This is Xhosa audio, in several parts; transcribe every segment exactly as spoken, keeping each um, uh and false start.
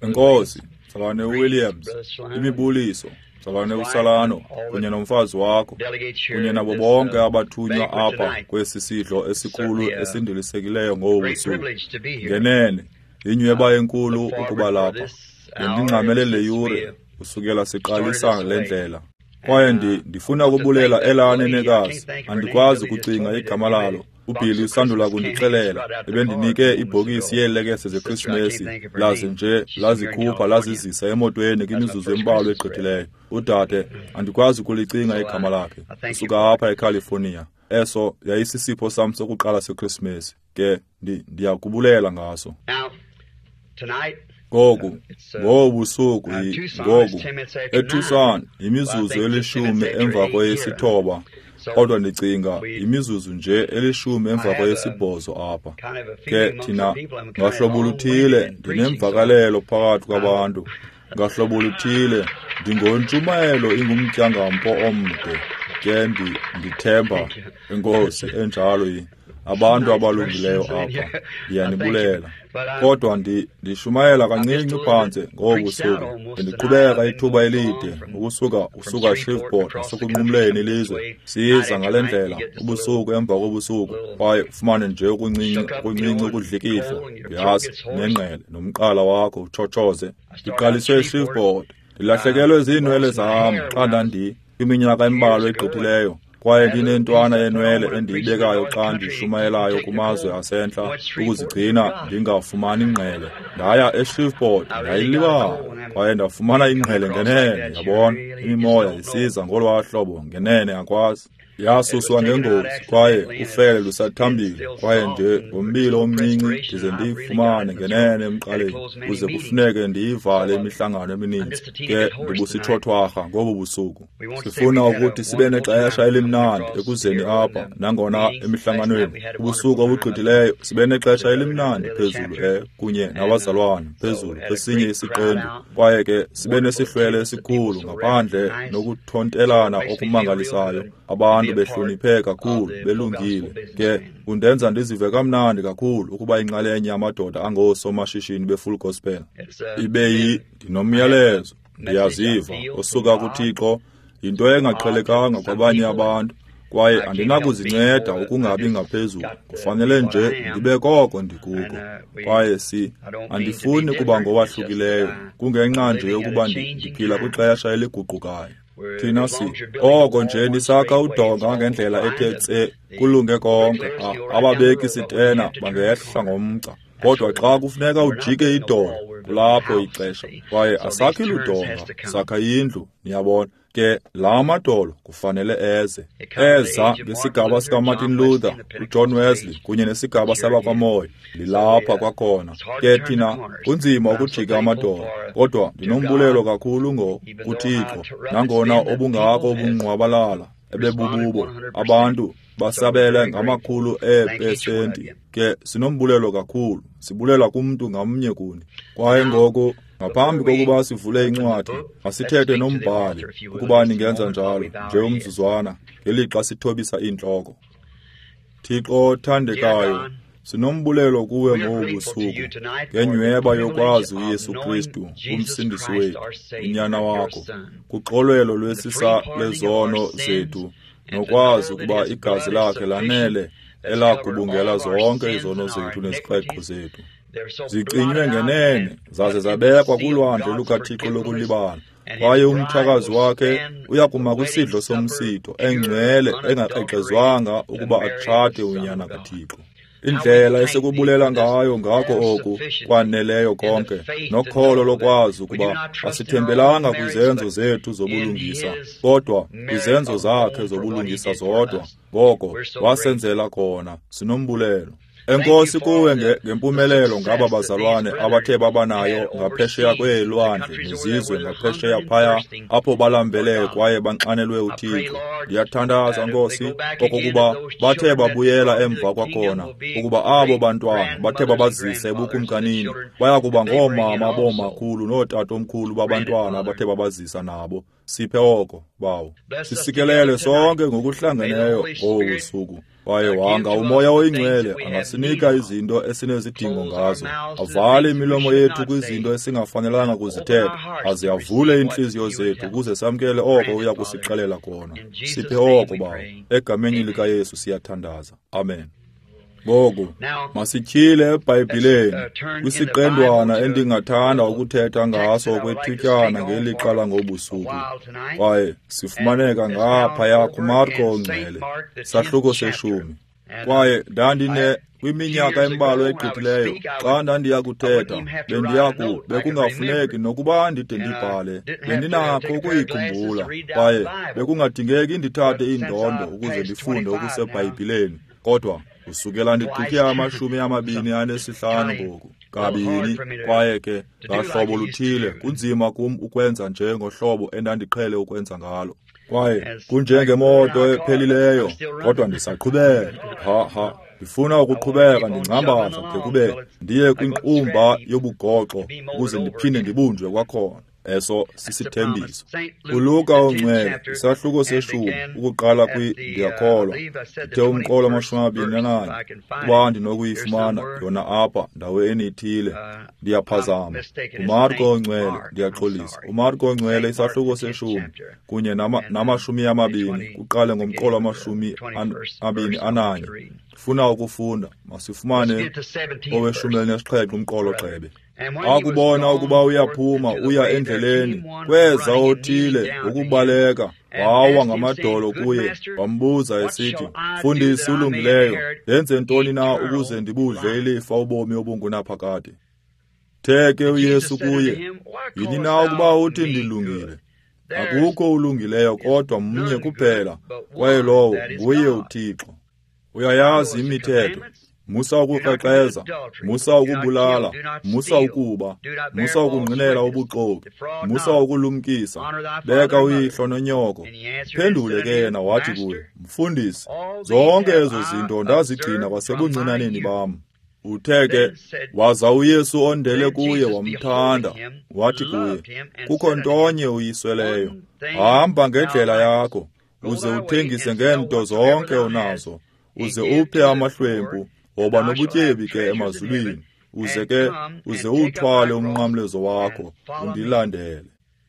Enkosi, Mzalwane Williams, imibuliso, Mzalwane uSalano, kunye nomfazi wakho, kunye nabo bonke abathunywa apha kwesi sidlo esikhulu esindilisekileyo ngobu busuku. Ngenene, inyweba enkulu ukuba lapha. Bendingxamele le yure kusukela siqalisa le ndlela. Kwaye ndi, ndifuna ukubulela elaa nenekazi, andikwazi ukucinga igama lalo. UBilly usandula kundixelela, ebendinike ibhokisi yeelekese zeKrisimesi, laze nje lazikhupha lazizisa emotweni kwimizuzu embalwa egqithileyo. Udade, andikwazi ukulicinga igama lakhe, usuka apha eCalifornia. Eso yayisisipho sam sokuqala seKrisimesi, ke ndiyakubulela ngaso. Ngoku, ngobu busuku, ngoku, eTucson, yimizuzu elishumi emva kweyesithoba, kodwa ndicinga yimizuzu nje elishumi emva kweyesibhozo apha. Ke thina, ngahlobo oluthile, ndinemvakalelo phakathi kwabantu. Ngahlobo oluthile, ndingontshumayelo ingumtyangampo omde. Ke ndithemba, enkosi, enjalo yi. Abantu abalungileyo apha, ndiyanibulela. Kodwa ndishumayela kancinci phantse ngobu busuku. Bendiqhubeka ithuba elide ukusuka usuka Shreveport nasekunqumleni ilizwe. Siza ngale ndlela ubusuku emva kobusuku, kwaye ufumane nje okuncinci okuncinci ukudlikidla, uyazi, nengqele nomqala wakho utshotshoze. Ndiqaliswe eShreveport, ndilahlekelwe ziinwele zam xa ndandi kwiminyaka embalwa egqithileyo. Kwaye ndinentwana yenwele endiyibekayo xa ndishumayelayo kumazwe asentla ukuzigcina ndingafumani ingqele. Ndaya eShreveport ndayilibala, kwaye ndafumana ingqele ngenene, yabona, imimoya isiza ngolwaa hlobo ngenene akwazi. Yasuswa ngengozi kwaye ufele lusathambile, kwaye nje ngombilo omncinci ndize ndiyifumane ngenene emqaleni, kuze kufuneke ndiyivale imihlangano emininzi. Ke ndibusithwathwarha ngobu busuku. Sifuna ukuthi sibe nexesha elimnandi ekuzeni apha, nangona emihlanganweni ubusuku obugqithileyo sibe nexesha elimnandi phezulu e kunye nabazalwane phezulu kwesinye isiqendu, kwaye ke sibe nesihlwele esikhulu ngaphandle nokuthontelana okumangalisayo. Abantu behloniphe kakhulu, belungile. Ke kundenza ndizive kamnandi kakhulu ukuba inxalenye yamadoda angoosomashishini be-Full Gospel. Ibe yi ndinomyalezo, ndiyaziva, osuka kuThixo, yinto engaqhelekanga kwabanye abantu, kwaye andinakuzinceda ukungabi ngaphezulu. Kufanele nje ndibe koko ndikuko. Kwaye si andifuni kuba ngowahlukileyo, kungenxa nje yokuba ndiphila kwixesha eliguqukayo. Thina si oko nje nisakha udonga ngendlela ethe tse, kulunge konke. Ababeki sitena bangehla ngomgca, kodwa xa kufuneka ujike idolo, kulapho ixesha. Kwaye asakhi ludonga, sakha indlu, niyabona. Ke la madolo kufanele eze. Eza ngesigaba sikaMartin Luther, uJohn Wesley kunye nesigaba sabakwaMoya. Lilapha kwakhona. Ke thina kunzima ukujika amadolo, kodwa ndinombulelo kakhulu ngo kuThixo, nangona obungako ubungqwabalala ebebububo, abantu basabele ngamakhulu eepesenti. Ke sinombulelo kakhulu, sibulela kumntu ngamnye kuni. Kwaye ngoku, ngaphambi kokuba sivule incwadi, masithethe nombhali, ukuba ningenza njalo nje umzuzwana, ngelixa sithobisa iintloko. Thixo othandekayo, sinombulelo kuwe ngobu busuku ngenyweba yokwazi uYesu Kristu, uMsindisi wethu, uNyana wakho, kuxolelo lwesisa lezono zethu, nokwazi ukuba igazi lakhe lanele elagubungela zonke izono zethu nezikreqo zethu. Zicinywe ngenene zaze zabekwa kulwandle lukaThixo lokulibala. Kwaye umtshakazi wakhe uyakuma kwisidlo somsitho engcwele engakrexezwanga ukuba atshate uNyana kaThixo. Indlela esikubulela ngayo ngako oku kwaneleyo konke, nokholo lokwazi ukuba asithembelanga kwizenzo zethu zobulungisa, kodwa kwizenzo zakhe zobulungisa zodwa. Ngoko wasenzela khona, sinombulelo. Enkosi kuwe ngempumelelo ngaba bazalwane abathe babanayo ngaphesheya kweelwandle nezizwe ngaphesheya phaya, apho balambele kwaye banxanelwe uThixo. Ndiyathandaza, Nkosi, okokuba bathe babuyela emva kwakhona, ukuba abo bantwana bathe babazise ebukumkanini baya kuba ngoomama boomakhulu nootatomkhulu babantwana abathe babazisa nabo. Siphe oko, Bawo. Sisikelele sonke ngokuhlangeneyo ngobu busuku. Kwaye wanga uMoya oyiNgcwele angasinika izinto esinezidingo ngazo, avale imilomo yethu kwizinto esingafanelanga kuzithetha, aze avule iintliziyo zethu ukuze samkele oko uya kusixelela kona. Siphe oko, Bawo. Egameni likaYesu siyathandaza. Amen. Ngoku masityhile eBhayibhileni kwisiqendwana endingathanda ukuthetha ngaso okwethutyana ngelixa langobusuku, kwaye sifumaneka ngaphaya kuMarko oNgcwele, sahluko seshumi. Kwaye ndandine kwiminyaka embalwa egqithileyo xa ndandiya kuthetha, bendiya bekungafuneki nokuba ndide ndibhale, bendinakho ukuyikhumbula, kwaye bekungadingeki ndithathe iindondo ukuze ndifunde okuseBhayibhileni. Kodwa kusukela ndigqithe amashumi amabini anesihlanu ngoku, kabini, kwaye ke ngahlobo luthile kunzima kum ukwenza nje ngohlobo endandiqhele ukwenza ngalo. Kwaye kunjengemoto ephelileyo, kodwa ndisaqhubeka. Ha ha, ndifuna ukuqhubeka ndingcambaza de kube ndiye kwinqumba yobugoxo ukuze ndiphinde ndibunjwe kwakhona. Eso sisithembiso. ULuka oNgcwele, isahluko seshumi, ukuqala kwi ndiyakholwa, ndithe umqolo amashumi amabini ananye, ukuba ndinokuyifumana yona apha ndaweni ithile, ndiyaphazama. UMarko oNgcwele, ndiyaxolisa. UMarko oNgcwele, isahluko seshumi, kunye namashumi amabini, kuqale ngomqolo amashumi amabini ananye. Ndifuna ukufunda, masifumane oweshumi elinesixhenxe umqolo gxebe. Akubona ukuba uyaphuma uya endleleni, kweza othile ngokubaleka, wawa ngamadolo kuye, wambuza esithi, Mfundisi ulungileyo, ndenze ntoni na ukuze ndibudle ilifa ubomi obungunaphakade? The ke uYesu kuye, yini na ukuba uthi ndilungile? Akukho ulungileyo kodwa mnye kuphela, kwaye lowo nguye uThixo. Uyayazi imithetho. Musa ukukrexeza, musa ukubulala, musa ukuba, musa ukungqinela ubuxoki, musa ukulumkisa, beka uyihlo nonyoko. Phendule ke yena wathi kuye, Mfundisi, zonke ezo zinto ndazigcina kwasebuncinaneni bam. Uthe ke, waza uYesu ondele kuye wamthanda, wathi kuye, kukho ntonye uyisweleyo, hamba ngendlela yakho, uze uthengise ngeento zonke onazo, uze uphe amahlwempu, woba nobutyebi ke emazulwini, uze ke uze uthwale umnqamlezo wakho, undilandele.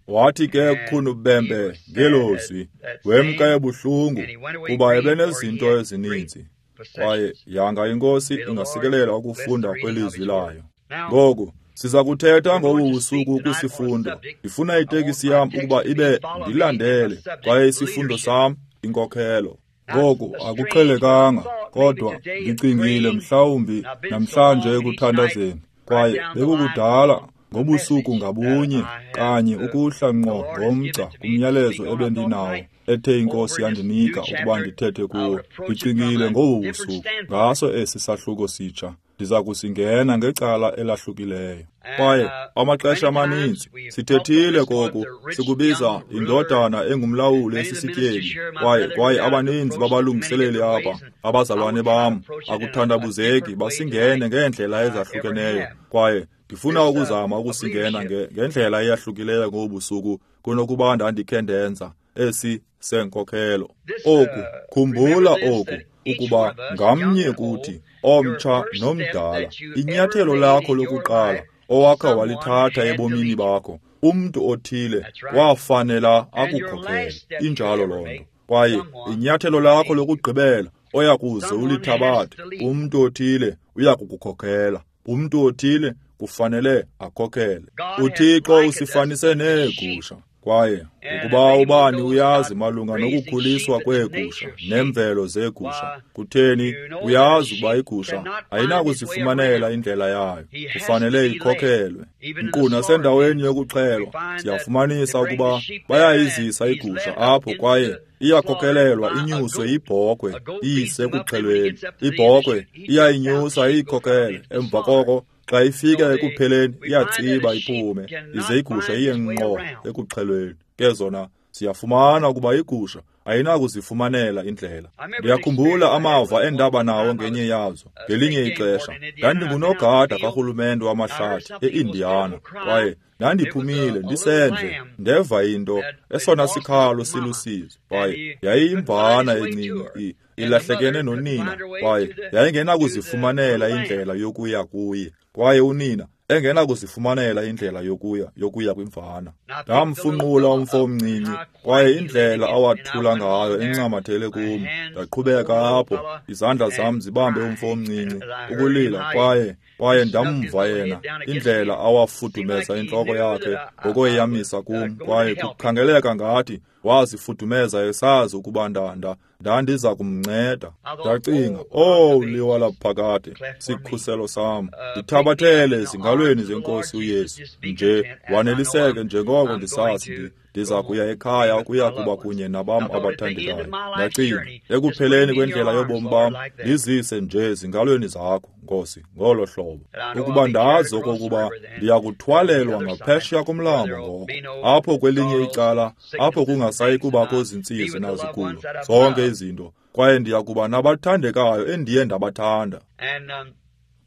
Wathi ke khunubembe ngelozwi, wemka ebuhlungu, kuba ebenezinto ezininzi. Kwaye yanga iNkosi ingasikelela ukufunda kwelizwi layo. Ngoku siza kuthetha ngobu busuku kwisifundo. Ndifuna itekisi yam ukuba ibe ndilandele, kwaye isifundo sam inkokhelo. Ngoku akuqhelekanga, kodwa ndicingile mhlawumbi namhlanje ekuthandazeni, kwaye bekukudala ngobusuku ngabunye kanye ukuhla ngqo ngomgca kumyalezo ebendinawo ethe iNkosi yandinika ukuba ndithethe kuwo. Ndicingile ngobu busuku ngaso esi sahluko sitsha, ndiza kusingena ngecala elahlukileyo. Kwaye amaxesha amaninzi sithethile koku, sikubiza indodana engumlawuli esisityebi. Kwaye kwaye abaninzi babalungiseleli apha, abazalwane bam, akuthandabuzeki basingene ngeendlela ezahlukeneyo. Kwaye ndifuna ukuzama ukusingena ngendlela eyahlukileyo ngobusuku kunokuba ndandikhe ndenza esi senkokhelo. Oku, khumbula oku, ukuba ngamnye kuthi, omtsha nomdala, inyathelo lakho lokuqala owakha walithatha ebomini bakho, umntu othile wafanela akukhokhele. Injalo loo nto. Kwaye inyathelo lakho lokugqibela oya kuze ulithabathe, umntu othile uya kukukhokhela. Umntu othile kufanele akhokhele. UThixo usifanise neegusha. Kwaye ukuba ubani uyazi malunga nokukhuliswa kweegusha nemvelo zeegusha, kutheni uyazi ukuba igusha ayinakuzifumanela indlela yayo, kufanele ikhokhelwe. Nkqu nasendaweni yokuxhelwa siyafumanisa ukuba bayayizisa igusha apho, kwaye iyakhokhelelwa inyuswe yibhokhwe iyise ekuxhelweni. Ibhokhwe iyayinyusa iyikhokhele, emva koko xa ifika ekupheleni iyatsiba iphume, ize igusha iye ngqo ekuxhelweni. Ke zona siyafumana ukuba igusha ayinakuzifumanela indlela. Ndiyakhumbula amava endaba nawo ngenye yazo. Ngelinye ixesha ndandingunogada karhulumente wamahlathi e-Indiana, kwaye ndandiphumile ndisendle, ndeva into, esona sikhalo silusizi, kwaye yayiyimvana encinci ilahlekene nonina, kwaye yayingenakuzifumanela indlela yokuya kuye, kwaye unina engenakuzifumanela indlela yokuya yokuya kwimvana. Ndamfunqula umfo omncinci, kwaye indlela awathula ngayo encamathele kum. Ndaqhubeka apho, izandla zam zibambe umfo omncinci, ukulila, kwaye kwaye ndamva yena, indlela awafudumeza intloko yakhe ngokoyamisa kum, kwaye kukhangeleka ngathi wazifudumeza esazi ukuba ndanda ndandiza kumnceda. Ndacinga, oh liwa laphakade, sikhuselo sam, ndithabathele ezingalweni zenkosi uYesu, nje waneliseke njengoko ndisazi ndiza kuya ekhaya ukuya kuba kunye nabam abathandekayo. Ndacinga, ekupheleni kwendlela yobomi bam, ndizise nje ezingalweni zakho, Nkosi, ngolo hlobo, ukuba ndazi okokuba ndiyakuthwalelwa ngaphesheya komlambo ngoko, apho kwelinye icala, apho kungasayi kubakho zintsizi nazigulo, zonke izinto, kwaye ndiyakuba nabathandekayo endiye ndabathanda.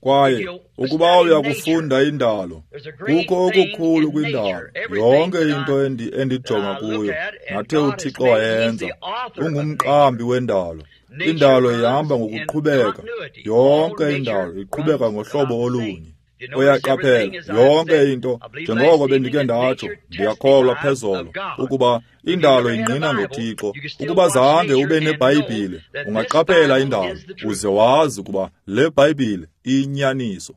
Kwaye ukuba uyakufunda indalo, kukho okukhulu kwindalo, yonke into endijonga kuyo, nathe uThixo wayenza, ungumqambi wendalo. Indalo ihamba ngokuqhubeka, yonke indalo iqhubeka ngohlobo olunye. Uyaqaphela, yonke into, njengoko bendike ndatsho, ndiyakholwa phezolo, ukuba indalo ingqina ngoThixo. Ukuba zange ube neBhayibhile, ungaqaphela indalo, uze wazi ukuba le Bhayibhile iyinyaniso.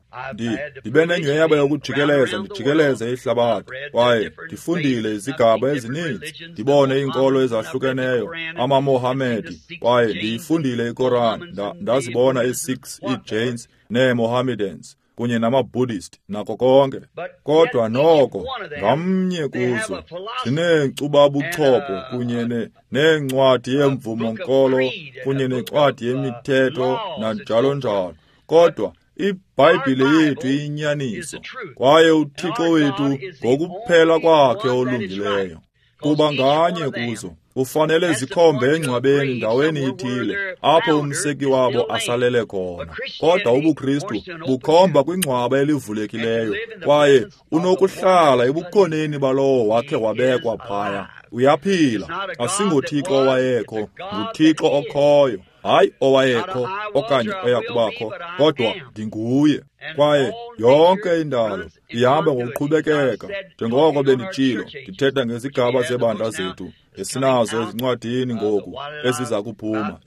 Ndibe nenyhweba yokujikeleza ndijikeleze ihlabathi, kwaye ndifundile izigaba ezininzi, ndibone iinkolo ezahlukeneyo, amaMohamedi, kwaye ndiyifundile iKoran, ndazibona ii-Sikhs, ii-Jains nee-Mohammedans kunye nama-Buddhist nako konke. Kodwa noko ngamnye kuzo zineenkcubabuchopho kunye neencwadi yemvumo-nkolo kunye nencwadi yemithetho nanjalo njalo. Kodwa iBhayibhile yethu iyinyaniso, kwaye uThixo wethu ngokuphela kwakhe olungileyo. Kuba nganye kuzo ufanele zikhombe engcwabeni ndaweni ithile apho umseki wabo asalele khona. Kodwa ubuKristu bukhomba kwingcwaba elivulekileyo, kwaye unokuhlala ebukhoneni balowo wakhe wabekwa phaya. Uyaphila, asingoThixo owayekho, nguThixo okhoyo, hayi owayekho okanye oyakubakho, kodwa ndinguye. Kwaye yonke indalo ihamba ngokuqhubekeka, njengoko benditshilo, ndithetha ngezigaba zebandla zethu esinazo ezincwadini ngoku eziza kuphuma.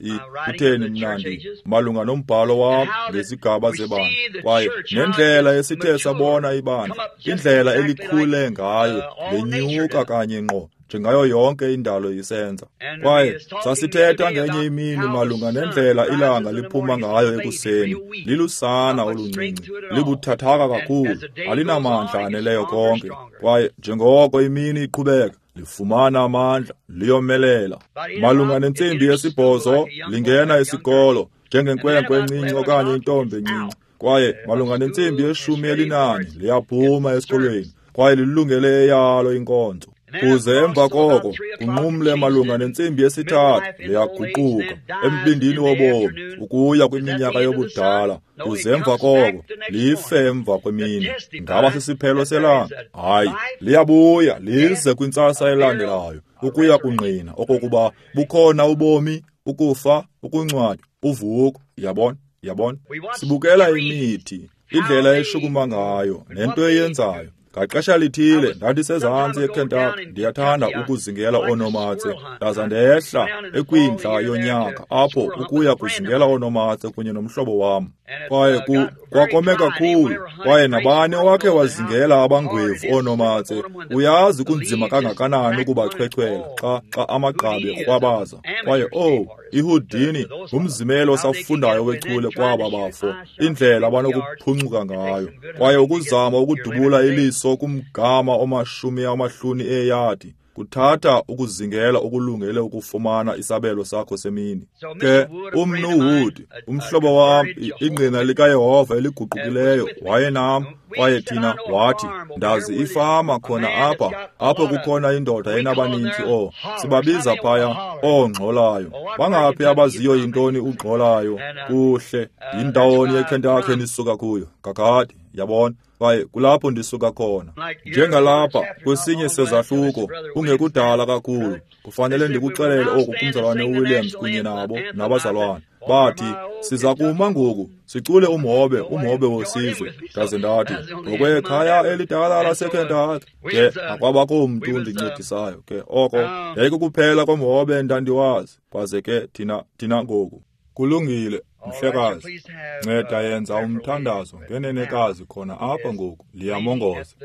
Kutheni mnandi malunga nombhalo wam ngezigaba zebandla, kwaye nendlela esithe sabona ibandla, indlela elikhule ngayo, lenyuka kanye ngqo njengayo yonke indalo isenza. Kwaye sasithetha ngenye imini malunga nendlela ilanga liphuma ngayo ekuseni, lilusana oluncinci, libuthathaka kakhulu, alinamandla aneleyo konke. Kwaye njengoko imini iqhubeka, lifumana amandla, liyomelela. Malunga nentsimbi yesibhozo lingena isikolo njengenkwenkwe encinci okanye intombi encinci. Kwaye malunga nentsimbi yeshumi elinane liyaphuma esikolweni, kwaye lilungele eyalo inkonzo. Kuze emva koko kunqumle malunga nentsimbi yesithathu liyaguquka embindini wobomi ukuya kwiminyaka yobudala. Kuze emva koko life emva kwemini. Ngaba sisiphelo selanga? Hayi, liyabuya lize kwintsasa elandelayo ukuya kungqina okokuba bukhona ubomi, ukufa, ukungcwatywa, uvuko. Yabona, yabona. Sibukela imithi, indlela eshukuma ngayo nento eyenzayo. Ngaxesha lithile ndandisezantsi eKentucky, ndiyathanda ukuzingela oonomatse, ndaza ndehla ekwindla yonyaka apho ukuya kuzingela oonomatse kunye nomhlobo wam. Kwaye kwakome kakhulu, kwaye nabani owakhe wazingela abangwevu oonomatse uyazi kunzima kangakanani ukubachwechwela xa xa amagqabi ekrwabaza. Kwaye oh, iHoudini ngumzimelo osafundayo wechule kwaba bafo, indlela abanokuphuncuka ngayo. Kwaye ukuzama ukudubula iliso kumgama omashumi amahlanu eeyadi kuthatha ukuzingela okulungele ukufumana isabelo sakho semini. Ke umnu Wood, umhlobo wam, ingqina likaYehova eliguqukileyo, wayenam, Kwaye thina wathi, ndazi ifama khona apha, apho kukhona indoda enabaninzi oo, sibabiza phaya oongxolayo. Bangaphi abaziyo yintoni ugxolayo? Kuhle, yindawoni eKentucky endisuka kuyo, kakade, yabona. Kwaye kulapho ndisuka khona. Njengalapha kwesinye sezahluko, kungekudala kakhulu, kufanele ndikuxelele oku kumzalwane uWilliams kunye nabo nabazalwane. Bathi, siza kuma ngoku, sicule umhobe, umhobe wesizwe. Ndaze ndathi, ngokwekhaya elidala laseKentucky. Ke akwabakho mntu undincedisayo. Ke oko yayikukuphela komhobe endandiwazi. Kwaze ke thina thina ngoku. Kulungile, mhlekazi, nceda yenza umthandazo ngenenekazi khona apha ngoku, liyamongoza.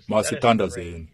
Masithandazeni.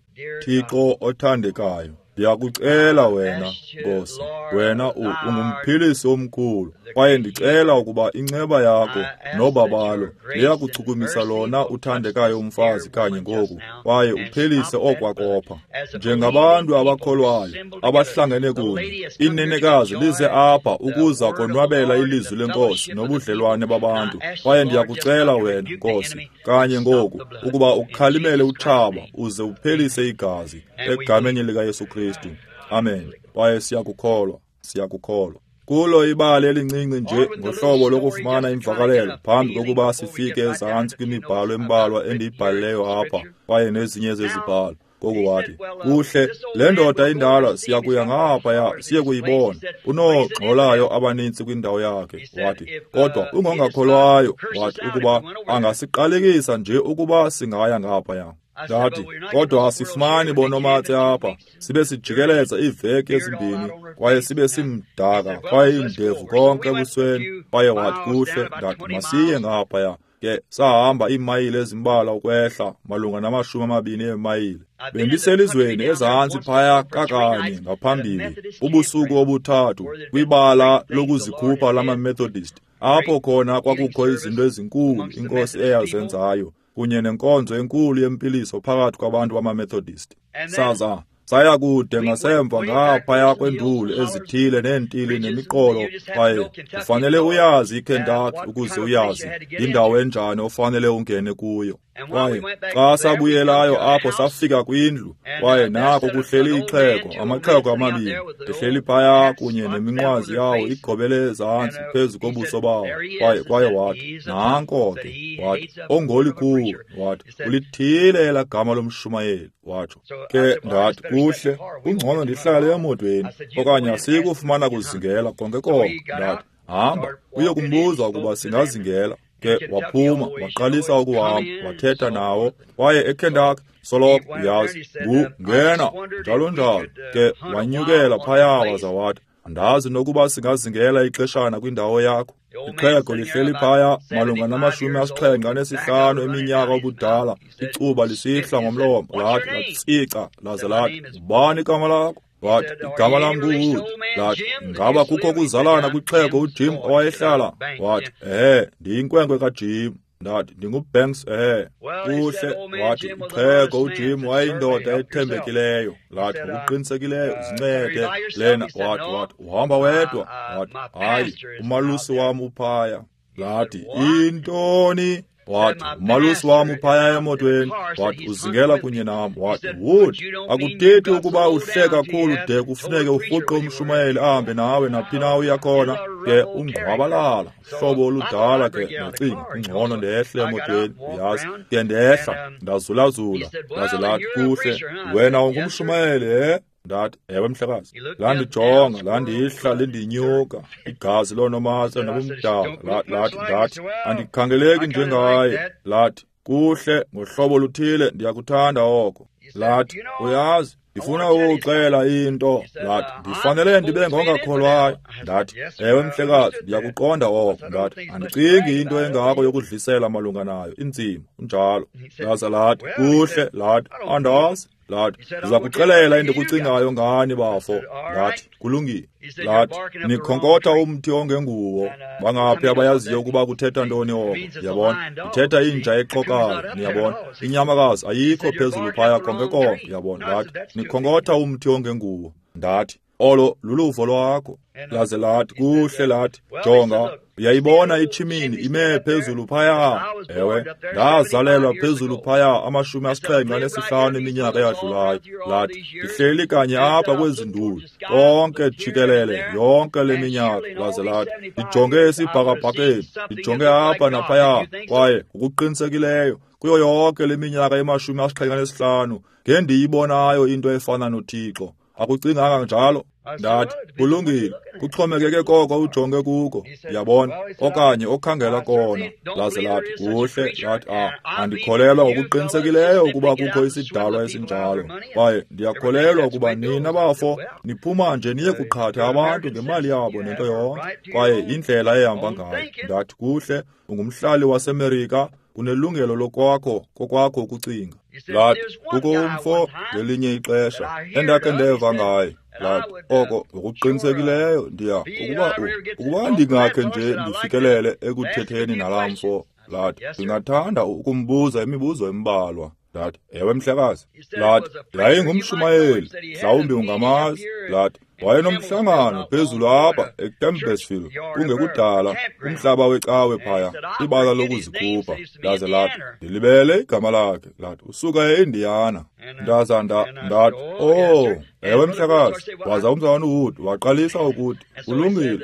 Thixo othandekayo, ndiyakucela wena, Nkosi, wena ungumphilisi omkhulu, kwaye ndicela ukuba inceba yakho nobabalo liyakuchukumisa lona uthandekayo umfazi kanye ngoku, kwaye uphelise okwakopha. Njengabantu abakholwayo abahlangene kunye, inenekazi lize apha ukuza konwabela ilizwi lenkosi nobudlelwane babantu, kwaye ndiyakucela wena, Nkosi, kanye ngoku, ukuba ukhalimele utshaba uze uphelise igazi, egameni likaYesu Kristu. Amen. Kwaye siyakukholwa, siyakukholwa. Kulo ibali elincinci nje ngohlobo lokufumana imvakalelo phambi kokuba sifike ezantsi kwimibhalo embalwa endiyibhalileyo apha kwaye nezinye zezibhalo. Ngoku wathi, kuhle, le ndoda indala siyakuya ngaphaya siye kuyibona. Unoogxolayo abanintsi kwindawo yakhe. Wathi, kodwa ungongakholwayo. Wathi, ukuba angasiqalekisa nje ukuba singaya ngaphaya. Ndathi, kodwa asifumani bonomatse apha, sibe sijikeleza iiveki ezimbini, kwaye sibe simdaka, kwaye indevu konke ebusweni. Kwaye wathi, kuhle, ndathi, masiye ngaphaya. Ke sahamba iimayile ezimbalwa ukwehla, malunga namashumi amabini eemayile. Bendiselizweni ezantsi phaya kakanye ngaphambili, ubusuku obuthathu, kwibala lokuzikhupha lamaMethodist, apho khona kwakukho izinto ezinkulu inkosi eyazenzayo, kunye nenkonzo enkulu yempiliso phakathi kwabantu bamaMethodist. Saza saya kude ngasemva ngaphaya kwenduli ezithile neentili nemiqolo, kwaye ufanele uyazi iKentucky ukuze uyazi indawo enjani ofanele ungene kuyo. Kwaye xa sabuyelayo apho safika kwindlu, kwaye nako kuhleli ixhego, amaxhego amabini, ehleli phaya kunye neminqwazi yawo igobele ezantsi phezu kobuso bawo. Kwaye kwaye wathi, nanko ke, wathi, ongolikhulu, wathi, ulithile elaa gama lomshumayeli, watsho. Ke ndathi, kuhle, kungcono ndihlale emotweni, okanye asikufumana kuzingela konke konke. Ndathi, hamba, uye kumbuza ukuba singazingela. Ke waphuma, waqalisa ukuhamba, wathetha nawo, kwaye eKentucky soloko uyazi, ngu ngena, njalo njalo. Ke wanyukela phaya waza wathi, andazi nokuba singazingela ixeshana kwindawo yakho. Ixhego lihleli phaya malunga namashumi asixhenxe anesihlanu eminyaka obudala, icuba lisihla ngomlomo, lathi latsica, laze lathi, ubani igama lakho? Wathi, igama lam nguWood. Lathi, ngaba kukho kuzalana kwixhego uJim owayehlala? Wathi, ehe, ndiyinkwenkwe kaJim. Ndathi, ndinguBanks, ehe. Kuhle, wathi, ixhego uJim wayeyindoda ethembekileyo. Lathi, ngokuqinisekileyo, zincede lena. Wathi, wathi, uhamba wedwa? Wathi, hayi, umalusi wam uphaya. Lathi, intoni? Wathi, umalusi wam uphaya emotweni. Wathi, uzingela kunye nam. Wathi, Wood, akuthethi ukuba uhle kakhulu de kufuneke urhuqe umshumayeli ahambe nawe naphi na uya khona. Ke ungqwabalala, hlobo oludala ke. Ndacinga, kungcono ndehle emotweni, uyazi. Ke ndehla, ndazulazula, ndaze lathi, kuhle, wena ungumshumayeli, he? Ndathi, ewe mhlekazi. Landijonga, landihla, lindinyuka, igazi loonomatse nobumdaka. Lathi, ndathi, andikhangeleki njengaye. Lathi, kuhle, ngohlobo oluthile ndiyakuthanda oko. Lathi, uyazi, ndifuna ukuxela into. Lathi, ndifanele ndibe ngongakholwayo. Ndathi, ewe mhlekazi, ndiyakuqonda oko. Ndathi, andicingi into engako yokudlisela malunga nayo, inzima, unjalo. Laza lathi, kuhle, lathi, andazi. Lathi, ndiza kuxelela endikucingayo ngani, bafo. Ndathi, kulungile. Lathi, nikhonkotha umthi ongenguwo. Bangaphi abayaziyo ukuba kuthetha ntoni oko? Yabona, ithetha inja exokayo, niyabona. Inyamakazi ayikho phezulu phaya konke konke, yabona. Lathi, nikhonkotha umthi ongenguwo. Ndathi, Olo luluvo lwakho. Laze lathi, kuhle, lathi, jonga, uyayibona itshimini ime phezulu phaya. Ewe, ndazalelwa phezulu phaya amashumi asixhenxe anesihlanu eminyaka eyadlulayo. Lathi, ndihleli kanye apha kwezi nduli konke jikelele yonke le minyaka. Laze lathi, ndijonge esibhakabhakeni, ndijonge apha naphaya, kwaye ngokuqinisekileyo kuyo yonke le minyaka emashumi asixhenxe anesihlanu ngendiyibonayo into efana noThixo. Akucinganga njalo? Ndathi, kulungile, kuxhomekeke koko ujonge kuko, yabona, okanye okhangela kona. Laze lathi, kuhle, lathi, ah, andikholelwa ngokuqinisekileyo ukuba kukho isidalwa esinjalo, kwaye ndiyakholelwa ukuba nina bafo niphuma nje niye kuqhatha abantu ngemali yabo nento yonke, kwaye indlela ehamba ngayo. Ndathi, kuhle, ungumhlali waseMerika, unelungelo lokwakho kokwakho ukucinga. Lathi, kukho umfo ngelinye ixesha endakhe ndeva ngaye. Lathi, oko ngokuqinisekileyo ndiya ukuba ukuba ndingakhe nje ndifikelele ekuthetheni nalaa mfo. Lathi, ndingathanda ukumbuza imibuzo embalwa. Ndathi, ewe mhlekazi. Lathi, yayingumshumayeli, mhlawumbi ungamazi. Lathi, wayenomhlangano phezulu apha eCampbellsville kungekudala, umhlaba wecawe phaya, ibala lokuzikhupha. Laze lathi, ndilibele igama lakhe. Lathi, usuka eIndiana. Ndaza ndathi, oh, ewe mhlekazi. Waza umzalwana uWood waqalisa ukuthi, kulungile,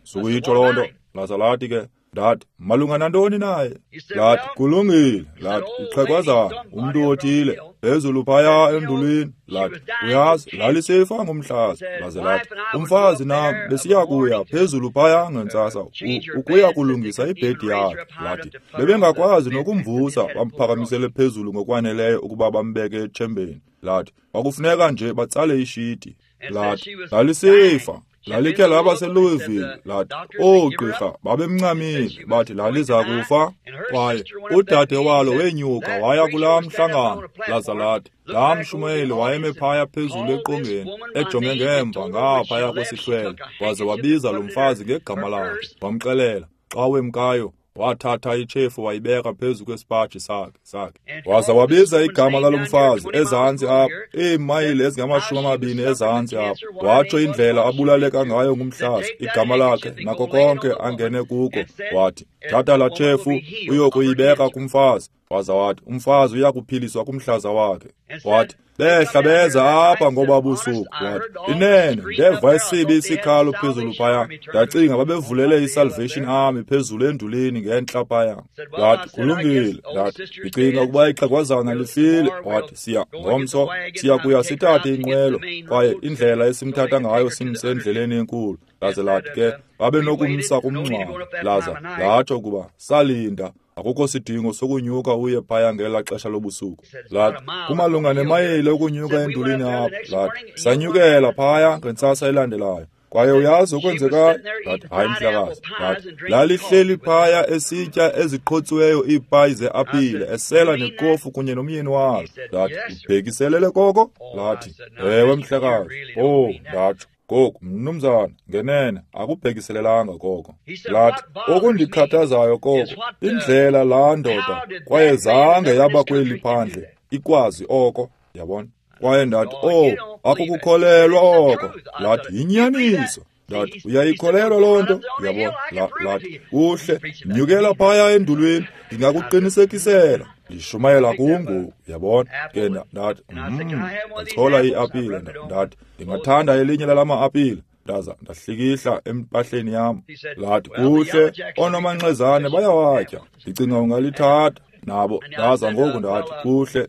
sukuyitsho loo nto. Laza lathi ke, ndathi, malunga nantoni naye? Lathi, kulungile. Lathi, ixhegwazana, umntu othile phezulu phaya endulwini. Lathi, uyazi, lalisefa ngumhlaza. Laze lathi, umfazi nam besiya kuya phezulu phaya ngentsasa ukuya kulungisa ibhedi yakhe. Lathi, bebengakwazi nokumvusa bamphakamisele phezulu ngokwaneleyo ukuba bambeke etshembeni. Lathi, kwakufuneka nje batsale ishiti. Lathi, lalisefa. Lalikhe laba seLouisville. Lathi, oogqirha babemncamile, bathi laliza kufa. Kwaye udade walo wenyuka waya kulaa mhlangano. Laza lathi, laa mshumayeli wayeme phaya phezulu eqongeni, ejonge ngemva ngaphaya kwesihlwele, waze wabiza lo mfazi ngegama lakhe, wamxelela xa wemkayo wathatha itshefu wayibeka phezu kwesipaji sakhe sakhe. Waza wabiza igama lalo mfazi ezantsi apha, iimayile ezingamashumi amabini ezantsi apha. Watsho indlela abulaleka ngayo ngumhlaza, igama lakhe nako konke angene kuko. Wathi, thatha laa tshefu uyokuyibeka kumfazi. Waza wathi, umfazi uyakuphiliswa kumhlaza wakhe. Wathi, behla beza apha ngoba busuku. Wathi, inene ndeva isibi isikhalo phezulu phaya, ndacinga babevulele iSalvation Army phezulu endulini ngentla phaya. Ndathi, kulungile. Ndathi, ndicinga ukuba ixhegwazana lifile. Wathi, siya ngomso siya kuya sithathe inqwelo, kwaye indlela esimthatha ngayo simse endleleni enkulu. Laze lathi ke babenokumsa kumngcwabo. Laza latsho ukuba salinda, akukho sidingo sokunyuka uye phaya ngela xesha lobusuku. Lathi, kumalunga nemayile ukunyuka endulini apha. Lathi, sanyukela phaya ngentsasa elandelayo. Kwaye uyazi okwenzekayo? Lathi, hayi mhlekazi. Lathi, lalihleli phaya esitya eziqhotsiweyo iipayi zeapile, esela nekofu kunye nomyeni walo. Lathi, ubhekiselele koko? Lathi, ewe mhlekazi. Oh, ndatsho, ngoku mnumzana, ngenene akubhekiselelanga koko. Lathi, okundikhathazayo koko, indlela laa ndoda kwaye zange yaba kweli phandle ikwazi oko, yabona. Kwaye ndathi, oh, akukukholelwa oko. Lathi, yinyaniso. Ndathi, uyayikholelwa loo nto? Yabona. Lathi, kuhle, nyukela phaya endulwini, ndingakuqinisekisela. Ndishumayela kungoku, yabona. Ke ndathi, mm, ndachola iapile. Ndathi, ndingathanda elinye lalama apile. Ndaza ndahlikihla empahleni yam. Lathi, kuhle, oonomanxezane bayawatya, ndicinga ungalithatha. Nabo ndaza ngoku ndathi, kuhle,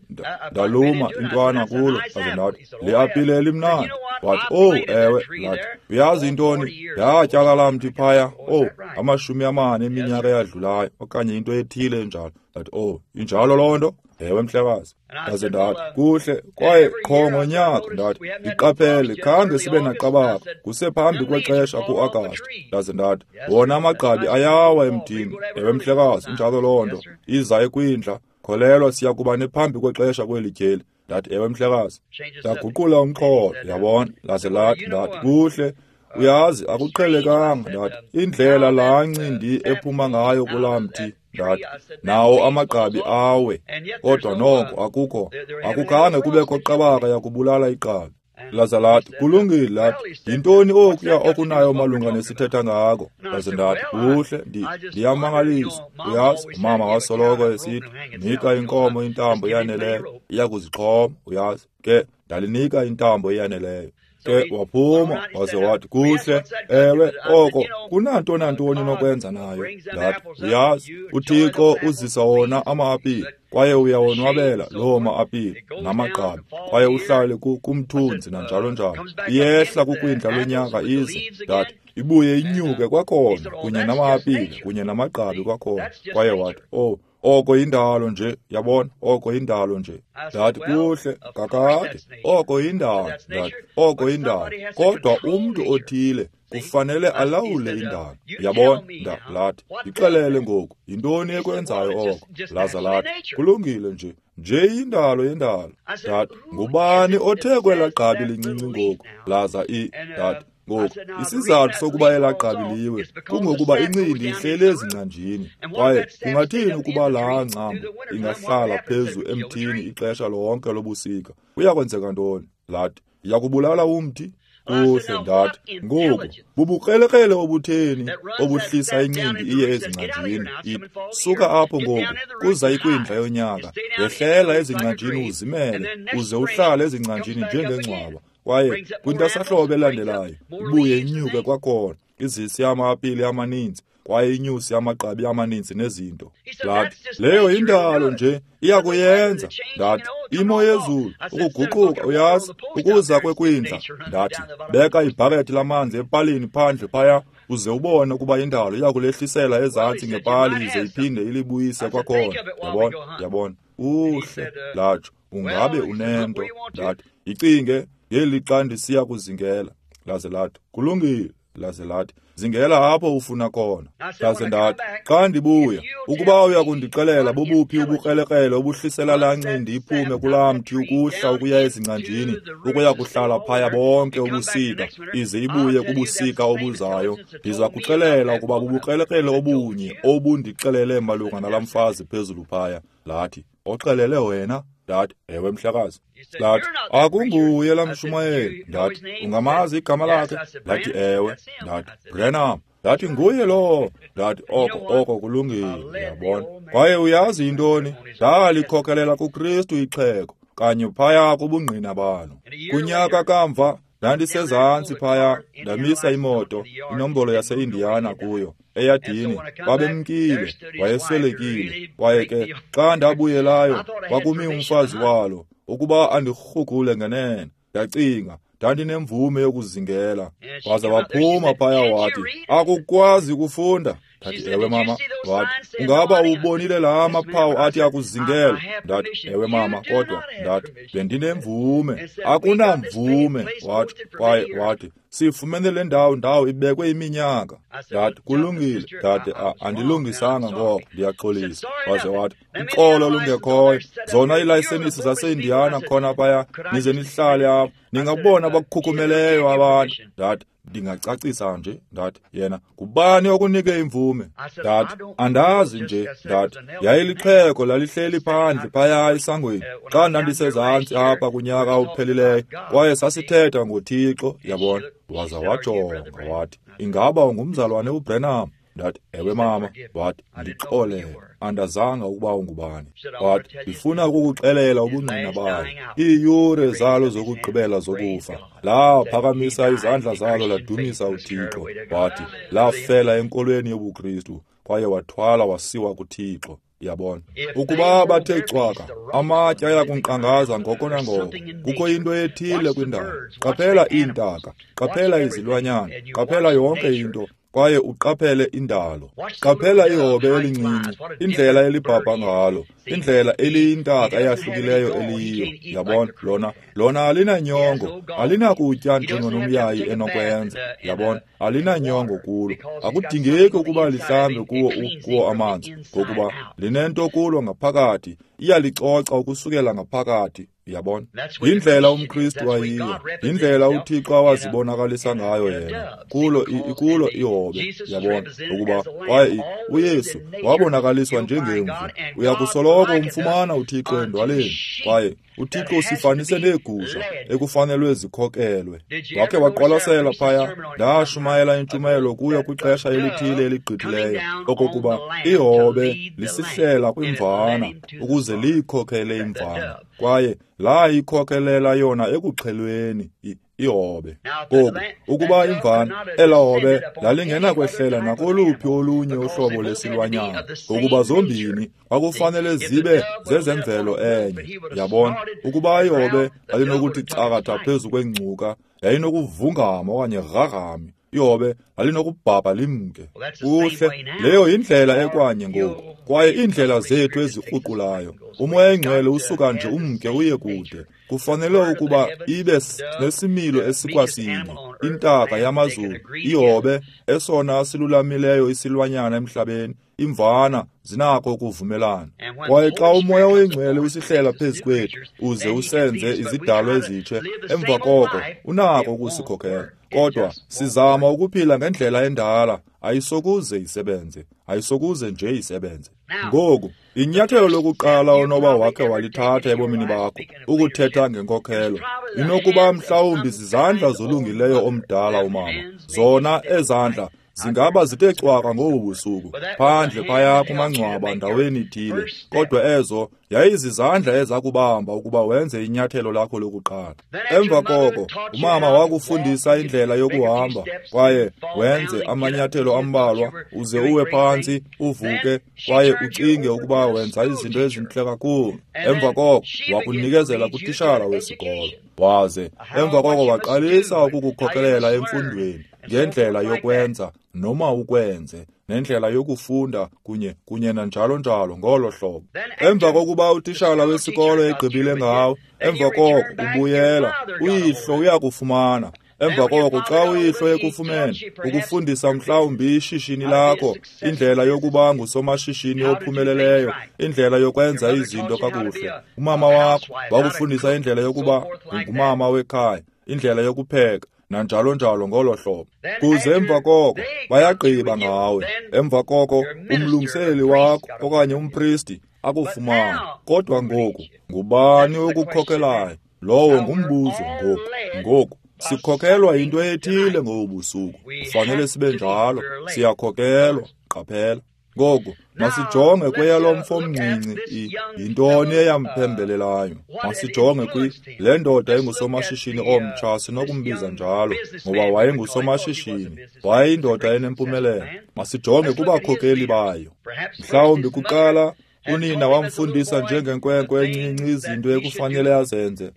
ndaluma intwana kulo. Ndaze ndathi, le apile elimnandi. Wathi, oh, ewe. Lathi, uyazi intoni, ndatyala laa mthi phaya, oh, amashumi amane eminyaka eyadlulayo, okanye into ethile enjalo. Ndathi, oh, injalo loo nto? Ewe mhlekazi. Ndaze ndathi, kuhle, kwaye qho ngonyaka, ndathi, ndiqaphele khange sibe naqabaka, kusephambi kwexesha ku-Agasti. Ndaze ndathi, wona amagqabi ayawa emthini. Ewe mhlekazi, injalo loo nto, iza ekwindla, kholelwa siya kuba nephambi kwexesha kweli tyeli. Ndathi, ewe mhlekazi. Ndaguqula umxholo, yabona. Laze lathi, ndathi, kuhle, uyazi akuqhelekanga. Ndathi, indlela laa ncindi ephuma ngayo kulaa mthi. Ndathi, nawo amagqabi awe, kodwa noko akukho, akukhange kubekho qabaka yakubulala igqabi. Laza lathi, kulungile, lathi, yintoni okuya okunayo malunga nesithetha ngako? Laze ndathi, kuhle, ndiyamangaliswa. Uyazi, umama wasoloko esithi, nika inkomo intambo eyaneleyo, iya kuzixhoma, uyazi. Ke ndalinika intambo eyaneleyo. Ke waphuma waze wathi, kuhle, ewe, oko kunanto nantoni nokwenza nayo. Ndathi, uyazi, uThixo uzisa wona ama-apile, kwaye uyawonwabela loo ma-apile namagqabi, kwaye uhlale kumthunzi nanjalo njalo. Iyehla kukwindla lonyaka ize, ndathi, ibuye inyuke kwakhona kunye nama-apile kunye namagqabi kwakhona. Kwaye wathi, oh, oko yindalo nje, yabona, oko yindalo nje. Ndathi, kuhle, kakade, oko yindalo. Ndathi, oko yindalo. Kodwa umntu othile kufanele alawule indalo. Yabona, ndathi, ndixelele ngoku, yintoni ekwenzayo oko? Laza lathi, kulungile nje, nje yindalo yendalo. Ndathi, ngubani othe kwelaa gqabi lincinci ngoku? Laza i, ndathi, ngoku, isizathu sokuba elaa gqabi liwe kungokuba incindi ihleli ezingcanjini, kwaye kungathini ukuba laa ngcambu ingahlala phezu emthini ixesha lonke lobusika? Kuyakwenzeka ntoni? Lathi, iyakubulala umthi. Kuhle, ndathi, ngoku bubukrelekrele obutheni obuhlisa incindi iye ezingcanjini? Ithi, suka apho ngoku, kuza ikwindla yonyaka, yehlela ezingcanjini uzimele, uze uhlale ezingcanjini njengengcwaba. Kwaye kwintasahlobo elandelayo ibuye inyuke kwakhona, izise ama-apile amaninzi, kwaye inyuse amagqabi amaninzi nezinto. Ndathi, leyo yindalo nje, iyakuyenza. Ndathi, imo yezulu, ukuguquka, uyazi, ukuza kwekwindla. Ndathi, beka ibhakethi lamanzi epalini phandle phaya, uze ubone ukuba indalo iyakulehlisela ezantsi ngepali ize iphinde ilibuyise kwakhona. Yabona, yabona. Uhle, latsho, ungabe unento. Ndathi, icinge ngeli xa ndisiya kuzingela. Laze lathi, kulungile. Laze lathi, zingela apho ufuna khona. Laze ndathi, xa ndibuya, ukuba uya kundixelela bobuphi ubukrelekrele obuhlisela laa ncindi iphume kulaa mthi ukuhla ukuya ezingcanjini, ukuya kuhlala phaya bonke ubusika, ize ibuye kubusika obuzayo, ndiza kuxelela ukuba bubukrelekrele obunye obundixelele malunga nalaa mfazi phezulu phaya. Lathi, oxelele wena? Ndathi, ewe mhlekazi. Lathi, akunguye laa mshumayeli. Ndathi, ungamazi igama lakhe? Lathi, ewe. Ndathi, Branham. Ndathi, nguye lowo. Ndathi, oko oko kulungile, yabona. Kwaye uyazi yintoni? Ndalikhokelela kuKristu ixhego, kanye phaya kubungqina balo. Kunyaka kamva, ndandisezantsi phaya, ndamisa imoto, inombolo yase-Indiana kuyo, eyadini. Babemkile, wayeswelekile. Kwaye ke xa ndabuyelayo, kwakumi umfazi walo ukuba andirhugule ngenene. Ndacinga, ndandinemvume yokuzingela. Waza waphuma phaya wathi, akukwazi ukufunda? Ndathi, ewe mama. Wathi, ungaba ubonile laa maphawu athi akuzingela? Ndathi, ewe mama, kodwa ndathi, bendinemvume. Akunamvume, wathi. Kwaye wathi, sifumene le ndawo ndawo ibekwe iminyaka. Ndathi, kulungile. Ndathi, andilungisanga ngoko, ndiyaxolisa. Waze wathi, uxolo lungekhoyo, zona iilayisenisi zaseIndiana khona phaya, nize nihlale apho, ningabona abakukhukhumeleyo abantu. Ndathi, ndingacacisa nje. Ndathi, yena, ngubani okunike imvume? Ndathi, andazi nje. Ndathi, yayilixhego lalihleli phandle phaya esangweni xa ndandisezantsi apha kunyaka ophelileyo, kwaye sasithetha ngoThixo, yabona. Waza wajonga wathi, ingaba ungumzalwane uBranham? Ndathi, ewe mama. Wathi, ndixolele, andazanga ukuba ungubani. Wathi, ndifuna ukukuxelela ubungqina bayo, iiyure zalo zokugqibela zokufa. Laphakamisa izandla zalo ladumisa uThixo. Wathi, lafela enkolweni yobuKristu, kwaye wathwala wasiwa kuThixo. Yabona, ukuba bathe cwaka, amatye ayakunkqangaza ngoko nangoko. Kukho into ethile kwindalo. Qaphela iintaka, qaphela izilwanyana, qaphela yonke into, kwaye uqaphele indalo. Qaphela ihobe elincinci, indlela elibhabha ngalo, indlela eliyintaka eyahlukileyo eliyiyo. Yabona, lona lona alinanyongo, alinakutya njengonomyayi enokwenza. Yabona, alinanyongo kulo. Akudingeki ukuba lihlambe kuwo kuwo amanzi, ngokuba linento kulo ngaphakathi, iyalicoca ukusukela ngaphakathi. Uyabona? Yindlela umKristu ayiyo, yindlela uThixo awazibonakalisa ngayo yena kulo kulo ihobe. Uyabona ukuba kwaye uYesu wabonakaliswa njengemvu. Uyakusoloko umfumana uThixo endwaleni, kwaye uThixo usifanise neegusha ekufanelwe zikhokelwe. Wakhe waqwalasela phaya, ndashumayela intshumayelo kuyo kwixesha elithile eligqithileyo, okokuba ihobe lisihlela kwimvana ukuze liyikhokele imvana, kwaye layikhokelela yona ekuxhelweni ihobe. Ngoku ukuba imvana ela hobe lalingenakwehlela nakoluphi olunye uhlobo lesilwanyana, ngokuba zombini kwakufanele zibe zezemvelo enye. Yabona, ukuba ihobe lalinokuthi cakatha phezu kwengcuka, yayinokuvungama okanye rarame. Ihobe lalinokubhabha limke. Kuhle, leyo yindlela ekwanye ngoku, kwaye iindlela zethu ezikruqulayo. UMoya oyiNgcwele usuka nje umke uye kude. Kufanele ukuba ibe nesimilo esikwasinye, intaka yamazulu, ihobe, esona silulamileyo isilwanyana emhlabeni, imvana zinako ukuvumelana. Kwaye xa uMoya oyiNgcwele usihlela phezu kwethu uze usenze izidalwa ezitshe, emva koko unako ukusikhokela. Kodwa sizama ukuphila ngendlela endala, ayisokuze isebenze, ayisokuze nje isebenze. Ngoku, inyathelo lokuqala onoba wakhe walithatha ebomini bakho, ukuthetha ngenkokhelo, inokuba mhlawumbi zizandla zolungileyo omdala umama. Zona ezandla zingaba zithe cwaka ngobu busuku, phandle phaya kumangcwaba ndaweni ithile, kodwa ezo yayizizandla ezakubamba ukuba wenze inyathelo lakho lokuqala. Emva koko umama wakufundisa indlela yokuhamba, kwaye wenze amanyathelo ambalwa uze uwe phantsi uvuke, kwaye ucinge ukuba wenza izinto ezintle kakhulu. Emva koko wakunikezela kutishala wesikolo, waze emva koko waqalisa ukukukhokelela emfundweni ngendlela yokwenza noma ukwenze, nendlela yokufunda kunye kunye nanjalo njalo ngolo hlobo. Emva kokuba utishala wesikolo egqibile ngawo, emva koko ubuyela, uyihlo uyakufumana. Emva koko xa uyihlo ekufumene, ukufundisa mhlawumbi ishishini lakho, indlela yokuba ngusomashishini ophumeleleyo, indlela yokwenza izinto kakuhle. Umama wakho wakufundisa indlela yokuba ngumama wekhaya, indlela yokupheka, nanjalo njalo ngolo hlobo. Kuze emva koko bayagqiba ngawe. Emva koko umlungiseleli wakho okanye umpristi akufumana. Kodwa ngoku ngubani okukhokelayo? Lowo ngumbuzo ngoku. Ngoku sikhokelwa yinto ethile ngobu busuku. Kufanele sibe njalo, siyakhokelwa. Qaphela. Ngoku masijonge kweyalo mfo omncinci, yintoni eyamphembelelayo. Masijonge kwi le ndoda engusomashishini omtsha, sinokumbiza njalo ngoba wayengusomashishini, wayeyindoda enempumelelo. Masijonge kubakhokeli bayo. Mhlawumbi kuqala unina wamfundisa njengenkwenkwe encinci izinto ekufanele azenze.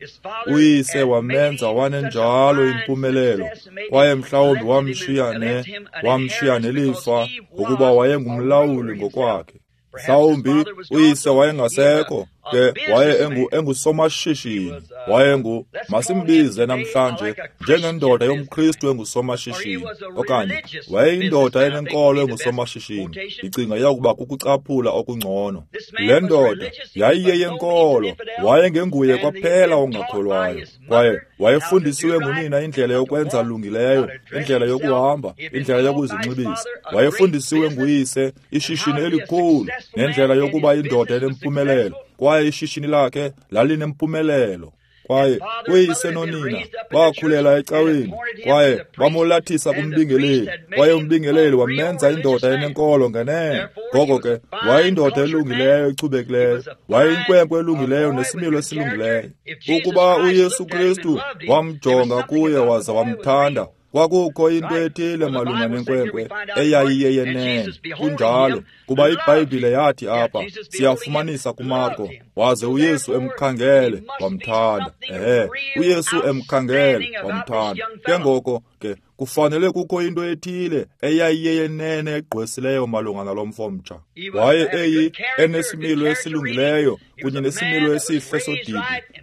Uyise wamenza wanenjalo impumelelo, kwaye mhlawumbi wamshiya ne wamshiya nelifa ngokuba wayengumlawuli ngokwakhe. Mhlawumbi uyise wayengasekho, ke waye engu engusomashishini, wayengu masimbize namhlanje njengendoda yomKristu engusomashishini, okanye wayeyindoda enenkolo engusomashishini. Ndicinga iyakuba kukucaphula okungcono. Le ndoda yayiyeyenkolo, wayengenguye kwaphela ongakholwayo, kwaye wayefundisiwe ngunina indlela yokwenza lungileyo, indlela yokuhamba, indlela yokuzinxibisa. Wayefundisiwe nguyise ishishini elikhulu nendlela yokuba indoda enempumelelo, kwaye ishishini lakhe lalinempumelelo. Kwaye uyise nonina bakhulela ecaweni, kwaye bamolathisa kumbingeleli, kwaye umbingeleli wamenza indoda enenkolo ngenene. Ngoko ke wayeyindoda elungileyo echubekileyo, wayeyinkwenkwe elungileyo nesimilo esilungileyo. Ukuba uYesu Kristu wamjonga kuye waza wamthanda, kwakukho into ethile malunga nenkwenkwe eyayiyeyenene. Kunjalo, kuba iBhayibhile yathi apha, siyafumanisa kuMarko, waze uYesu emkhangele wamthanda. Ehe, uYesu emkhangele wamthanda. Ke ngoko ke kufanele kukho into ethile eyayiyeyenene egqwesileyo malunga nalo mfo mtsha. Waye eyi enesimilo esilungileyo kunye nesimilo esihle sodidi.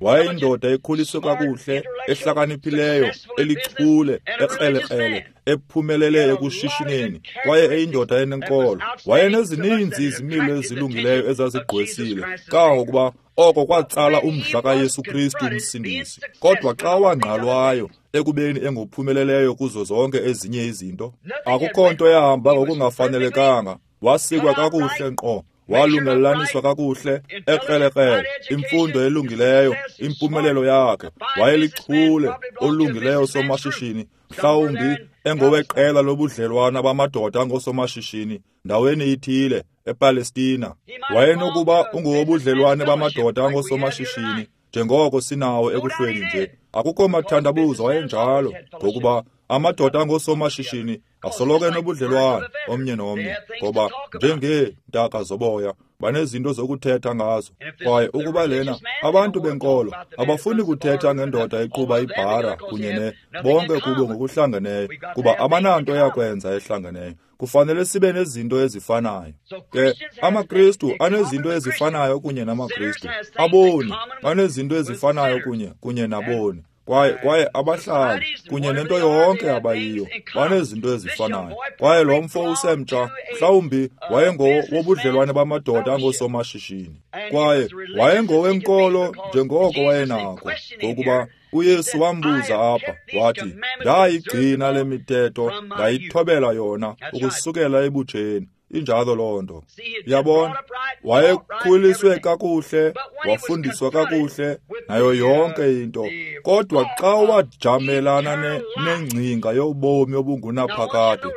Wayeyindoda ekhuliswe kakuhle, ehlakaniphileyo, elichule, ekrelekrele, ephumelele ekushishineni, kwaye eyindoda enenkolo. Wayenezininzi izimilo ezilungileyo ezazigqwesile, kangangokuba oko kwatsala umdla kaYesu Kristu uMsindisi. Kodwa xa wangqalwayo ekubeni engophumeleleyo kuzo zonke ezinye izinto, akukho nto yahamba ngokungafanelekanga. Wasikwa kakuhle nkqo, walungelelaniswa kakuhle, ekrelekrele, imfundo elungileyo, impumelelo yakhe. Wayelichule olungileyo somashishini, mhlawumbi engoweqela lobudlelwana bamadoda angosomashishini ndaweni ithile ePalestina. Wayenokuba ungowobudlelwane bamadoda angosomashishini njengoko sinawo ekuhlweni nje. Akukho mathandabuzo wayenjalo, ngokuba amadoda angosomashishini asoloko enobudlelwane omnye nomnye, ngoba njengeentaka zoboya banezinto zokuthetha ngazo. Kwaye ukuba lena abantu benkolo abafuni kuthetha ngendoda eqhuba ibhara kunye ne bonke kubo ngokuhlangeneyo, kuba abananto yakwenza ehlangeneyo. Kufanele sibe nezinto ezifanayo. Ke amaKristu anezinto ezifanayo kunye namaKristu, aboni banezinto ezifanayo kunye kunye naboni, kwaye kwaye abahlali kunye nento yonke abayiyo banezinto ezifanayo. Kwaye lo mfo usemtsha mhlawumbi wayengowobudlelwane bamadoda angosomashishini, kwaye wayengowenkolo njengoko wayenako, ngokuba uYesu wambuza apha wathi, ndayigcina le mithetho, ndayithobela yona ukusukela ebutsheni. Injalo loo nto. Yabona, wayekhuliswe kakuhle, wafundiswa kakuhle, nayo yonke into. Kodwa xa wajamelana nengcinga yobomi obungunaphakade,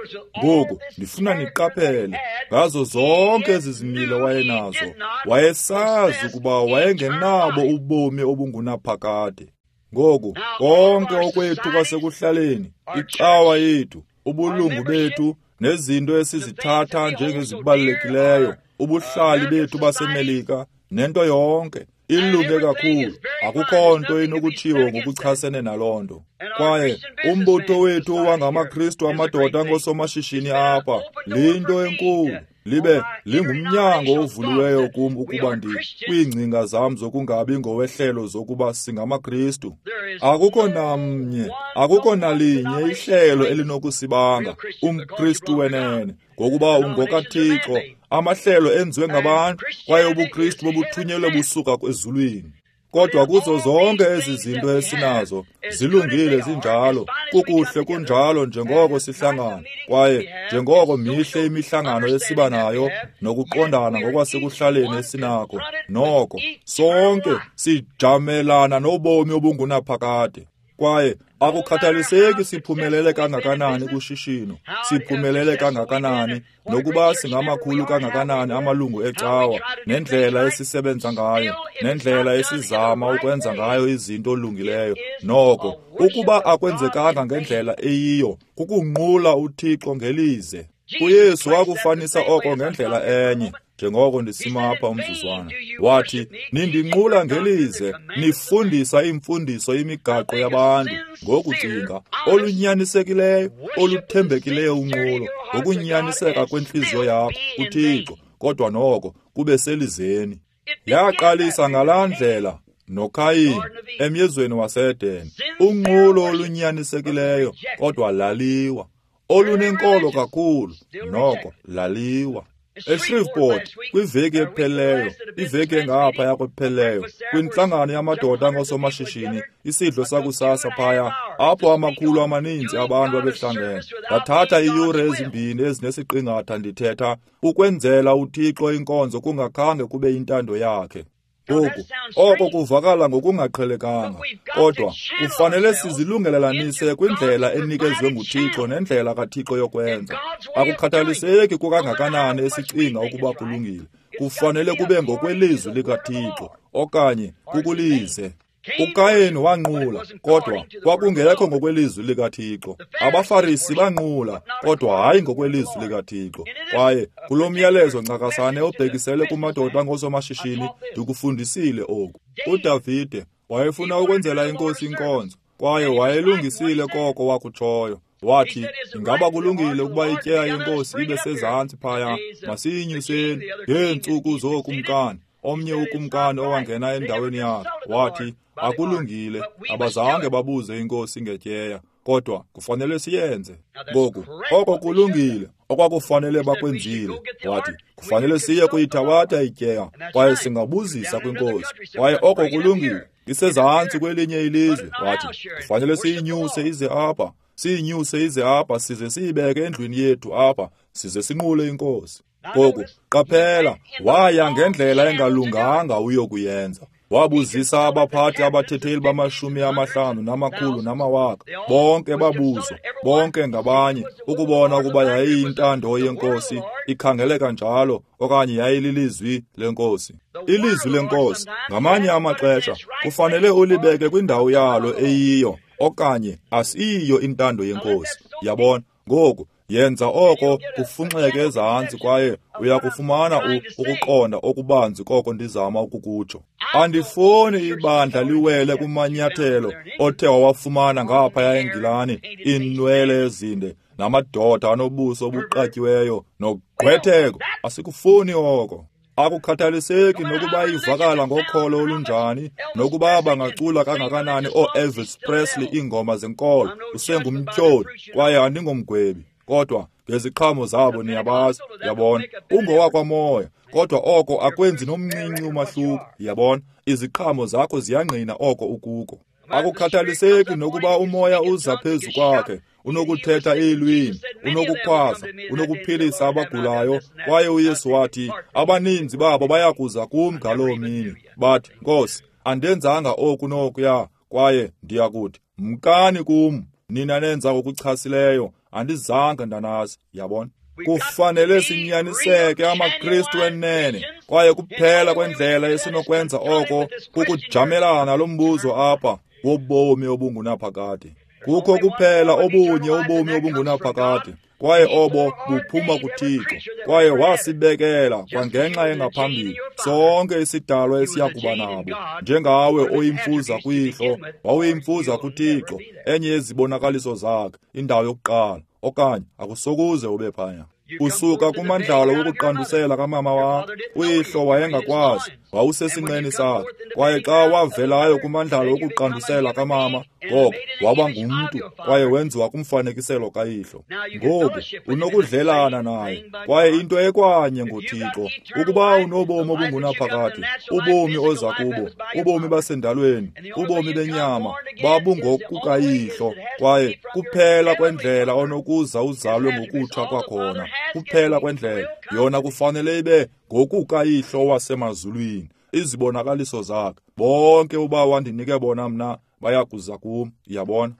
ngoku ndifuna niqaphele, ngazo zonke ezi zimilo wayenazo, wayesazi ukuba wayengenabo ubomi obungunaphakade. Ngoku konke okwethu kwasekuhlaleni, icawa yethu, ubulungu bethu, nezinto esizithatha njengezibalulekileyo, ubuhlali bethu baseMelika, nento yonke ilunge kakhulu. Akukho nto inokutshiwo ngokuchasene naloo nto. Kwaye umbutho wethu wangamaKristu amadoda angosomashishini apha liyinto enkulu, libe lingumnyango ovuliweyo kum ukuba ndi kwiingcinga zam zokungabi ngowehlelo zokuba singamaKristu. Akukho namnye, akukho nalinye ihlelo elinokusibanga umKristu wenene, ngokuba ungokaThixo. Amahlelo enziwe ngabantu, kwaye ubuKristu bobuthunyelwe busuka ezulwini. Kodwa kuzo zonke ezi zinto esinazo, zilungile zinjalo, kukuhle kunjalo njengoko sihlangana, kwaye njengoko mihle imihlangano esiba nayo nokuqondana ngokwasekuhlaleni esinako, noko sonke sijamelana nobomi obungunaphakade. Kwaye akukhathaliseki siphumelele kangakanani kushishino, siphumelele kangakanani, nokuba singamakhulu kangakanani amalungu ecawa, nendlela esisebenza ngayo, nendlela esizama ukwenza ngayo izinto olungileyo, noko ukuba akwenzekanga ngendlela eyiyo, kukunqula uThixo ngelize. UYesu wakufanisa oko ngendlela enye, njengoko ndisima apha umzuzwana. Wathi, nindinqula ngelize, nifundisa imfundiso imigaqo yabantu. Ngokucinga olunyanisekileyo, oluthembekileyo unqulo, ngokunyaniseka kwentliziyo yakho kuThixo, kodwa noko kube selizeni. Yaqalisa ngalaa ndlela noKayin emyezweni waseEden, unqulo olunyanisekileyo, kodwa laliwa. Olunenkolo kakhulu, noko laliwa. eShreveport kwiveki ephelileyo, iveki engaphaya kwephelileyo, kwintlangano yamadoda angosomashishini, isidlo sakusasa phaya, apho amakhulu amaninzi abantu abehlangene. Ndathatha iiyure ezimbini ezinesiqingatha ndithetha ukwenzela uThixo inkonzo kungakhange kube yintando yakhe. Ngoku, oko kuvakala ngokungaqhelekanga, kodwa kufanele sizilungelelanise kwindlela enikezwe nguThixo nendlela kaThixo yokwenza. Akukhathaliseki kukangakanani esicinga ukuba kulungile, kufanele kube ngokwelizwi likaThixo okanye kukulize. uKayin wanqula, kodwa kwakungekho ngokwelizwi likaThixo. AbaFarisi banqula, kodwa hayi ngokwelizwi likaThixo. Kwaye kulo myalezo ncakasane obhekisele kumadoda angosomashishini, ndikufundisile oku. UDavide wayefuna ukwenzela inkosi inkonzo, kwaye wayelungisile koko wakutshoyo. Wathi, ingaba kulungile ukuba ityeya yenkosi ibe sezantsi phaya, masiyinyuseni ngeentsuku zookumkani. omnye ukumkani owangena endaweni yakhe, wathi, akulungile, abazange babuze inkosi ngetyeya, kodwa kufanele siyenze. Ngoku, oko kulungile, okwakufanele bakwenzile. Wathi, kufanele siye kuyithabatha ityeya, kwaye singabuzisa kwinkosi. Kwaye oko kulungile, isezantsi kwelinye ilizwe. Wathi, kufanele siyinyuse ize apha, siyinyuse ize apha, size siyibeke endlwini yethu apha, size sinqule inkosi. Ngoku, qaphela, waya ngendlela engalunganga uyokuyenza. Wabuzisa abaphathi abathetheli bamashumi amahlanu namakhulu namawaka, bonke babuzwa, bonke ngabanye, ukubona ukuba yayiyintando yenkosi, ikhangeleka njalo, okanye yayililizwi lenkosi. Ilizwi lenkosi, ngamanye amaxesha, kufanele ulibeke kwindawo yalo eyiyo, okanye asiyiyo intando yenkosi. Yabona? Ngoku, yenza oko kufunxeke ezantsi kwaye uyakufumana ukuqonda okubanzi koko ndizama ukukutsho. Andifuni ibandla liwele kumanyathelo othe wawafumana ngaphaya eNgilani, iinwele ezinde namadoda anobuso obuqatyiweyo nogqwetheko. Asikufuni oko. Akukhathaliseki nokuba ivakala ngokholo olunjani, nokuba bangacula kangakanani oo-Elvis Presley iingoma zenkolo, usengumtyholi kwaye andingomgwebi. Kodwa ngeziqhamo zabo niyabazi, yabona. Ungowakwamoya, kodwa oko akwenzi nomncinci umahluko, yabona. Iziqhamo zakho ziyangqina oko ukuko. Akukhathaliseki nokuba umoya uza phezu kwakhe, unokuthetha iilwimi, unokukhwaza, unokuphilisa abagulayo, kwaye uYesu wathi, abaninzi babo bayakuza kum ngaloo mini, bathi, Nkosi, andenzanga oku nokuya, kwaye ndiyakuthi, mkani kum, nina nenza ngokuchasileyo, andizange ndanazi. Yabona? Kufanele sinyaniseke amaKristu enene, kwaye kuphela kwendlela esinokwenza oko kukujamelana lo mbuzo apha wobomi obungunaphakade. Kukho kuphela obunye ubomi obungunaphakade, kwaye obo buphuma kuThixo, kwaye wasibekela kwangenxa engaphambili sonke isidalwa esiyakuba nabo. Njengawe oyimfuza kuyihlo, wawuyimfuza kuThixo, enye yezibonakaliso zakhe, indawo yokuqala, okanye akusokuze ube phaya. Usuka kumandlalo wokuqandusela kamama wakho, uyihlo wayengakwazi, wawusesinqeni sakhe, kwaye xa wavelayo kumandlalo wokuqandusela kamama, ngoko waba ngumntu kwaye wenziwa kumfanekiselo kayihlo. Ngoku unokudlelana naye, kwaye into ekwanye ngoThixo, ukuba unobomi obungunaphakade, ubomi oza kubo, ubomi basendalweni, ubomi benyama, babungokukayihlo, kwaye kuphela kwendlela onokuza uzalwe ngokutsha kwakhona, kuphela kwendlela yona kufanele ibe ngokukayihlo wasemazulwini, izibonakaliso zakhe. Bonke uba wandinike bona mna bayakuza kum. Yabona?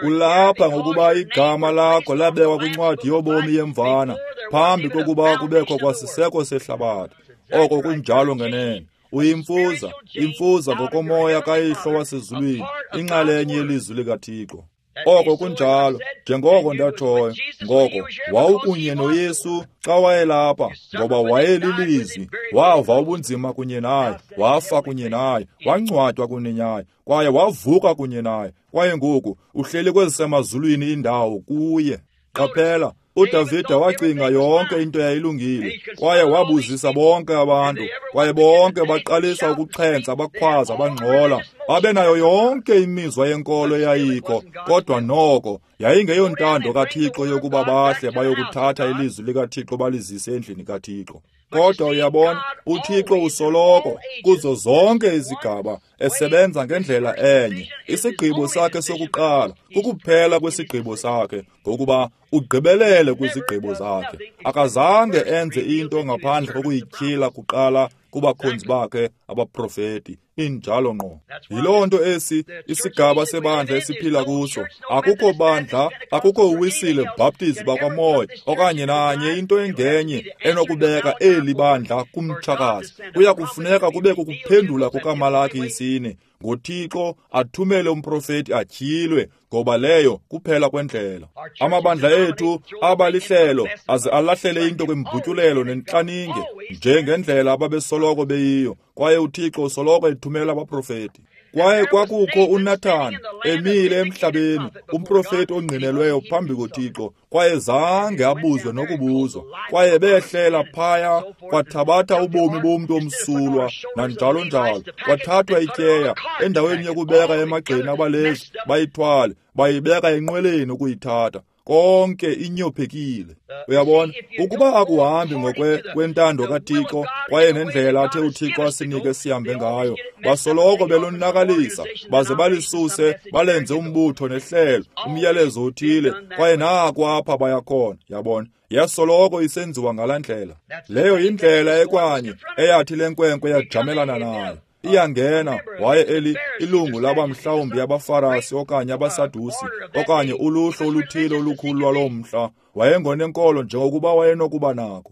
Ulapha ngokuba igama lakho labekwa kwincwadi yobomi yemvana phambi kokuba kubekho kwasiseko sehlabathi. Oko kunjalo ngenene. Uyimfuza, imfuza ngokomoya kayihlo wasezulwini, inxalenye yelizwi likaThixo. Oko kunjalo, njengoko ndatshoyo, ngoko wawukunye noYesu xa wayelapha, ngoba wayelilizwi, wava ubunzima kunye naye, wafa kunye naye, wangcwatywa kunye naye, kwaye wavuka kunye naye, kwaye ngoku uhleli kwezisemazulwini indawo kuye. Qaphela, uDavide wacinga yonke into yayilungile, kwaye wabuzisa bonke abantu, kwaye bonke baqalisa ukuxhentsa, bakhwaza, bangxola, babenayo yonke imizwa yenkolo eyayikho, kodwa noko yayingeyontando kaThixo yokuba bahle bayokuthatha ilizwi likaThixo balizise endlini kaThixo. Kodwa uyabona, uThixo usoloko kuzo zonke izigaba esebenza ngendlela enye. Isigqibo sakhe sokuqala kukuphela kwesigqibo sakhe, ngokuba ugqibelele kwizigqibo zakhe. Akazange enze into ngaphandle kokuyityhila kuqala kubakhonzi bakhe abaprofeti. Injalo ngqo. Yiloo nto esi isigaba sebandla esiphila kuso. Akukho bandla, akukho uWisile Baptist bakwaMoya okanye nanye into engenye enokubeka eli bandla kumtshakazi. Kuya kufuneka kube kukuphendula kukaMalaki isine, ngoThixo athumele umprofeti atyhilwe, ngoba leyo kuphela kwendlela. Amabandla ethu abalihlelo aze alahlele into kwimbutyulelo nentlaninge njengendlela ababesoloko beyiyo, kwaye uThixo usoloko ethumela abaprofeti. Kwaye kwakukho uNathan emile emhlabeni, umprofeti ongqinelweyo phambi koThixo, kwaye zange abuzwe nokubuzwa. Kwaye behlela phaya, kwathabatha ubomi bomntu omsulwa, nanjalo njalo. Kwathathwa ityeya, endaweni yokubeka emagxeni abalezi, bayithwale, bayibeka enqweleni ukuyithatha. Konke inyophekile. Uyabona, ukuba akuhambi ngokwe kwentando kaThixo kwaye nendlela athe uThixo asinike sihambe ngayo, basoloko belonakalisa, baze balisuse, balenze umbutho nehlelo, umyalezo othile, kwaye naku apha bayakhona. Yabona, yasoloko isenziwa ngalaa ndlela. Leyo yindlela ekwanye eyathi le nkwenkwe yajamelana nayo. Iyangena, waye eli ilungu laba mhlawumbi abaFarasi okanye abaSadusi okanye uluhlu oluthile olukhulu lwaloo mhla. Wayengonenkolo njengokuba wayenokuba nako.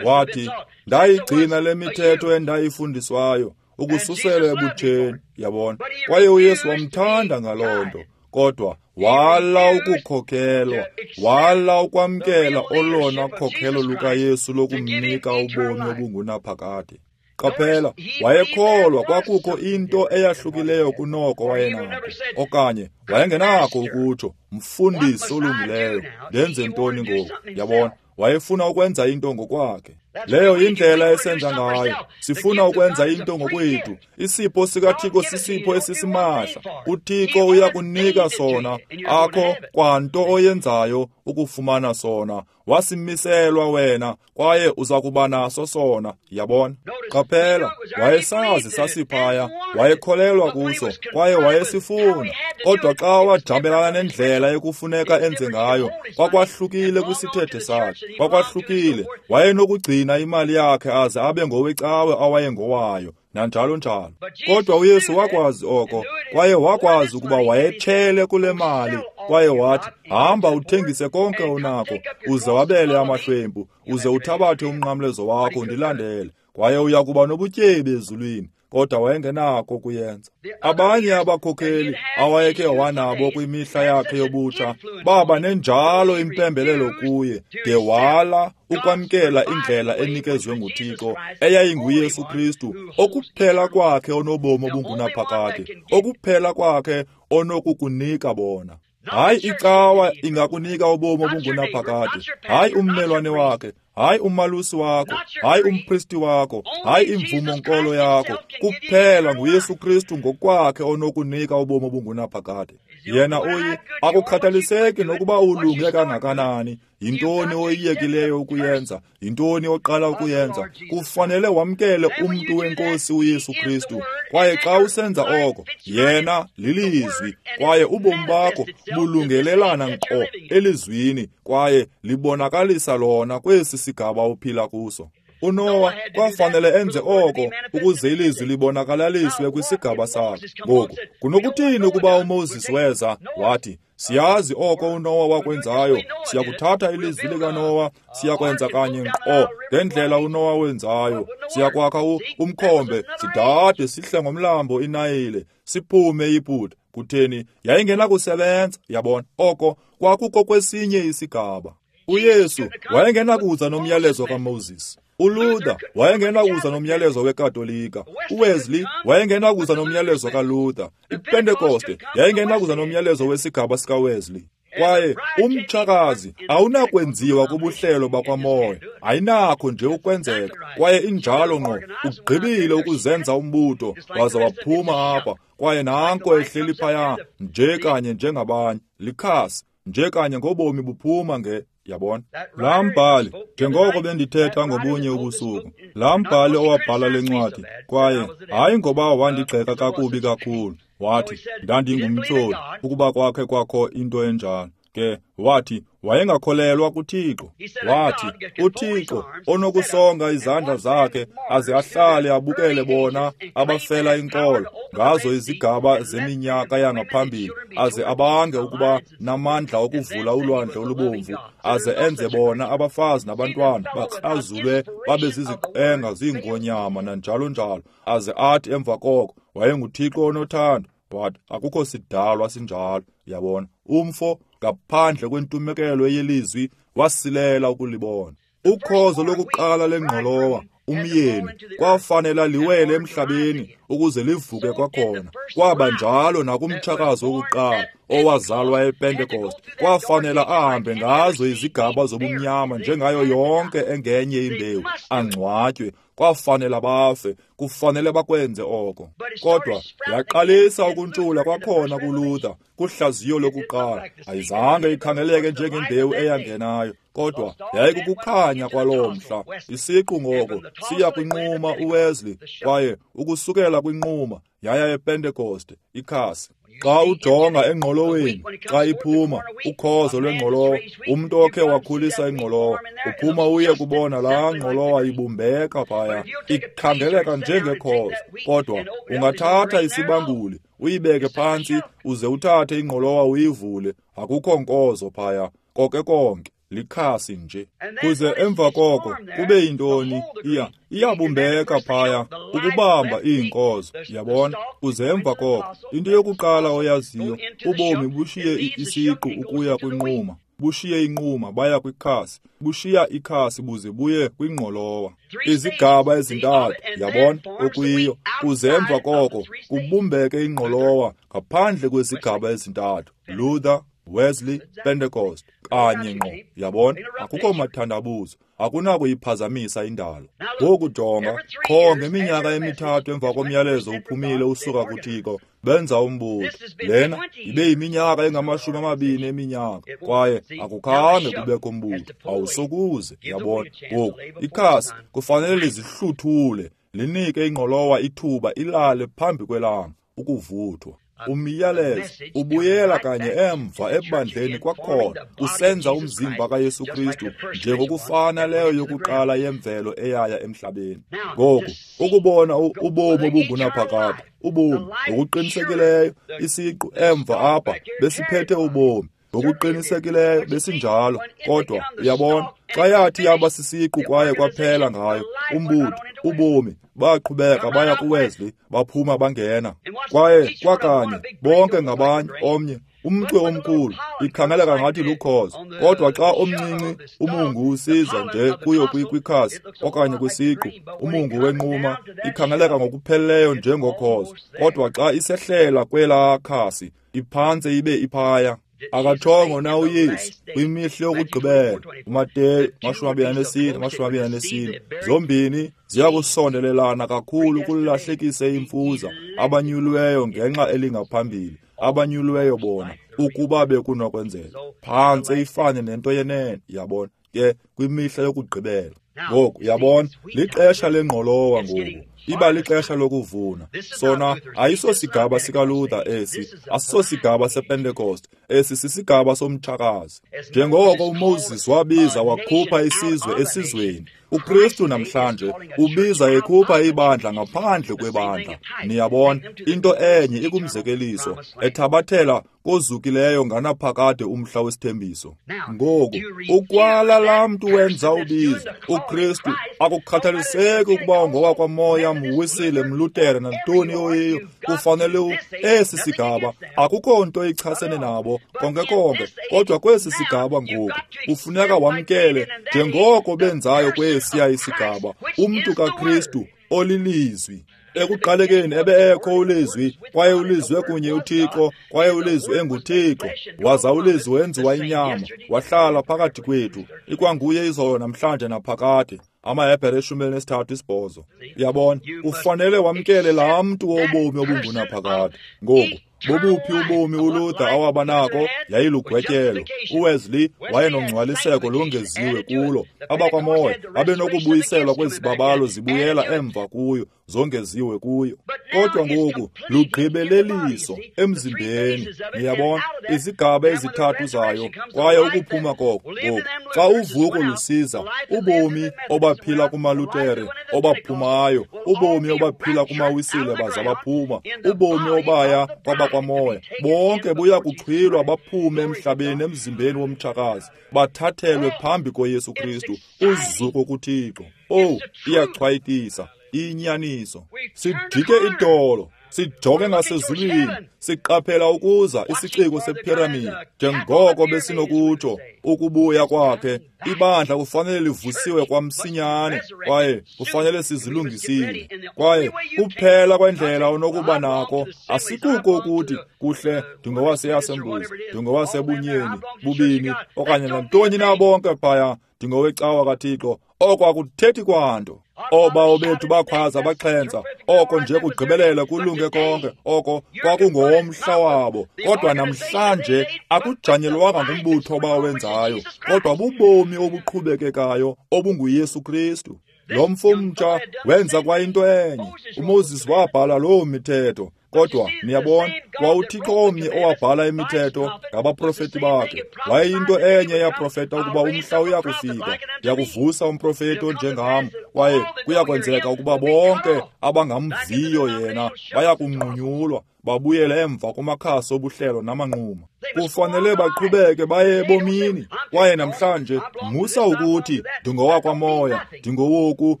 Wathi, ndayigcina le mithetho endayifundiswayo ukususela ebutsheni. Yabona, kwaye uYesu wamthanda ngaloo nto, kodwa wala ukukhokelwa, wala ukwamkela olona khokhelo lukaYesu lokumnika ubomi obungunaphakade. Qaphela, wayekholwa kwakukho into eyahlukileyo kunoko wayenako, okanye wayengenakho ukutsho, mfundisi olungileyo, ndenze ntoni ngoku? Yabona, wayefuna ukwenza into ngokwakhe. Leyo yindlela esenza ngayo. Sifuna ukwenza into ngokwethu. Isipho sikaThixo sisipho esisimahla. UThixo uyakunika sona, akho kwanto oyenzayo ukufumana sona. Wasimiselwa wena kwaye uza kuba naso sona. Yabona? Qaphela, wayesazi sasiphaya, wayekholelwa kuso kwaye wayesifuna. Kodwa xa wajamelana nendlela ekufuneka enze ngayo, kwakwahlukile kwisithethe sakhe, kwakwahlukile. Wayenokugcina imali yakhe aze abe ngowecawe awayengowayo, nanjalo njalo. Kodwa uYesu wakwazi oko, kwaye wakwazi ukuba wayetshele kule mali, kwaye wathi, hamba uthengise konke onako, uze wabele amahlwempu, uze uthabathe umnqamlezo wakho undilandele, kwaye uya kuba nobutyebi ezulwini. Kodwa wayengenako ukuyenza. Abanye abakhokheli awayekhe wanabo kwimihla yakhe yobutsha baba nenjalo impembelelo kuye, de wala ukwamkela indlela enikezwe nguThixo eyayinguYesu Kristu, okuphela kwakhe onobomi obungunaphakade, okuphela kwakhe onokukunika bona. Hayi icawa ingakunika ubomi obungunaphakade, hayi ummelwane wakhe, hayi umalusi wakho, hayi umpristi wakho, hayi imvumo nkolo yakho. Kuphela nguYesu Kristu ngokwakhe onokunika ubomi obungunaphakade. Yena uyi akukhathaliseki nokuba ulunge kangakanani, yintoni oyiyekileyo ukuyenza, yintoni oqala ukuyenza, kufanele wamkele umntu wenkosi uYesu Kristu. Kwaye xa usenza oko, yena lilizwi, kwaye ubomi bakho bulungelelana nkqo elizwini, kwaye libonakalisa lona kwesi sigaba uphila kuso. uNowa kwafanele enze oko ukuze ilizwi libonakalaliswe kwisigaba sakhe. Ngoku, kunokuthini ukuba uMoses weza wathi, siyazi oko uNowa wakwenzayo, siyakuthatha ilizwi likaNowa, siyakwenza kanye nkqo ngendlela uNowa wenzayo, siyakwakha umkhombe, sidade sihle ngomlambo iNayile, siphume eYiputa. Kutheni? Yayingenakusebenza. Yabona, oko kwakuko kwesinye isigaba. uYesu wayengenakuza nomyalezo kaMoses. uLuther wayengenakuza nomyalezo weKatolika. uWesley wayengenakuza nomyalezo kaLuther. iPentekoste yayingenakuza nomyalezo wesigaba sikaWesley. Kwaye umtshakazi awunakwenziwa kubuhlelo bakwamoya, ayinakho nje ukwenzeka. Kwaye injalo ngqo, ugqibile ukuzenza umbutho waza waphuma apha, kwaye nanko ehleli phaya nje kanye njengabanye, likhasi nje kanye ngobomi buphuma nge. Yabona, laa mbhali, njengoko bendithetha ngobunye ubusuku, laa mbhali owabhala le ncwadi, kwaye hayi ngoba wandigxeka kakubi kakhulu, wathi ndandingumtyholi ukuba kwakhe kwakho into enjalo. Ke wathi wayengakholelwa kuThixo. Wathi uThixo onokusonga izandla zakhe aze ahlale abukele bona abafela inkolo ngazo izigaba zeminyaka yangaphambili, aze abange ukuba namandla okuvula ulwandle olubomvu, aze enze bona abafazi nabantwana bakrazulwe babe ziziqenga ziingonyama nanjalo njalo, aze athi emva koko wayenguThixo onothando. But akukho sidalwa sinjalo. Yabona, umfo ngaphandle kwentumekelo yelizwi wasilela ukulibona. Ukhozo lokuqala lengqolowa, umyeni, kwafanela liwele emhlabeni ukuze livuke kwakhona. Kwaba njalo nakumtshakazi wokuqala owazalwa ePentecost, kwafanela ahambe ngazo izigaba zobumnyama njengayo yonke engenye imbewu, angcwatywe. Kwafanela bafe, kufanele bakwenze oko. Kodwa yaqalisa ukuntshula kwakhona kuLuther kuhlaziyo lokuqala. Ayizange ikhangeleke njengembewu eyangenayo, kodwa yayikukukhanya kwaloo mhla. Isiqu ngoko siya kwinquma uWesley, kwaye ukusukela kwinquma yaya ePentecost, ikhasi. Xa ujonga engqoloweni, xa iphuma ukhozo lwengqolowa, umntu okhe wakhulisa ingqolowa, uphuma uye kubona laa ngqolowa ibumbeka phaya, ikhangeleka njengekhozo. Kodwa ungathatha isibanguli uyibeke phantsi uze uthathe ingqolowa uyivule, akukho nkozo phaya, konke konke likhasi nje. Kuze emva koko kube yintoni? Iya iyabumbeka phaya ukubamba iinkozo, yabona. Kuze emva koko, into yokuqala oyaziyo, ubomi bushiye isiqu ukuya kwinquma, bushiye inquma baya kwikhasi, bushiya ikhasi buze buye kwingqolowa. Izigaba ezintathu, yabona, okuyiyo. Kuze emva koko kubumbeke ingqolowa ngaphandle kwezigaba ezintathu, Luther, Wesley, Pentecost, kanye ngqo, yabona. Akukho mathandabuzo, akunakuyiphazamisa indalo. Ngoku jonga, qho ngeminyaka emithathu emva komyalezo uphumile usuka kuThixo, benza umbutho. Lena ibe yiminyaka engamashumi amabini eminyaka, kwaye akukhange kubekho mbutho, awusokuze, yabona. Ngoku ikhasi kufanele lizihluthule, linike ingqolowa ithuba ilale phambi kwelanga ukuvuthwa. Umyalezo ubuyela kanye emva ebandleni kwakhona, usenza umzimba kaYesu Kristu njengokufana leyo yokuqala yemvelo eyaya emhlabeni. Ngoku ukubona ubomi obungunaphakade, ubomi ngokuqinisekileyo, isiqu emva apha besiphethe ubomi ngokuqinisekileyo besinjalo. Kodwa uyabona, xa yathi yaba sisiqu kwaye kwaphela ngayo umbutho, ubomi baqhubeka baya kuWesley, baphuma bangena. Kwaye kwakanye bonke ngabanye, omnye umcwe omkhulu ikhangeleka ngathi lukhozo, kodwa xa omncinci umungu usiza nje kuyo kwikhasi okanye kwisiqu, umungu wenquma ikhangeleka ngokupheleleyo njengokhozo, kodwa xa isehlela kwelaa khasi iphantse ibe iphaya. Akatshongo na uYesu kwimihla yokugqibela, uMateyu mashumi amabini anesine mashumi amabini anesine, zombini ziya kusondelelana kakhulu kulahlekise imfuza abanyuliweyo ngenxa elingaphambili, abanyuliweyo bona ukuba bekunokwenzeka. Phantse ifane nento yenene, yabona, ke kwimihla yokugqibela. Ngoku yabona, lixesha lengqolowa ngoku, iba lixesha lokuvuna. Sona ayisosigaba sikaLuther esi, asisosigaba sePentecost, esi sisigaba somtshakazi. Njengoko uMoses wabiza wakhupha isizwe esizweni, uKristu namhlanje ubiza ekhupha ibandla ngaphandle kwebandla. Niyabona, into enye ikumzekeliso ethabathela kozukileyo nganaphakade umhla wesithembiso. Ngoku ukwala laa mntu wenza ubizo, uKristu, akukhathaliseki ukuba ngowakwamoya, mwisile, mlutere, nantoni oyiyo, kufanele esi sigaba akukho nto ichasene nabo konke konke. Kodwa kwesi sigaba ngoku kufuneka wamkele njengoko benzayo kwesiya isigaba, umntu kaKristu olilizwi. Ekuqalekeni ebe ekho ulizwi, kwaye ulizwi kunye uThixo, kwaye ulizwi enguThixo. Waza ulizwi wenziwa inyama, wahlala phakathi kwethu. Ikwanguye izolo namhlanje naphakade. AmaHebhere eshumi elinesithathu isibhozo. Uyabona, ufanele wamkele laa mntu wobomi obungunaphakade. Ngoku bobuphi ubomi uLuther awabanako? Yayilugwetyelo. uWesley wayenongcwaliseko longeziwe kulo. Abakwamoya babenokubuyiselwa kwezibabalo zibuyela emva kuyo, zongeziwe kuyo. Kodwa ngoku lugqibeleliso emzimbeni. Niyabona, izigaba ezithathu zayo, kwaye ukuphuma koko. Ngoku xa uvuko lusiza, ubomi obaphila kumaLutere obaphumayo, ubomi obaphila kumaWisile baza baphuma, ubomi obaya kwabakwamoya, bonke buya kuxhwilwa baphume emhlabeni emzimbeni womtshakazi, bathathelwe phambi koYesu Kristu, uzuko kuThixo. Oh, iyachwayitisa, inyaniso. Sidike idolo, Sijonge ngasezulwini, siqaphela ukuza isiciko sephiramidi, njengoko besinokutsho ukubuya kwakhe. Ibandla kufanele livusiwe kwamsinyane, kwaye kufanele sizilungisile. Kwaye kuphela kwendlela onokuba nako asikuko ukuthi kuhle ndingowaseAssemblies, ndingowasebunyeni, bubini, okanye nantoni na bonke phaya, ndingowecawa kaThixo. Oko akuthethi kwanto. Oobawo bethu bakhwaza baxhentsa, oko nje kugqibelela kulunge konke, oko kwakungowomhla wabo. Kodwa namhlanje akujanyelwanga ngumbutho abawenzayo, kodwa bubomi obuqhubekekayo obunguYesu Kristu. Lo mfo mtsha wenza kwayinto enye. uMoses wabhala loo mithetho, kodwa niyabona, kwauThixo omnye owabhala imithetho ngabaprofeti bakhe. Wayeyinto enye eyaprofeta ukuba umhla uyakufika, ndiyakuvusa umprofeti onjengam, kwaye kuyakwenzeka ukuba bonke abangamviyo yena bayakunqunyulwa, babuyele emva kumakhasi obuhlelo namanquma. Kufanele baqhubeke baye ebomini. Kwaye namhlanje musa ukuthi ndingowakwamoya, ndingowoku,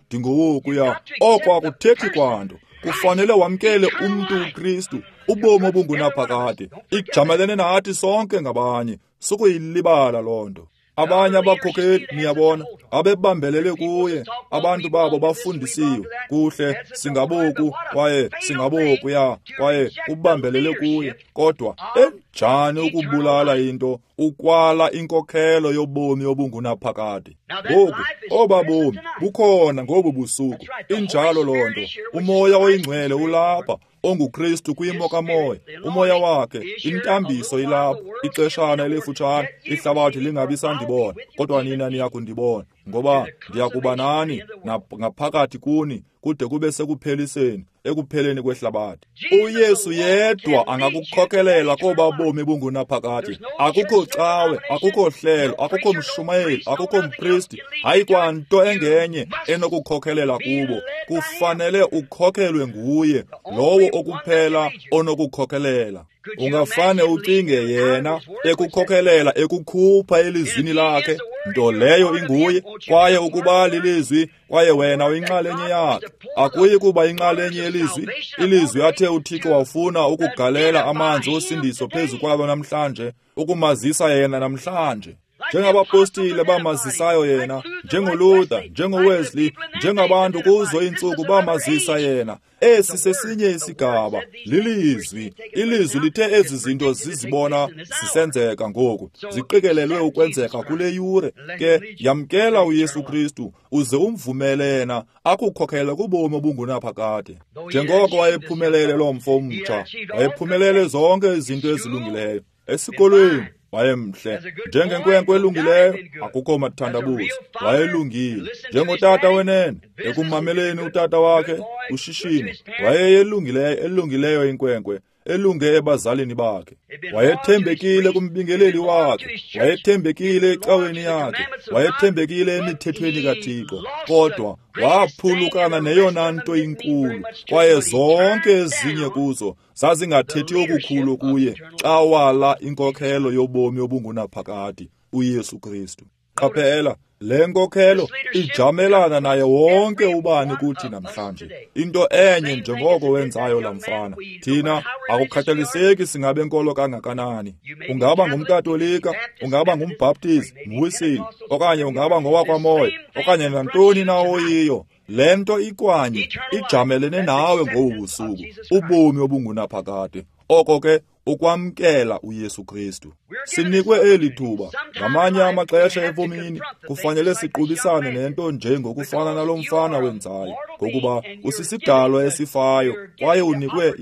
ndingowokuya. Oko akuthethi kwanto. Kufanele wamkele umntu uKristu, ubomi obungunaphakade. Ijamelene nathi sonke ngabanye, sukuyilibala loo nto. Abanye abakhokeli, niyabona, abebambelele kuye, abantu babo bafundisiwe kuhle, singaboku kwaye singabokuya, kwaye ubambelele kuye. Kodwa enjani ukubulala into, ukwala inkokhelo yobomi obungunaphakade. Ngoku oba bomi bukhona ngobu busuku. Injalo loo nto. UMoya oyiNgcwele ulapha, onguKristu kwimo kamoya. Umoya wakhe, intambiso ilapha. Ixeshana elifutshane, ihlabathi lingabi sandibona, kodwa nina niyakundibona, ngoba ndiyakuba nani ngaphakathi kuni kude kube sekupheliseni, ekupheleni kwehlabathi. UYesu yedwa angakukhokelela koba bomi bungunaphakade. Akukho cawe, akukho hlelo, akukho mshumayeli, akukho mpristi, hayi kwanto engenye enokukhokelela kubo. Kufanele ukhokelwe nguye, lowo okuphela onokukhokelela. Ungafane ucinge yena ekukhokelela, ekukhupha elizwini lakhe, nto leyo inguye, kwaye ukuba lilizwi, kwaye wena uyinxalenye yakhe. Akuyi kuba inxalenye yelizwi. Ilizwi athe uThixo wafuna ukugalela amanzi osindiso phezu kwabo namhlanje, ukumazisa yena namhlanje. Njengabapostile bamazisayo yena, njengoLuther, njengoWesley, njengabantu kuzo iintsuku bamazisa yena. Esi sesinye isigaba, lilizwi. Ilizwi lithe ezi zinto zizibona zisenzeka ngoku, ziqikelelwe ukwenzeka kule yure. Ke yamkela uYesu Kristu, uze umvumele yena akukhokhele kubomi obungunaphakade. Njengoko wayephumelele lo mfo mtsha, wayephumelele zonke izinto ezilungileyo. Esikolweni wayemhle, njengenkwenkwe elungileyo, akukho mathandabuzo, wayelungile. Njengotata wenene, ekumameleni utata wakhe ushishino, wayeyelungileyo, elungileyo inkwenkwe, elunge ebazalini bakhe. Wayethembekile kumbingeleli wakhe, wayethembekile ecaweni yakhe, wayethembekile emithethweni kaThixo. Kodwa waphulukana neyona nto inkulu, kwaye zonke ezinye kuzo zazingathethi okukhulu kuye xa wala inkokhelo yobomi obungunaphakade, uYesu Kristu. Qaphela, le nkokhelo ijamelana naye wonke ubani kuthi namhlanje. Into enye njengoko wenzayo laa mfana. Thina akukhathaliseki singabe nkolo kangakanani. Ungaba ngumKatolika, ungaba ngumBhaptizi, ngumWisile, okanye ungaba ngowakwamoya, okanye nantoni na oyiyo. Le nto ikwanye ijamelene nawe ngobu busuku, ubomi obungunaphakade. Oko ke ukwamkela uYesu Kristu. Sinikwe eli thuba. Ngamanye amaxesha ebomini kufanele siqubisane nento njengokufana nalo mfana wenzayo, ngokuba usisidalwa esifayo kwaye unikwe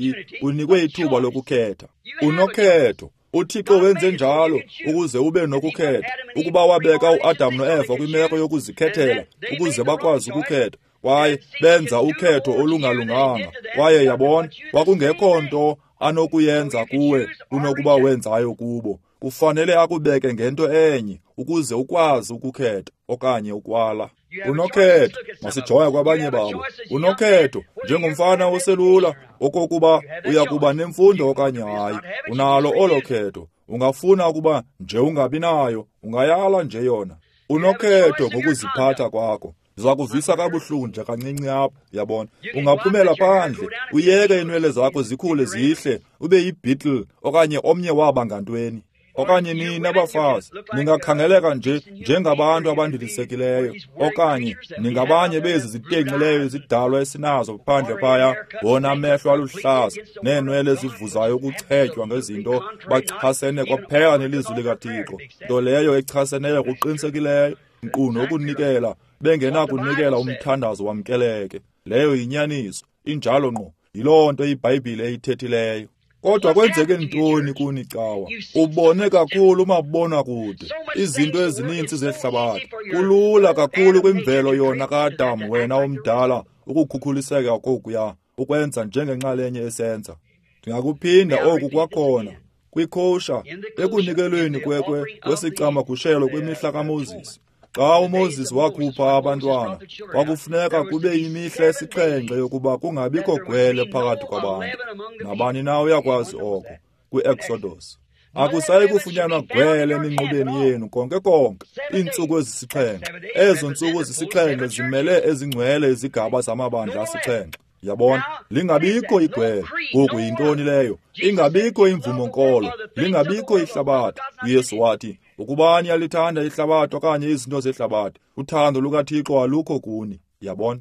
unikwe ithuba lokukhetha. Unokhetho. UThixo wenze njalo ukuze ube nokukhetha. Ukuba wabeka uAdam noEva kwimeko yokuzikhethela ukuze bakwazi ukukhetha, kwaye benza ukhetho olungalunganga. Kwaye yabona, kwakungekho nto anokuyenza kuwe kunokuba wenzayo kubo. Kufanele akubeke ngento enye ukuze ukwazi ukukhetha okanye ukwala. Unokhetho, masijoya kwabanye babo. Unokhetho njengomfana oselula okokuba uyakuba nemfundo okanye hayi. Unalo olo khetho. Ungafuna ukuba nje ungabi nayo, ungayala nje yona. Unokhetho ngokuziphatha kwakho. Ndiza kuvisa kabuhlungu nje kancinci apha, yabona. Ungaphumela phandle, uyeke iinwele zakho zikhule zihle, ube yibeetle okanye omnye waba ngantweni. Okanye nina abafazi, ningakhangeleka nje njengabantu abandilisekileyo, okanye ningabanye bezi zitenxileyo izidalwa esinazo phandle phaya, wona amehlo aluhlaza neenwele ezivuzayo ukuchetywa ngezinto, bachasene kwaphela nelizwi likaThixo, nto leyo echaseneyo kuqinisekileyo, nkqu nokunikela, bengenakunikela umthandazo wamkeleke. Leyo yinyaniso, injalo ngqo, yiloo nto iBhayibhile eyithethileyo. Kodwa kwenzeke ntoni kuni cawa? Ubone kakhulu umabonakude, izinto ezininzi zehlabathi. Kulula kakhulu kwimvelo yona kaAdam, wena omdala, ukukhukhuliseka kokuya, ukwenza njengenxalenye esenza. Ndingakuphinda oku kwakhona kwikosha, ekunikelweni kwekwe kwesicamagushelo kwimihla kaMoses. Xa uMoses wakhupha abantwana, kwakufuneka kube yimihla esixhenxe yokuba kungabikho gwele phakathi kwabantu. Nabani na uyakwazi oko kwi-Exodus. Akusayi kufunyanwa gwele eminqubeni yenu konke konke iintsuku ezisixhenxe. Ezo ntsuku zisixhenxe zimele ezingcwele izigaba zamabandla asixhenxe. Yabona, lingabikho igwele. Ngoku yintoni leyo? Ingabikho imvumo-nkolo, lingabikho ihlabathi. uYesu wathi, ukuba niyalithanda ihlabathi okanye izinto zehlabathi, uthando lukaThixo alukho kuni. Yabona?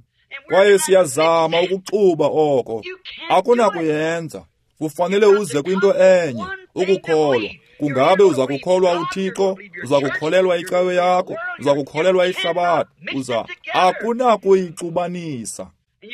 Kwaye siyazama ukuxuba oko. Akunakuyenza. Kufanele uze kwinto enye, ukukholwa. Kungabe uza kukholwa uThixo, uza kukholelwa icawe yakho, uza kukholelwa ihlabathi, uza akunakuyixubanisa.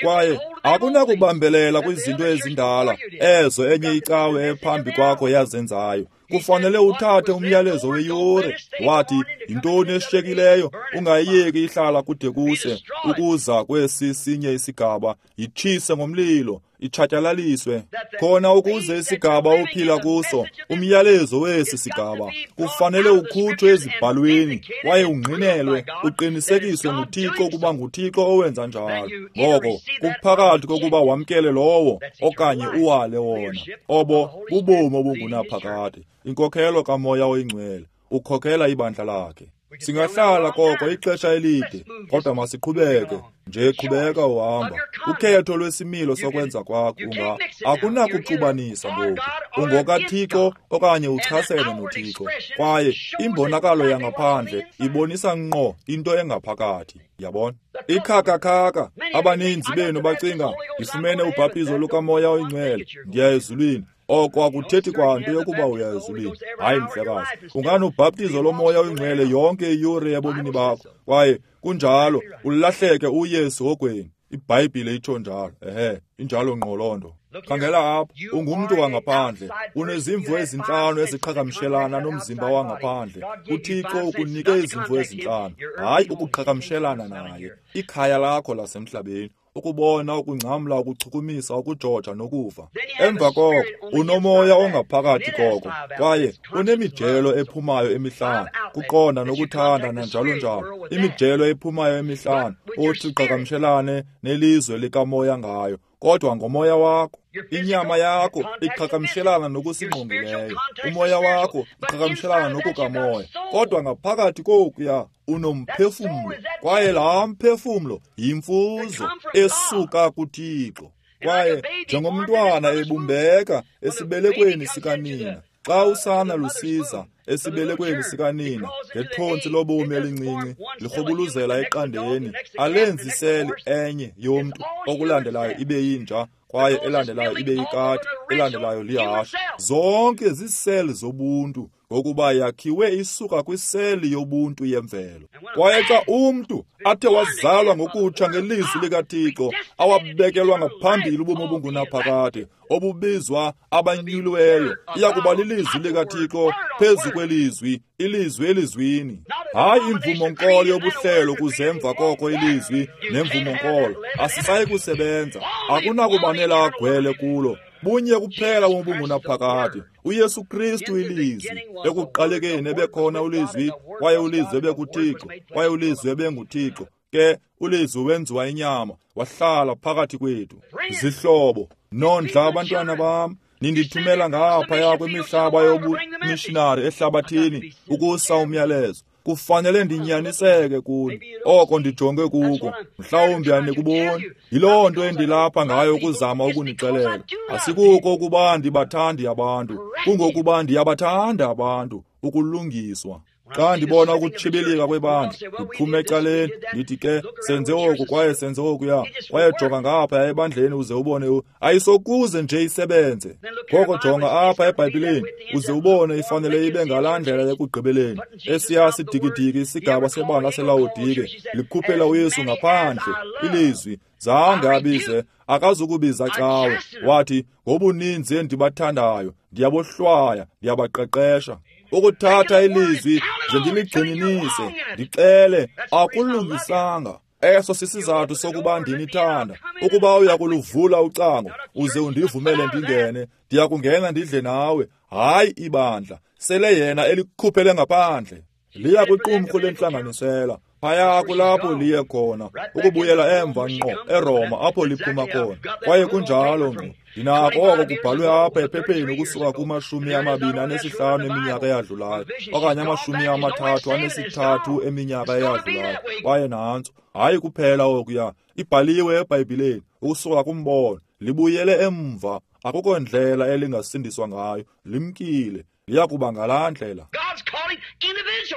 Kwaye akunakubambelela kwizinto ezindala ezo enye icawe ephambi kwakho yazenzayo. Kufanele uthathe umyalezo weyure. Wathi, yintoni eshiyekileyo? Ungayiyeki ihlala kude kuse, ukuza kwesi sinye isigaba, yitshise ngomlilo, itshatyalaliswe. Khona ukuze isigaba ophila kuso, umyalezo wesi sigaba, kufanele ukhutshwe ezibhalweni, kwaye ungqinelwe, uqinisekiswe nguThixo ukuba nguThixo owenza njalo. Ngoko, kuphakathi kokuba wamkele lowo, okanye uwale wona. Obo bubomi obungunaphakade. Inkokhelo kaMoya oyiNgcwele, ukhokela ibandla lakhe. Singahlala koko ixesha elide, kodwa masiqhubeke nje, qhubeka uhamba. Ukhetho lwesimilo sokwenza kwakho unga akunakuxubanisa ngoku. UngokaThixo okanye uchasene noThixo. Kwaye imbonakalo yangaphandle ibonisa ngqo into engaphakathi. Yabona? Ikhakakhaka, abaninzi benu bacinga, ndifumene ubhaptizo lukaMoya oyiNgcwele, ndiya ezulwini. Oko akuthethi kwanto yokuba uya ezulwini. Hayi mhlekazi, unganobhaptizo loMoya oyiNgcwele yonke iyure ebomini bakho, kwaye kunjalo ulahleke uye esihogweni. IBhayibhile itsho njalo. Ehe, injalo ngqo loo nto. Khangela apha, ungumntu wangaphandle, unezimvo ezintlanu eziqhagamshelana nomzimba wangaphandle. UThixo ukunike izimvo ezintlanu, hayi ukuqhagamshelana naye. Ikhaya lakho lasemhlabeni, ukubona, ukungcamla, ukuchukumisa, ukujoja nokuva. Emva koko unomoya ongaphakathi koko, kwaye unemijelo ephumayo emihlanu, kuqonda nokuthanda nanjalo njalo. Imijelo ephumayo emihlanu othi uqhagamshelane nelizwe likamoya ngayo, kodwa ngomoya wakho. Inyama yakho iqhagamshelana nokusingqongileyo, umoya wakho uqhagamshelana nokukamoya, kodwa ngaphakathi kokuya unomphefumlo, kwaye laa mphefumlo yimfuzo esuka kuThixo. Kwaye njengomntwana ebumbeka esibelekweni sikanina, xa usana lusiza esibelekweni sikanina ngethontsi lobomi elincinci lirhubuluzela eqandeni, alenzi seli enye yomntu, okulandelayo ibe yinja, kwaye elandelayo ibe yikati, elandelayo lihashe. Zonke ziiseli zobuntu, ngokuba yakhiwe isuka kwiseli yobuntu yemvelo. Kwaye xa umntu athe wazalwa ngokutsha ngelizwi likaThixo, awabekelwa ngaphambili ubomi obungunaphakade, obubizwa abanyuliweyo, iyakuba lilizwi likaThixo phezu kwelizwi, ilizwi elizwini. Hayi imvumo-nkolo yobuhlelo kuze emva koko ilizwi nemvumo-nkolo, asisayi kusebenza. Akunakubanela agwele kulo. Bunye kuphela obungunaphakade, uYesu Kristu ilizwi. Ekuqalekeni ebekhona ulizwi, kwaye ulizwi ebekuThixo, kwaye ulizwi ebenguThixo. Ke ulizwi wenziwa inyama, wahlala phakathi kwethu. Zihlobo, nondla abantwana bam, nindithumela ngaphaya kwimihlaba yobumishinari ehlabathini ukusa umyalezo. Kufanele ndinyaniseke kuni, oko ndijonge kuko. Mhlawumbi anikuboni. Yiloo nto endilapha ngayo ukuzama ukunixelela. Asikuko ukuba ndibathandi abantu, kungokuba ndiyabathanda abantu, ukulungiswa. Xa ndibona ukutshibilika kwebandla, ndiphume ecaleni, ndithi ke senze oku kwaye senze okuya, kwaye jonga ngapha ebandleni uze ubone, ayisokuze nje isebenze. Ngoko jonga apha eBhayibhileni uze ubone ifanele ibe ngalaa ndlela ekugqibeleni. Esiya sidikidiki isigaba sebandla seLawodike likhuphela uYesu ngaphandle, ilizwi zange abize, akazukubiza cawe. Wathi, ngobuninzi endibathandayo, ndiyabohlwaya, ndiyabaqeqesha. Ukuthatha ilizwi nje ndiligxininise, ndixele, akulungisanga. Eso sisizathu sokuba ndinithanda. Ukuba uya kuluvula ucango uze undivumele ndingene, ndiya kungena ndidle nawe. Hayi ibandla, sele yena elikhuphele ngaphandle. Liya kwiqumrhu lentlanganisela. Phaya kulapho liye khona, ukubuyela emva ngqo eRoma apho liphuma khona. Kwaye kunjalo ngqo. Ndinako oko kubhalwe apha ephepheni ukusuka kumashumi amabini anesihlanu eminyaka eyadlulayo, okanye amashumi amathathu anesithathu eminyaka eyadlulayo. Kwaye nantso, hayi kuphela okuya, ibhaliwe eBhayibhileni ukusuka kumbono, libuyele emva. Akukho ndlela elingasindiswa ngayo, limkile, liya kuba ngalaa ndlela.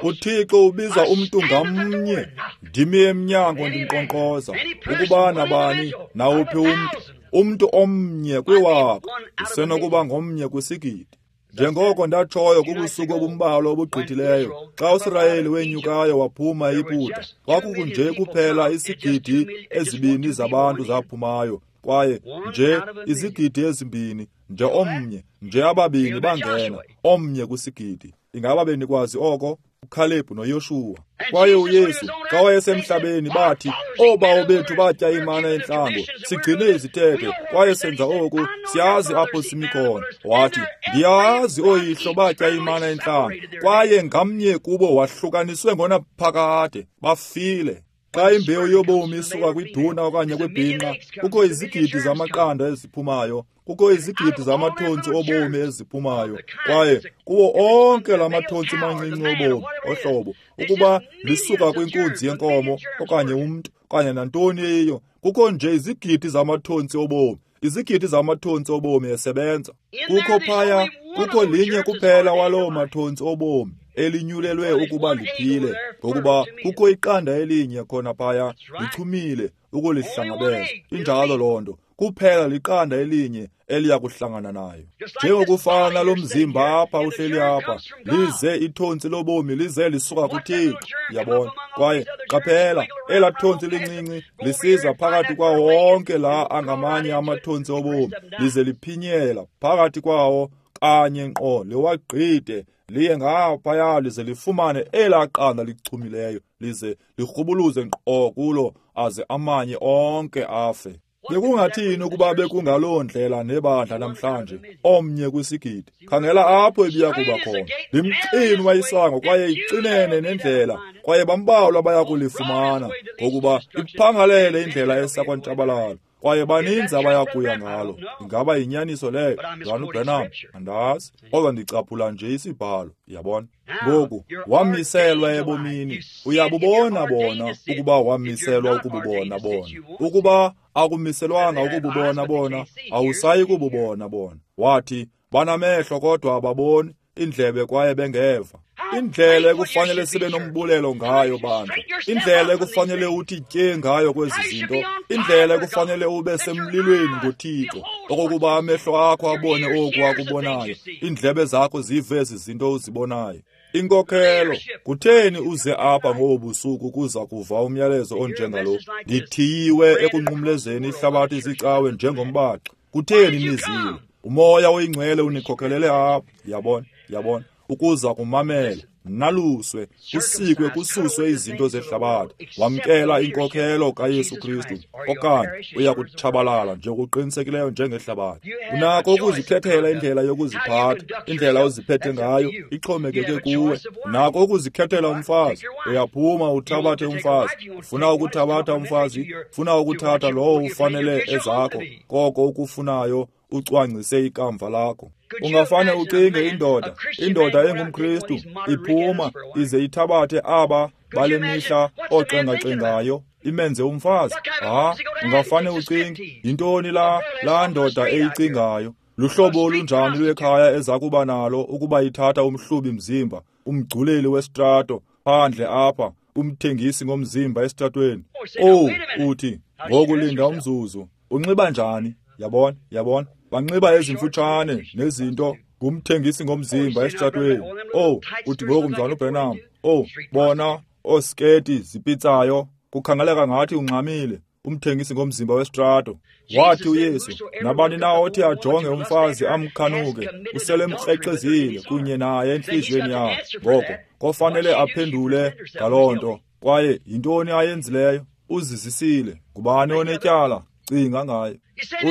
UThixo ubiza umntu ngamnye. Ndimi emnyango ndinkqonkqoza, ukuba nabani nawuphi umntu, umntu omnye kwiwaka, usenokuba ngomnye kwisigidi. Njengoko ndatshoyo kubusuku obumbalwa obugqithileyo, xa uSirayeli wenyukayo waphuma eYiputa, kwakukunje kuphela isigidi ezibini zabantu zaphumayo, kwaye nje izigidi ezimbini, nje omnye, nje ababini bangena, omnye kwisigidi. Ingaba benikwazi oko? uKhalebhu noYoshuwa. Kwaye uYesu xa wayesemhlabeni bathi, oobawo bethu batya imana entlango, sigcine izithethe kwaye senza oku, siyazi apho simi khona. Wathi, ndiyazi ooyihlo batya imana entlango, kwaye ngamnye kubo wahlukaniswe ngonaphakade, bafile. Xa imbewu yobomi isuka kwiduna okanye kwibhinqa, kukho izigidi zamaqanda eziphumayo, kukho izigidi zamathontsi obomi eziphumayo, kwaye kuwo onke la mathontsi mancinci obomi ohlobo, ukuba lisuka kwinkunzi yenkomo okanye umntu okanye nantoni eyiyo, kukho nje izigidi zamathontsi obomi, izigidi zamathontsi obomi esebenza. Kukho phaya, kukho linye kuphela waloo mathontsi obomi elinyulelwe ukuba liphile, ngokuba kukho iqanda elinye khona phaya lichumile ukulihlangabeza. Injalo loo nto. Kuphela liqanda elinye eliya kuhlangana nayo. Njengokufana lo mzimba apha uhleli apha, lize ithontsi lobomi lize lisuka kuThixo, yabona. Kwaye qaphela, elaa thontsi lincinci lisiza phakathi kwawo onke la angamanye amathontsi obomi, lize liphinyela phakathi kwawo kanye ngqo, liwagqithe liye ngaphaya, lize lifumane elaa qanda lichumileyo, lize lirhubuluze ngqo kulo, aze amanye onke afe. Bekungathini ukuba bekungaloo ndlela nebandla namhlanje, omnye kwisigidi? Khangela apho ebiya kuba khona. Limxinwa isango kwaye icinene nendlela, kwaye bambalwa baya kulifumana, ngokuba iphangalele indlela esakwantshabalalo, kwaye baninzi abaya kuya ngalo. Ingaba yinyaniso leyo? Mzalwana uBranham, andazi, kodwa ndicaphula nje isibhalo, yabona. Ngoku wamiselwa ebomini, uyabubona bona ukuba wamiselwa ukububona bona. Ukuba akumiselwanga ukububona bona, awusayi kububona bona. Wathi, banamehlo kodwa ababoni, indlebe kwaye bengeva. Indlela ekufanele sibe nombulelo ngayo bandla, indlela ekufanele uthi tye ngayo kwezi zinto, indlela ekufanele ube semlilweni ngoThixo, okokuba amehlo akho abone oku akubonayo, iindlebe zakho zive ezi zinto uzibonayo. Inkokhelo, kutheni uze apha ngobu busuku kuza kuva umyalezo onjengalo? Ndithiyiwe ekunqumlezeni ihlabathi zicawe njengombaxi. Kutheni nizile? Umoya oyingcwele unikhokhelele apha, yabona, yabona, ukuza kumamela, naluswe, kusikwe, kususwe izinto zehlabathi. Wamkela inkokhelo kaYesu Kristu, okanye uya kutshabalala njengokuqinisekileyo njengehlabathi. Unako ukuzikhethela indlela yokuziphatha, indlela oziphethe ngayo ixhomekeke kuwe. Unako ukuzikhethela umfazi, uyaphuma uthabathe umfazi. Ufuna ukuthabatha umfazi, ufuna ukuthatha lowo ufanele ezakho, koko ukufunayo ucwangcise ikamva lakho. Ungafane ucinge indoda, indoda engumKristu iphuma ize ithabathe aba bale mihla oxengaxengayo imenze umfazi. Ha, ungafane ucinge yintoni la laa ndoda eyicingayo? Luhlobo olunjani lwekhaya eza kuba nalo ukuba ithatha umhlubi mzimba, umgculeli wesitrato phandle apha, umthengisi ngomzimba esitratweni? Oh, uthi ngoku linda umzuzu, unxiba njani? Yabona, yabona, banxiba ezimfutshane nezinto, ngumthengisi ngomzimba esitratweni. Oh, uthi ngoku mzalwana uBrenham, oh, bona oosketi zipitsayo, kukhangeleka ngathi ungxamile, umthengisi ngomzimba wesitrato. Wathi uYesu, nabani na othi ajonge umfazi amkhanuke, uselemkrexezile kunye naye entliziyweni yakhe. Ngoko kofanele aphendule ngaloo nto. Kwaye yintoni ayenzileyo? Uzizisile. Ngubani onetyala? Cinga ngayo.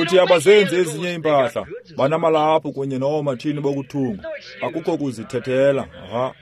Uthi abazenzi ezinye iimpahla, banamalaphu kunye noomatshini bokuthunga. Akukho kuzithethela. Aha,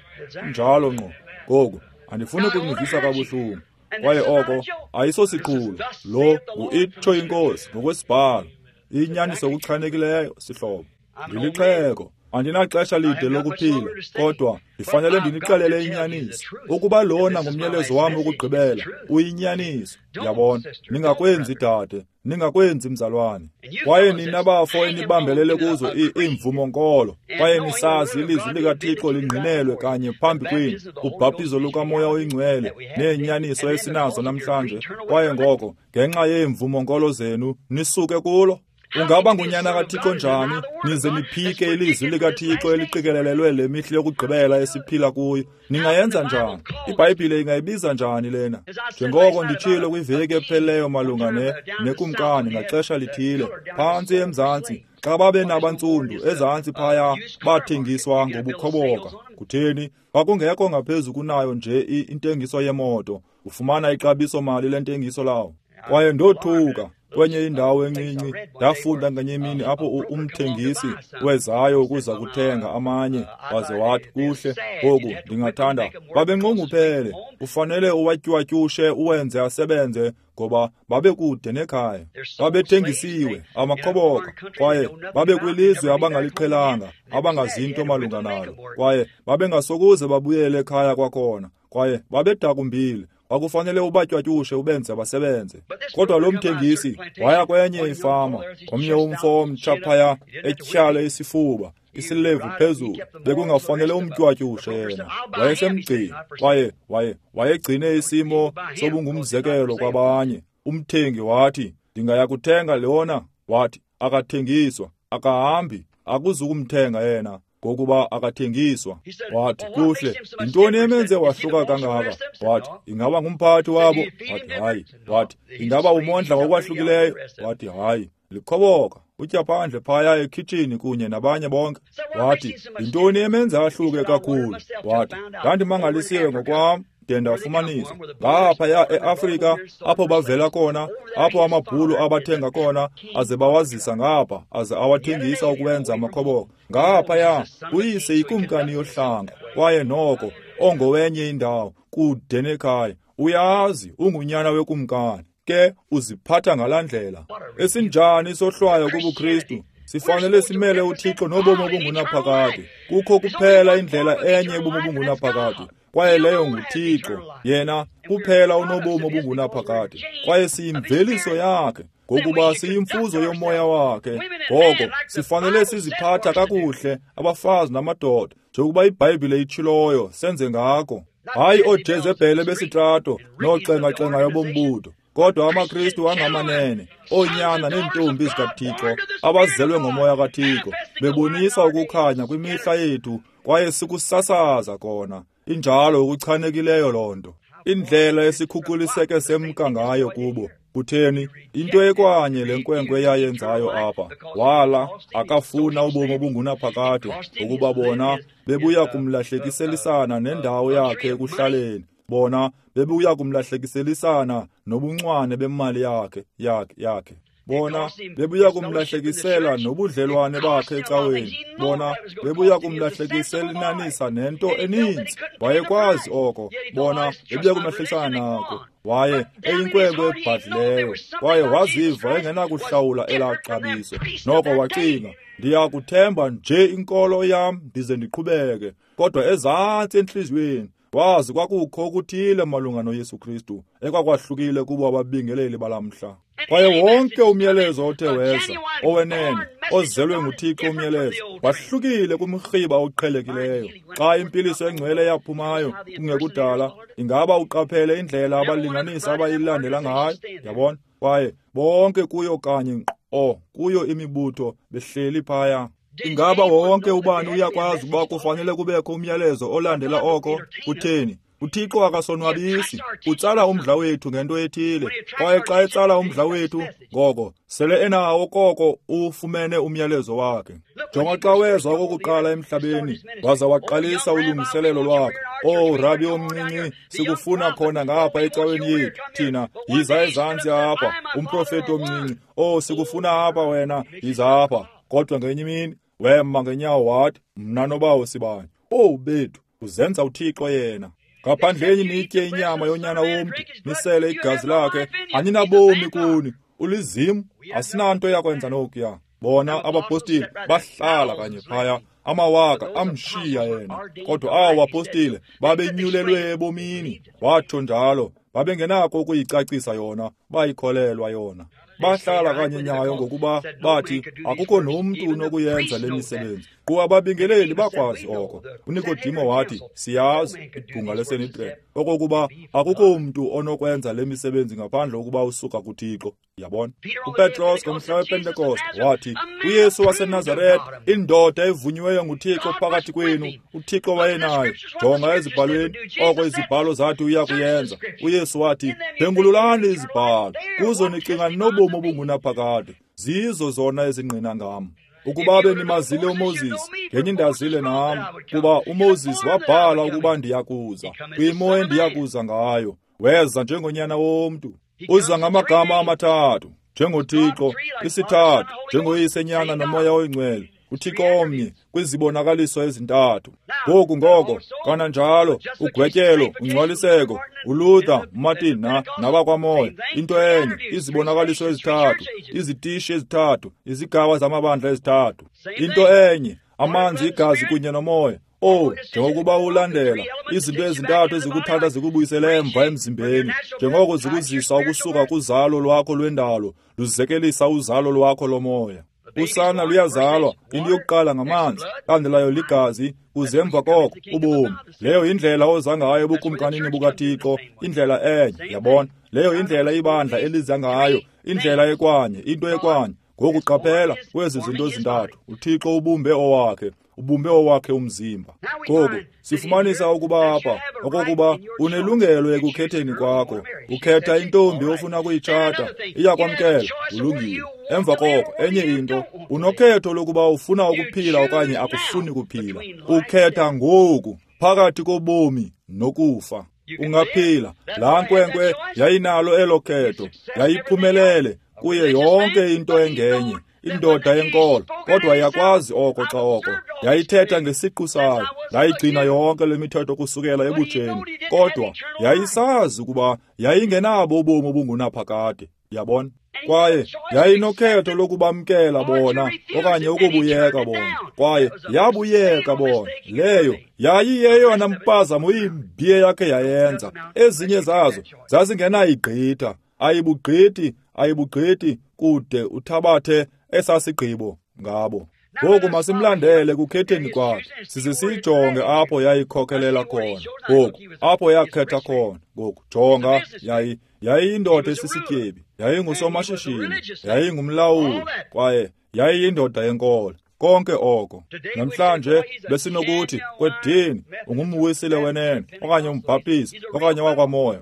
njalo ngqo. Ngoku andifuni ukunivisa kabuhlungu. Kwaye oko ayisosiqhulo. Lo ngu-itsho inkosi ngokwesibhalo. Inyaniso okuchanekileyo, sihlobo. Ndilixhego, andinaxesha lide lokuphila, kodwa ndifanele ndinixelele inyaniso. Ukuba lona ngumyalezo wam wokugqibela, uyinyaniso. Yabona, ningakwenzi dade, ningakwenzi mzalwane. Kwaye nina bafo enibambelele kuzo iimvumo-nkolo, kwaye nisazi ilizwi likaThixo lingqinelwe kanye phambi kwenu, ubhaptizo lukaMoya oyiNgcwele neenyaniso esinazo namhlanje. Kwaye ngoko ngenxa yeemvumo-nkolo zenu nisuke kulo. Ungaba ngunyana kaThixo njani nize niphike ilizwi likaThixo eliqikelelelwe le mihla yokugqibela esiphila kuyo? Ningayenza njani? IBhayibhile ingayibiza njani lena? Njengoko nditshilo kwiveki ephelileyo malunga ne nekumkani ngaxesha lithile phantsi eMzantsi, xa babe nabantsundu ezantsi phaya bathengiswa ngobukhoboka. Kutheni? Kwakungekho ngaphezu kunayo nje intengiso yemoto, ufumana ixabiso mali lentengiso lawo. Kwaye ndothuka kwenye indawo encinci, ndafunda ngenye imini apho umthengisi wezayo ukuza kuthenga amanye, waze wathi, kuhle ngoku ndingathanda. Babenqongophele, ufanele uwatywatyushe uwenze asebenze, ngoba babekude nekhaya. Babethengisiwe, amakhoboka, kwaye babekwilizwe abangaliqhelanga, abangazinto malunga nalo, kwaye babengasokuze babuyele ekhaya kwakhona, kwaye babedakumbile. Kwakufanele ubatywatyushe ubenze basebenze. Kodwa lo mthengisi waya kwenye ifama, omnye umfo omtsha phaya etyhale isifuba, isilevu phezulu. Bekungafanele umtywatyushe yena, wayesemgcini, kwaye waye wayegcine isimo sobungumzekelo kwabanye. Umthengi wathi, ndingaya kuthenga lona. Wathi, akathengiswa, akahambi, akuzukumthenga yena, ngokuba akathengiswa. Wathi, kuhle, yintoni emenze wahluka kangaka? Wathi, ingaba ngumphathi wabo? Wathi, hayi. Wathi, ingaba umondla ngokwahlukileyo? Wathi, hayi. Likhoboka, utya phandle phaya ekhitshini kunye nabanye bonke. Wathi, yintoni emenze ahluke kakhulu? Wathi, ndandimangalisiwe ngokwam de ndafumanisa ngaphaya eAfrika apho bavela khona, apho amabhulu abathenga khona aze bawazisa ngapha, aze awathengisa ukuwenza amakhoboka. Ngaphaya uyise yikumkani yohlanga, kwaye noko ongowenye indawo kude nekhaya. Uyazi ungunyana wekumkani, ke uziphatha ngalaa ndlela. Esinjani isohlwayo kubuKristu? Sifanele simele uThixo nobomi obungunaphakade. Kukho kuphela indlela enye yobomi obungunaphakade, kwaye leyo nguThixo. Yena kuphela unobomi obungunaphakade, kwaye siyimveliso yakhe, ngokuba siyimfuzo yomoya wakhe. Ngoko sifanele siziphatha kakuhle, abafazi namadoda, njengokuba iBhayibhile itshiloyo senze ngako. Hayi ooJezebhele besitrato nooxengaxengayo bombutho, kodwa amaKristu angamanene, oonyana neentombi zikaThixo abazelwe ngomoya kaThixo, bebonisa ukukhanya kwimihla yethu, kwaye sikusasaza kona. Injalo okuchanekileyo loo nto. Indlela esikhukuliseke semka ngayo kubo. Kutheni? Into ekwanye le nkwenkwe yayenzayo apha. Wala akafuna ubomi obungunaphakade, ukuba bona bebuya kumlahlekiselisana nendawo yakhe ekuhlaleni. Bona bebuya kumlahlekiselisana nobuncwane bemali yakhe yakhe yakhe. Bona bebuya kumlahlekisela nobudlelwane bakhe ecaweni. Bona bebuya kumlahlekiselinanisa nento eninzi. Wayekwazi oko. Bona bebuya kumlahlekisana nako. Waye eyinkwenkwe ebhadlileyo, kwaye waziva engenakuhlawula elaa xabiso. Noko wacinga, ndiyakuthemba nje inkolo yam ndize ndiqhubeke. Kodwa ezantsi entliziyweni wazi kwakukho okuthile malunga noYesu Kristu ekwakwahlukile kubo ababingeleli balamhla. Kwaye wonke umyalezo othe weza, owenene, ozelwe nguThixo umyalezo, wahlukile kumrhiba oqhelekileyo. Xa impiliso engcwele yaphumayo kungekudala, ingaba uqaphele indlela abalinganisi abayilandela ngayo? Yabona? Kwaye bonke kuyo kanye nkqo kuyo imibutho behleli phaya. Ingaba wonke ubani uyakwazi ukuba kufanele kubekho umyalezo olandela oko? Kutheni? UThixo akasonwabisi, utsala umdla wethu ngento ethile. Kwaye xa etsala umdla wethu, ngoko sele enawo koko ufumene umyalezo wakhe. Jonga xa weza okokuqala emhlabeni, waza waqalisa ulungiselelo lwakhe. Oh, rabi omncinci, sikufuna khona ngapha ecaweni yethu. Thina, yiza ezantsi apha, umprofeti omncinci. Oh, sikufuna apha wena, yiza apha. Kodwa ngenye imini, wema ngenyawo wathi, mna nobawo sibanye. Oh, bethu, uzenza uThixo yena. Ngaphandleni nitye inyama yonyana womntu, nisele igazi lakhe, aninabomi kuni. Ulizimu, asinanto yakwenza nokuya. Bona abapostile bahlala kanye phaya, amawaka amshiya yena. Kodwa awo apostile babenyulelwe ebomini, watsho njalo. Babengenako ukuyicacisa yona, bayikholelwa yona. Bahlala kanye nyayo ngokuba bathi akukho nomntu unokuyenza le misebenzi. Qu ababingeleli bakwazi oko. UNikodimo wathi, siyazi, ibhunga leSanhedrin, okokuba akukho mntu onokwenza le misebenzi ngaphandle kokuba usuka kuThixo. Yabona? UPetros ngomhla wePentekoste wathi, uYesu waseNazaretha, indoda evunyiweyo nguThixo phakathi kwenu, uThixo wayenaye. Jonga ezibhalweni, oko izibhalo zathi uya kuyenza. uYesu wathi, phengululani izibhalo, kuzo nicinga nobomi obungunaphakade, zizo zona ezingqina ngam. Ukuba benimazile uMoses, ngenye indazile nam, kuba uMoses wabhala ukuba ndiyakuza, kwimo endiyakuza ngayo. Weza njengonyana womntu. Uza ngamagama amathathu, njengoThixo, isithathu, njengoYise, Nyana noMoya oyiNgcwele. uThixo omnye kwizibonakaliso ezintathu. Ngoku ngoko kananjalo ugwetyelo, ungcwaliseko, uLuther, uMartin na nabakwamoya, into enye, izibonakaliso ezithathu, izitishi ezithathu, izigaba zamabandla ezithathu, into enye, amanzi, igazi kunye nomoya. Oh, njengokuba ulandela izinto ezintathu ezikuthatha zikubuyisele emva emzimbeni, njengoko zikuzisa ukusuka kuzalo lwakho lwendalo, luzekelisa uzalo lwakho lomoya. Usana luyazalwa, into yokuqala ngamanzi, landelayo ligazi, kuze emva koko ubomi. Leyo indlela oza ngayo ebukumkanini bukaThixo, indlela enye, yabona. Leyo indlela ibandla eliza ngayo, indlela ekwanye, into ekwanye. Ngoku qaphela kwezi zinto zintathu, uThixo ubumbe owakhe, ubumbe owakhe umzimba. Ngoku sifumanisa ukuba apha okokuba unelungelo ekukhetheni kwakho. Ukhetha intombi ofuna kuyitshata, iyakwamkela, ulungile. Emva koko enye into, unokhetho lokuba ufuna ukuphila okanye akufuni kuphila. Ukhetha ngoku phakathi kobomi nokufa. Ungaphila. Laa nkwenkwe yayinalo elo khetho, yayiphumelele kuye yonke into engenye, indoda yenkolo, kodwa yakwazi oko xa oko yayithetha ngesiqu sayo, yayigcina yonke le mithetho kusukela ebutsheni, kodwa yayisazi ukuba yayingenabo ubomi obungunaphakade. Yabona? Kwaye yayinokhetho lokubamkela bona okanye ukubuyeka bona, kwaye yabuyeka bona. Leyo yayiyeyona mpazamo imbi yakhe yayenza. Ezinye zazo zazingenayigqitha, ayibugqithi, ayibugqithi kude uthabathe esasigqibo ngabo. Ngoku masimlandele kukhetheni kwakhe, size siyijonge apho yayikhokelela khona. Ngoku apho yakhetha khona. Ngoku jonga, yayi yayiyindoda esisityebi, yayingusomashishini, yayingumlawuli, kwaye yayiyindoda yenkolo. Konke oko. Namhlanje besinokuthi kwedini ungumwisile wenene okanye umbhaptizi okanye wakwamoya,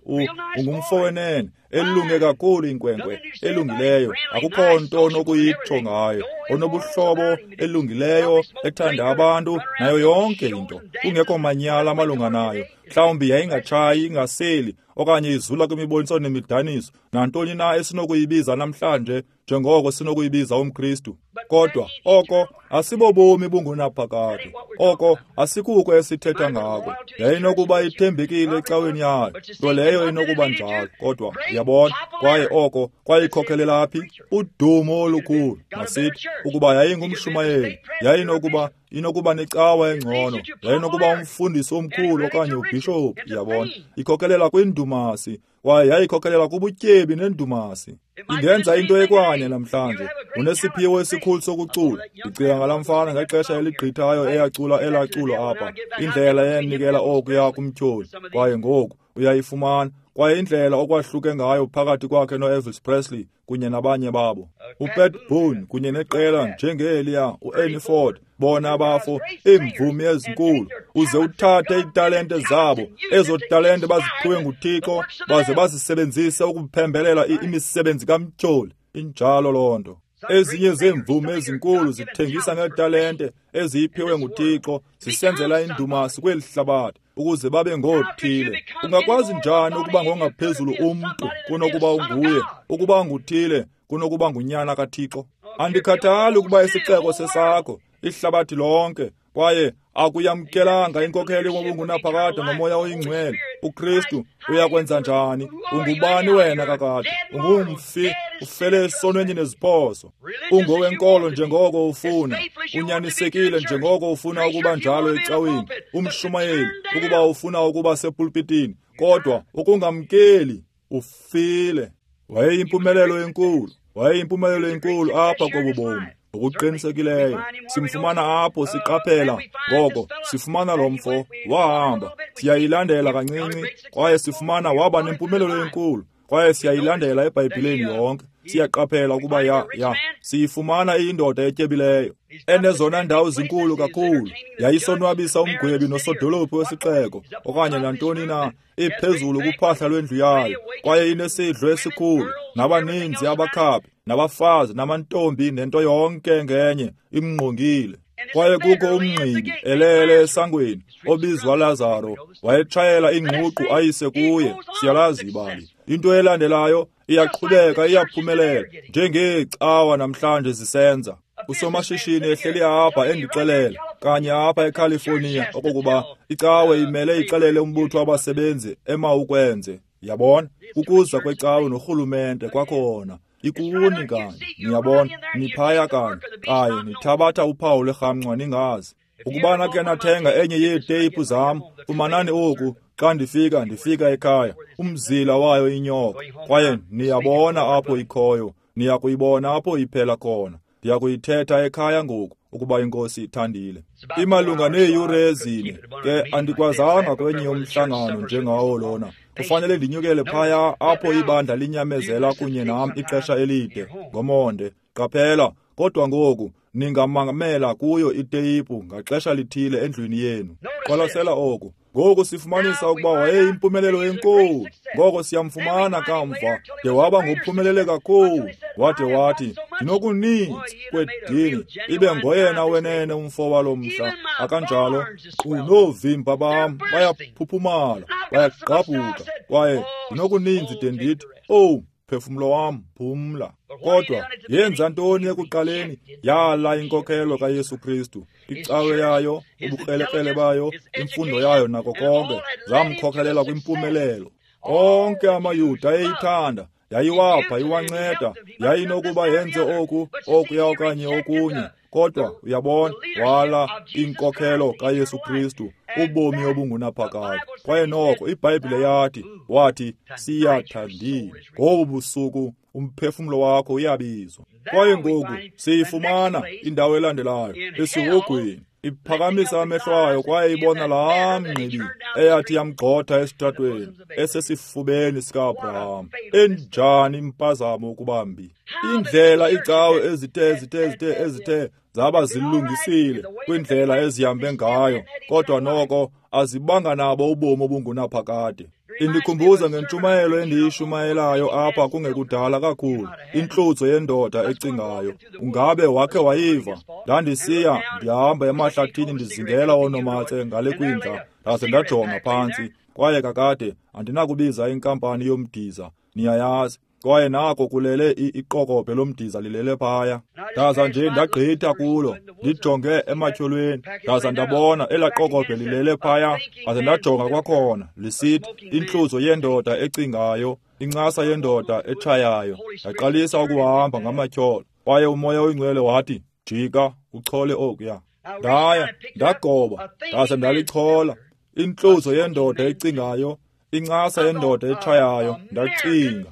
ungumfo wenene, elunge kakhulu inkwenkwe elungileyo, akukho nto onokuyitsho ngayo. onobuhlobo, elungileyo, ethanda abantu, nayo yonke into. Kungekho manyala malunga nayo. Mhlawumbi yayingatshayi, ingaseli, okanye izula kwimiboniso nemidaniso, nantoni na esinokuyibiza namhlanje njengoko sinokuyibiza umKristu. Kodwa oko asibobomi bungunaphakade. Oko asikuko esithetha ngako. Yayinokuba ithembekile ecaweni yayo, nto leyo inokuba njalo. Kodwa uyabona, kwaye oko kwayikhokelela phi? Udumo olukhulu. Masithi ukuba yayingumshumayeli, yayinokuba inokuba necawa engcono, yayinokuba umfundisi omkhulu okanye ubhishophu. Uyabona, ikhokelela kwindumasi, kwaye yayikhokelela kubutyebi nendumasi. Ingenza into ekwanye namhlanje. Unesiphiwo esikhulu sokucula. Ndicinga ngalaa mfana ngexesha eligqithayo eyacula elaa culo apha, indlela eyanikela okuya kumtyholi, kwaye ngoku uyayifumana. Kwaye indlela okwahluke ngayo phakathi kwakhe noElvis Presley kunye nabanye babo, uPat Boone kunye neqela njengeliya, uErnie Ford, bona abafo, iimvumi ezinkulu. Uze uthathe iitalente zabo, ezo talente baziphiwe nguThixo, baze bazisebenzise ukuphembelela imisebenzi kamtyholi. Injalo loo nto. Ezinye zeemvumi ezinkulu zithengisa ngeetalente eziyiphiwe nguThixo, zisenzela indumasi kweli hlabathi ukuze babe ngoothile. Ungakwazi njani ukuba ngongaphezulu umntu kunokuba unguye, ukuba nguthile kunokuba ngunyana kaThixo? Andikhathali ukuba isixeko sesakho, ihlabathi lonke, kwaye akuyamkelanga inkokhelo yobungunaphakade ngoMoya oyiNgcwele, uKristu, uyakwenza njani? Ungubani wena kakade? Ungumfi, ufele esonweni neziphoso. Ungowenkolo njengoko ufuna, unyanisekile njengoko ufuna ukuba njalo ecaweni, umshumayeli ukuba ufuna ukuba sepulpitini, kodwa ukungamkeli, ufile. Wayeyimpumelelo enkulu, wayeyimpumelelo enkulu apha kobu bomi. Ngokuqinisekileyo simfumana apho, siqaphela ngoko sifumana lo mfo wahamba, siyayilandela kancinci, kwaye sifumana waba nempumelelo enkulu, kwaye siyayilandela eBhayibhileni yonke. Siyaqaphela ukuba ya ya siyifumana iyindoda etyebileyo, enezona ndawo zinkulu kakhulu. Yayisonwabisa umgwebi nosodolophu wesixeko okanye nantoni na, iphezulu kuphahla lwendlu yayo, kwaye inesidlo esikhulu, nabaninzi abakhaphi, nabafazi, namantombi, nento yonke ngenye imngqongile. Kwaye kukho umngqibi elele esangweni obizwa Lazaro, wayetshayela ingququ ayise kuye. Siyalazi ibali. Into elandelayo iyaqhubeka, iyaphumelela njengeecawa namhlanje zisenza. Usomashishini ehleli apha endixelela kanye apha eCalifornia okokuba icawe imele ixelele umbutho wabasebenzi emawukwenze. Yabona, ukuza kwecawe norhulumente kwakhona ikuni kanye, niyabona, niphaya kanye, kanye nithabatha uphawu lwerhamncwa ningazi. Ukuba nakhe nathenga enye yeeteyiphu zam, fumanani oku. Xa ndifika, ndifika ekhaya, umzila wayo inyoka, kwaye niyabona apho ikhoyo, niyakuyibona apho iphela khona. Ndiyakuyithetha ekhaya ngoku, ukuba iNkosi ithandile. Imalunga neeyure ezine ke andikwazanga kwenye umhlangano njengawo lona. Kufanele ndinyukele phaya apho ibandla linyamezela kunye nam ixesha elide ngomonde. Qaphela, kodwa ngoku ningamamela kuyo iteyiphu ngaxesha lithile endlwini yenu. Qwalasela oku. Ngoku sifumanisa ukuba wayeyimpumelelo enkulu. Ngoko siyamfumana kamva de waba ngophumelele kakhulu. Wade wathi, ndinokuninzi kwedini, ibe ngoyena wenene umfo walo mhla. Akanjalo, unoovimba bam bayaphuphumala, bayagqabhuka, kwaye ndinokuninzi de ndithi, owu, mphefumlo wam, phumla. Kodwa yenza ntoni ekuqaleni? Yala inkokhelo kaYesu Kristu. Icawe yayo, ubukrelekrele bayo, imfundo yayo nako konke zamkhokhelela kwimpumelelo. Onke amaYuda ayeyithanda, yayiwapha, iwanceda, yayinokuba yenze oku, okuya okanye okunye. Kodwa uyabona, wala inkokhelo kaYesu Kristu, ubomi obungunaphakade. Kwaye noko iBhayibhile yathi, wathi, siyathandile. Ngobu busuku umphefumlo wakho uyabizwa. Kwaye ngoku siyifumana indawo elandelayo esihogweni. Iphakamisa amehlo ayo kwaye ibona laa mngqibi eyathi yamgxotha esitratweni esesifubeni sika-Abraham. Enjani impazamo ukuba mbi! Indlela iicawe ezithe ezithe ezithe ezithe zaba zilungisile kwindlela ezihambe ngayo, kodwa noko azibanga nabo ubomi obungunaphakade. Indikhumbuza ngentshumayelo endiyishumayelayo apha kungekudala kakhulu, intlutso yendoda ecingayo. Ungabe wakhe wayiva? Ndandisiya ndihamba emahlathini ndizingela oonomatse ngale kwindla, ndaze ndajonga phantsi. Kwaye kakade andinakubiza inkampani yomdiza, niyayazi. Kwaye nako kulele iqokobhe lomdiza lilele phaya. Ndaza nje ndagqitha kulo, ndijonge ematyholweni, ndaza ndabona elaa qokobhe lilele phaya. Ndaze ndajonga kwakhona, lisithi intluzo yendoda ecingayo, incasa yendoda etshayayo. Ndaqalisa ukuhamba ngamatyholo, kwaye uMoya oyiNgcwele wathi, jika uchole okuya. Ndaya ndagoba, ndaze ndalichola. Intluzo yendoda ecingayo, incasa yendoda etshayayo. Ndacinga,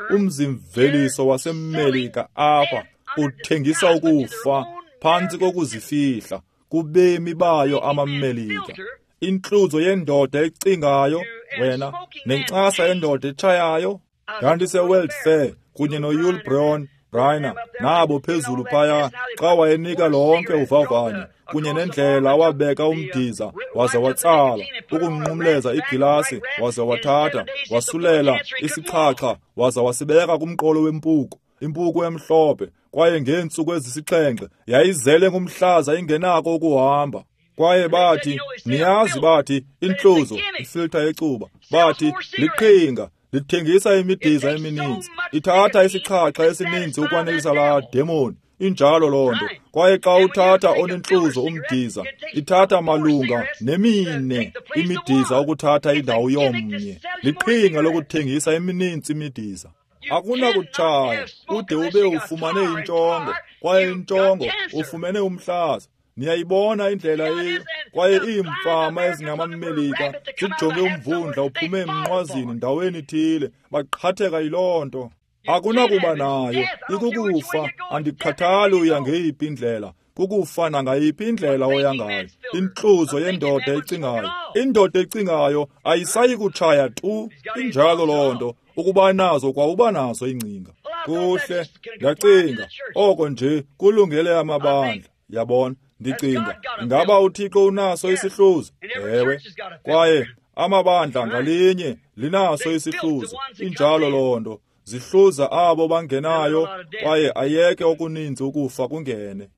umzimveliso waseMelika apha uthengisa ukufa phantsi kokuzifihla kubemi bayo amaMelika. Intluzo yendoda ecingayo wena nencasa yendoda etshayayo. Ndandise-World Fair kunye noYul Brown Briner nabo phezulu phaya xa wayenika lonke uvavanyo kunye nendlela awabeka umdiza waze watsala ukunqumleza igilasi waze wathatha wasulela isixhaxha waze wasibeka kumqolo wempuku, impuku emhlophe, kwaye ngeentsuku ezisixhenxe yayizele ngumhlaza ingenako ukuhamba. Kwaye bathi, niyazi, bathi intluzo, ifiltha yecuba, bathi liqhinga, lithengisa imidiza emininzi, ithatha isixhaxha esininzi ukwanelisa laa demoni. Injalo loo nto. Kwaye xa uthatha onentluzo umdiza, ithatha malunga nemine imidiza ukuthatha indawo yomnye. Liqhinga lokuthengisa emininzi imidiza. Akunakutshaya ude ube ufumane intshongo, kwaye intshongo ufumene umhlaza. Niyayibona indlela eyiyo. Kwaye iimfama ezingamaMelika zijonge umvundla uphume emnqwazini ndaweni ithile, baqhatheka yiloo nto. Akunakuba nayo, ikukufa. Andikhathali uya ngeyiphi indlela, kukufa nangayiphi indlela oya ngayo. Intluzo yendoda ecingayo, indoda ecingayo ayisayi kutshaya tu. Injalo loo nto. Ukuba nazo kwauba nazo ingcinga. Kuhle, ndacinga oko nje kulungele amabandla. Yabona, ndicinga ingaba uThixo unaso isihluzo? Ewe. Kwaye amabandla ngalinye linaso isihluzo. Injalo loo nto. Zihluza abo bangenayo, kwaye ayeke okuninzi ukufa kungene.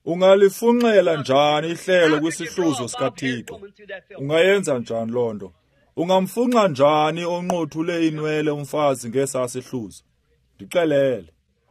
Ungalifunxela njani ihlelo kwisihluzo sikaThixo? Ungayenza njani loo nto? Ungamfunxa njani onqothule inwele umfazi ngesaa sihluzo? Ndixelele.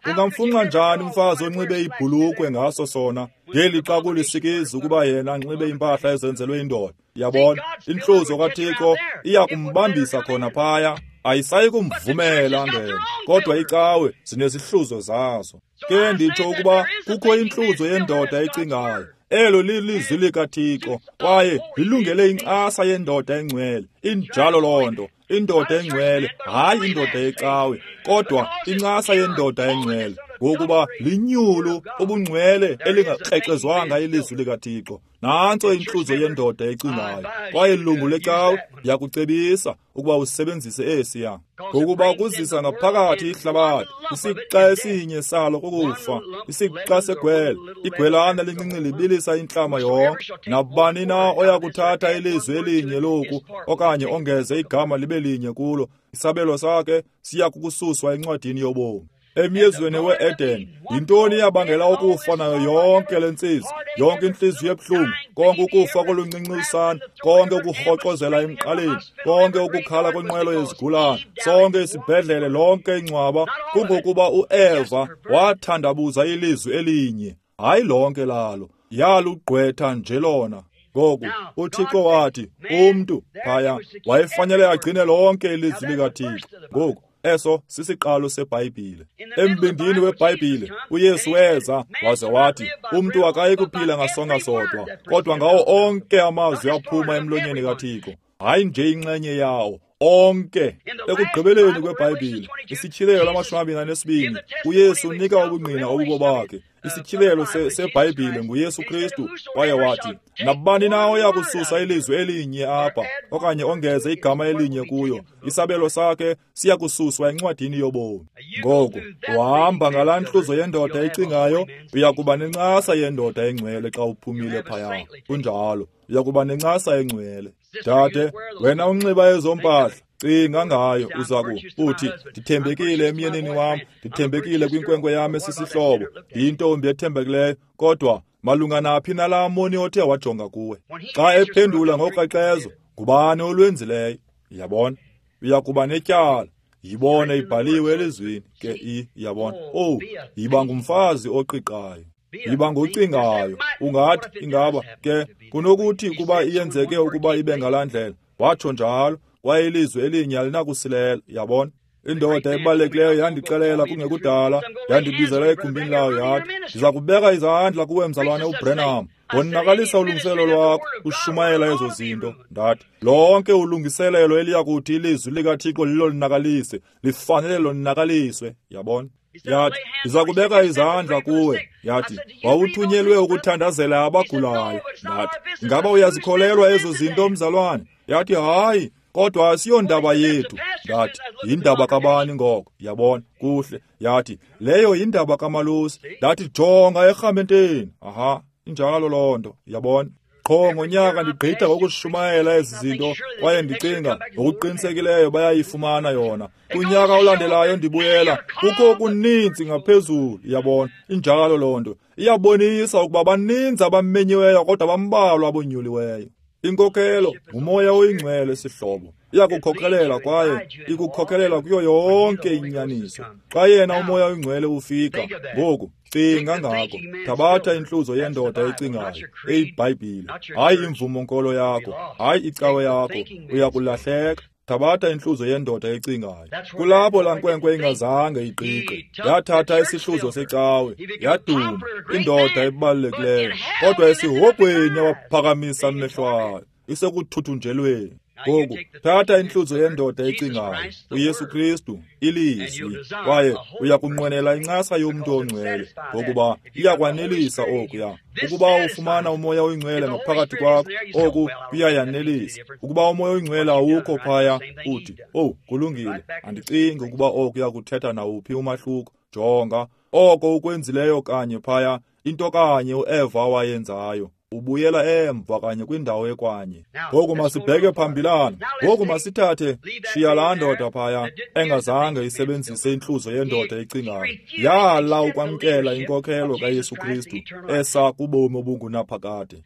Ungamfunxa njani umfazi onxibe ibhulukwe ngaso sona, ngeli xa kulisikizi ukuba yena anxibe impahla ezenzelwe indoda? Yabona, intluzo kaThixo iya kumbambisa khona phaya, ayisayi kumvumela angene. Kodwa icawe zinezihluzo zazo. Ke nditsho ukuba kukho intluzo yendoda ecingayo. Elo lilizwi likaThixo, kwaye lilungele incasa yendoda engcwele. Injalo loo nto. Indoda engcwele, hayi indoda yecawe, kodwa incasa yendoda engcwele, ngokuba linyulu ubungcwele elingakrexezwanga ilizwi likaThixo. Nantso intluzo yendoda ecingayo. Kwaye lungu lecawe ndiyakucebisa ukuba usebenzise esiya, ngokuba kuzisa ngaphakathi ihlabathi. Isixa esinye salo kukufa, isixa segwele. Igwelana lincinci libilisa intlama yonke. Nabani na oya kuthatha ilizwi elinye loku okanye ongeze igama libe linye kulo, isabelo sakhe siya kukususwa encwadini yobomi. Emyezweni we-Eden, yintoni eyabangela ukufa nayo yonke le ntsizi, yonke intliziyo ebuhlungu, konke ukufa koluncinci usana, konke ukurhoxozela emqaleni, konke ukukhala kwenqwelo yezigulana, sonke isibhedlele, lonke ingcwaba? Kungokuba uEva wathandabuza ilizwi elinye, hayi lonke lalo, yalugqwetha nje lona. Ngoku uThixo wathi umntu phaya wayefanele agcine lonke ilizwi likaThixo. Ngoku eso sisiqalo seBhayibhile. Embindini weBhayibhile uYesu weza waze wathi umntu akayi kuphila ngasonka sodwa, kodwa ngawo onke amazwi aphuma emlonyeni kaThixo, hayi nje inxenye yawo, onke. Ekugqibeleni kweBhayibhile, isityhilelo lamashumi amabini anesibini, uYesu unika ubungqina obubo bakhe. Isityhilelo seBhayibhile nguYesu Kristu. Kwaye wathi, nabani na oya kususa ilizwi elinye apha okanye ongeze igama elinye kuyo, isabelo sakhe siya kususwa encwadini yobomi. Ngoku uhamba ngalaa ntluzo yendoda ecingayo, uya kuba nencasa yendoda engcwele xa uphumile phaya. Kunjalo, uya kuba nencasa engcwele. Dade, wena unxiba ezo mpahla, cinga ngayo. Uza uthi, ndithembekile emyenini wam, ndithembekile kwinkwenkwe yam esisihlobo, ndiyintombi ethembekileyo, kodwa malunga naphi nalaa moni othe wajonga kuwe? Xa ephendula ngokrexezo, ngubani olwenzileyo? Yabona, uya kuba netyala. Yibone ibhaliwe elizwini ke i, yabona. Oh, yiba ngumfazi oqiqayo, yiba ngocingayo. Ungathi ingaba ke kunokuthi kuba iyenzeke ukuba ibe ngalaa ndlela, watsho njalo, kwaye ilizwi elinye alinakusilela. Yabona, indoda ebalulekileyo yandixelela kungekudala, yandibizela egumbini layo, yathi, ndiza kubeka izandla kuwe mzalwane uBrenham, wonakalisa ulungiselelo lwakho ushumayela ezo zinto. Ndathi, lonke ulungiselelo eliyakuthi ilizwi likaThixo lilonakalise, lifanele lonakaliswe. Yabona, yathi, ndiza kubeka izandla kuwe. Yathi, wawuthunyelwe ukuthandazela abagulayo. Ndathi, ingaba uyazikholelwa ezo zinto mzalwane? Yathi, hayi, kodwa asiyondaba yethu. Ndathi, yindaba kabani ngoko? Yabona, kuhle. Yathi, leyo yindaba kamalusi. Ndathi, jonga erhamenteni. Aha, injalo loo nto. Yabona, qho ngonyaka ndigqitha ngokushumayela ezi zinto, kwaye ndicinga ngokuqinisekileyo bayayifumana yona. Kunyaka olandelayo ndibuyela, kukho okuninzi ngaphezulu. Yabona, injalo loo nto. Iyabonisa ukuba baninzi abamenyiweyo kodwa bambalwa abonyuliweyo. Inkokhelo ngumoya oyingcwele sihlobo, iyakukhokelela kwaye ikukhokelela kuyo yonke inyaniso. Xa yena umoya oyingcwele ufika, ngoku cinga ngako. Thabatha intluzo yendoda ecingayo eyiBhayibhile, hayi imvumo-nkolo yakho, hayi icawe yakho, uyakulahleka. Thabatha intluzo yendoda ecingayo. Kulapho laa nkwenkwe ingazange iqiqe, yathatha isihluzo secawe, yaduma, indoda ebalulekileyo, kodwa esihogweni yawaphakamisa amehlo ayo, isekuthuthunjelweni. Ngoku thatha intluzo yendoda ecingayo, uYesu Kristu, ilizwi, kwaye uyakunqwenela incasa yomntu ongcwele, ngokuba iyakwanelisa okuya. Ukuba ufumana umoya oyingcwele ngaphakathi kwakho, oku kuyayanelisa. Ukuba umoya oyingcwele awukho phaya, uthi, oh, kulungile, andicingi ukuba oku yakuthetha nawuphi umahluko. Jonga, oko ukwenzileyo kanye phaya, into kanye uEva wayenzayo. Ubuyela emva kanye kwindawo ekwanye. Ngoku masibheke phambilana. Ngoku masithathe, shiya laa ndoda phaya engazange isebenzise intluzo yendoda ecingayo. Yala ukwamkela inkokhelo kaYesu Kristu esa kubomi obungunaphakade.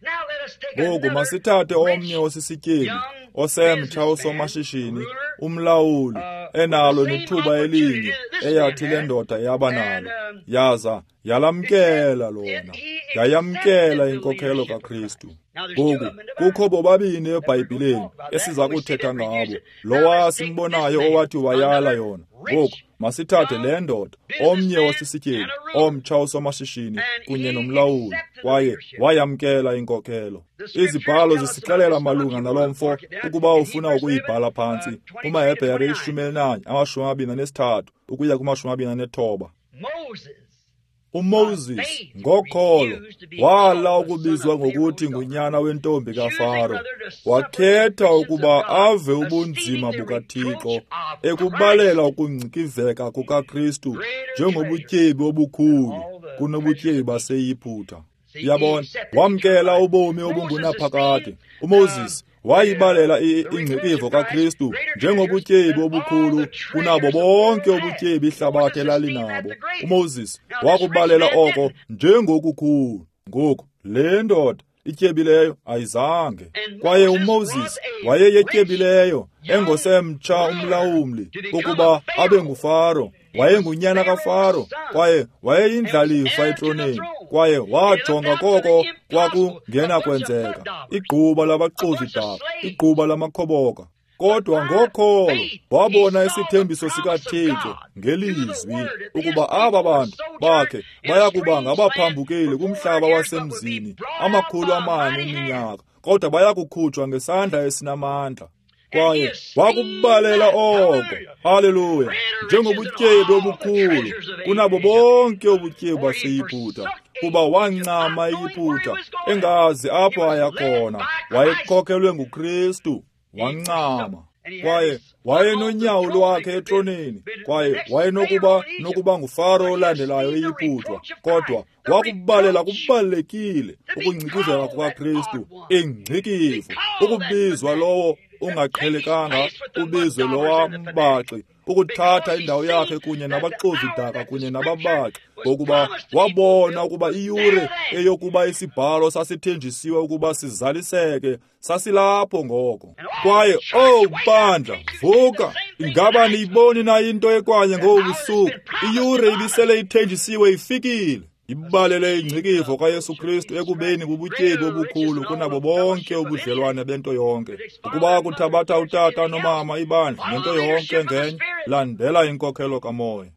Ngoku masithathe omnye osisityebi, osemtsha osomashishini, umlawuli, enalo nethuba elinye eyathi le ndoda yaba nalo, yaza yalamkela lona, yayamkela inkokhelo kaKristu. Ngoku kukho bobabini eBhayibhileni esiza kuthetha ngabo, lowa simbonayo owathi wayala yona. Ngoku masithathe le ndoda, omnye osisityebi, omtsha osomashishini kunye nomlawuli, kwaye wayamkela inkokhelo. Izibhalo zisixelela malunga nalo mfo, ukuba ufuna ukuyibhala phantsi, kumaHebhere ishumi elinanye amashumi amabini anesithathu ukuya kumashumi amabini anethoba. UMoses ngokholo wala ukubizwa ngokuthi ngunyana wentombi kaFaro, wakhetha ukuba ave ubunzima bukaThixo ekubalela ukungcikiveka kukaKristu njengobutyebi obukhulu kunobutyebi baseYiputa. Yabona, wamkela ubomi obungunaphakade. UMoses wayibalela ingcikivo kaKristu njengobutyebi obukhulu kunabo bonke ubutyebi ihlabathi elalinabo. UMoses wakubalela oko njengokukhulu. Ngoku le ndoda ityebileyo ayizange. Kwaye uMoses wayeyetyebileyo, engosemtsha umlawuli ukuba abe nguFaro. Wayengunyana kaFaro, kwaye wayeyindlalifa etroneni, kwaye wajonga koko kwakungenakwenzeka, igquba labaxozi-daka, igquba lamakhoboka. Kodwa ngokholo wabona isithembiso sikaThixo ngelizwi ukuba aba bantu bakhe bayakuba ngabaphambukeli kumhlaba wasemzini amakhulu amane eminyaka, kodwa bayakukhutshwa ngesandla esinamandla. Kwaye wakubalela oko, haleluya, njengobutyebi obukhulu kunabo bonke ubutyebi baseYiputa, kuba wancama iYiputa engazi apho aya khona. Wayekhokhelwe nguKristu, wancama. Kwaye wayenonyawo lwakhe etroneni, kwaye wayenokuba nokuba nguFaro olandelayo eYiputa, kodwa wakubalela kubalulekile ukungcikiveka kukaKristu, ingcikivo, ukubizwa lowo ungaqhelekanga, ubizwe lowa mbaxi, ukuthatha indawo yakhe kunye nabaxovi-daka kunye nababaxi, ngokuba wabona ukuba iyure eyokuba isibhalo sasithenjisiwe ukuba sizaliseke sasilapho ngoko. Kwaye, oh bandla, vuka! Ingaba niyiboni na into ekwanye ngobu busuku? Iyure ibisele ithenjisiwe ifikile. Ibalele ingcikivo kaYesu Kristu ekubeni bubutyebi obukhulu kunabo bonke ubudlelwane bento yonke. Ukuba kuthabatha utata nomama ibandla nento yonke ngenye, landela inkokhelo kaMoya.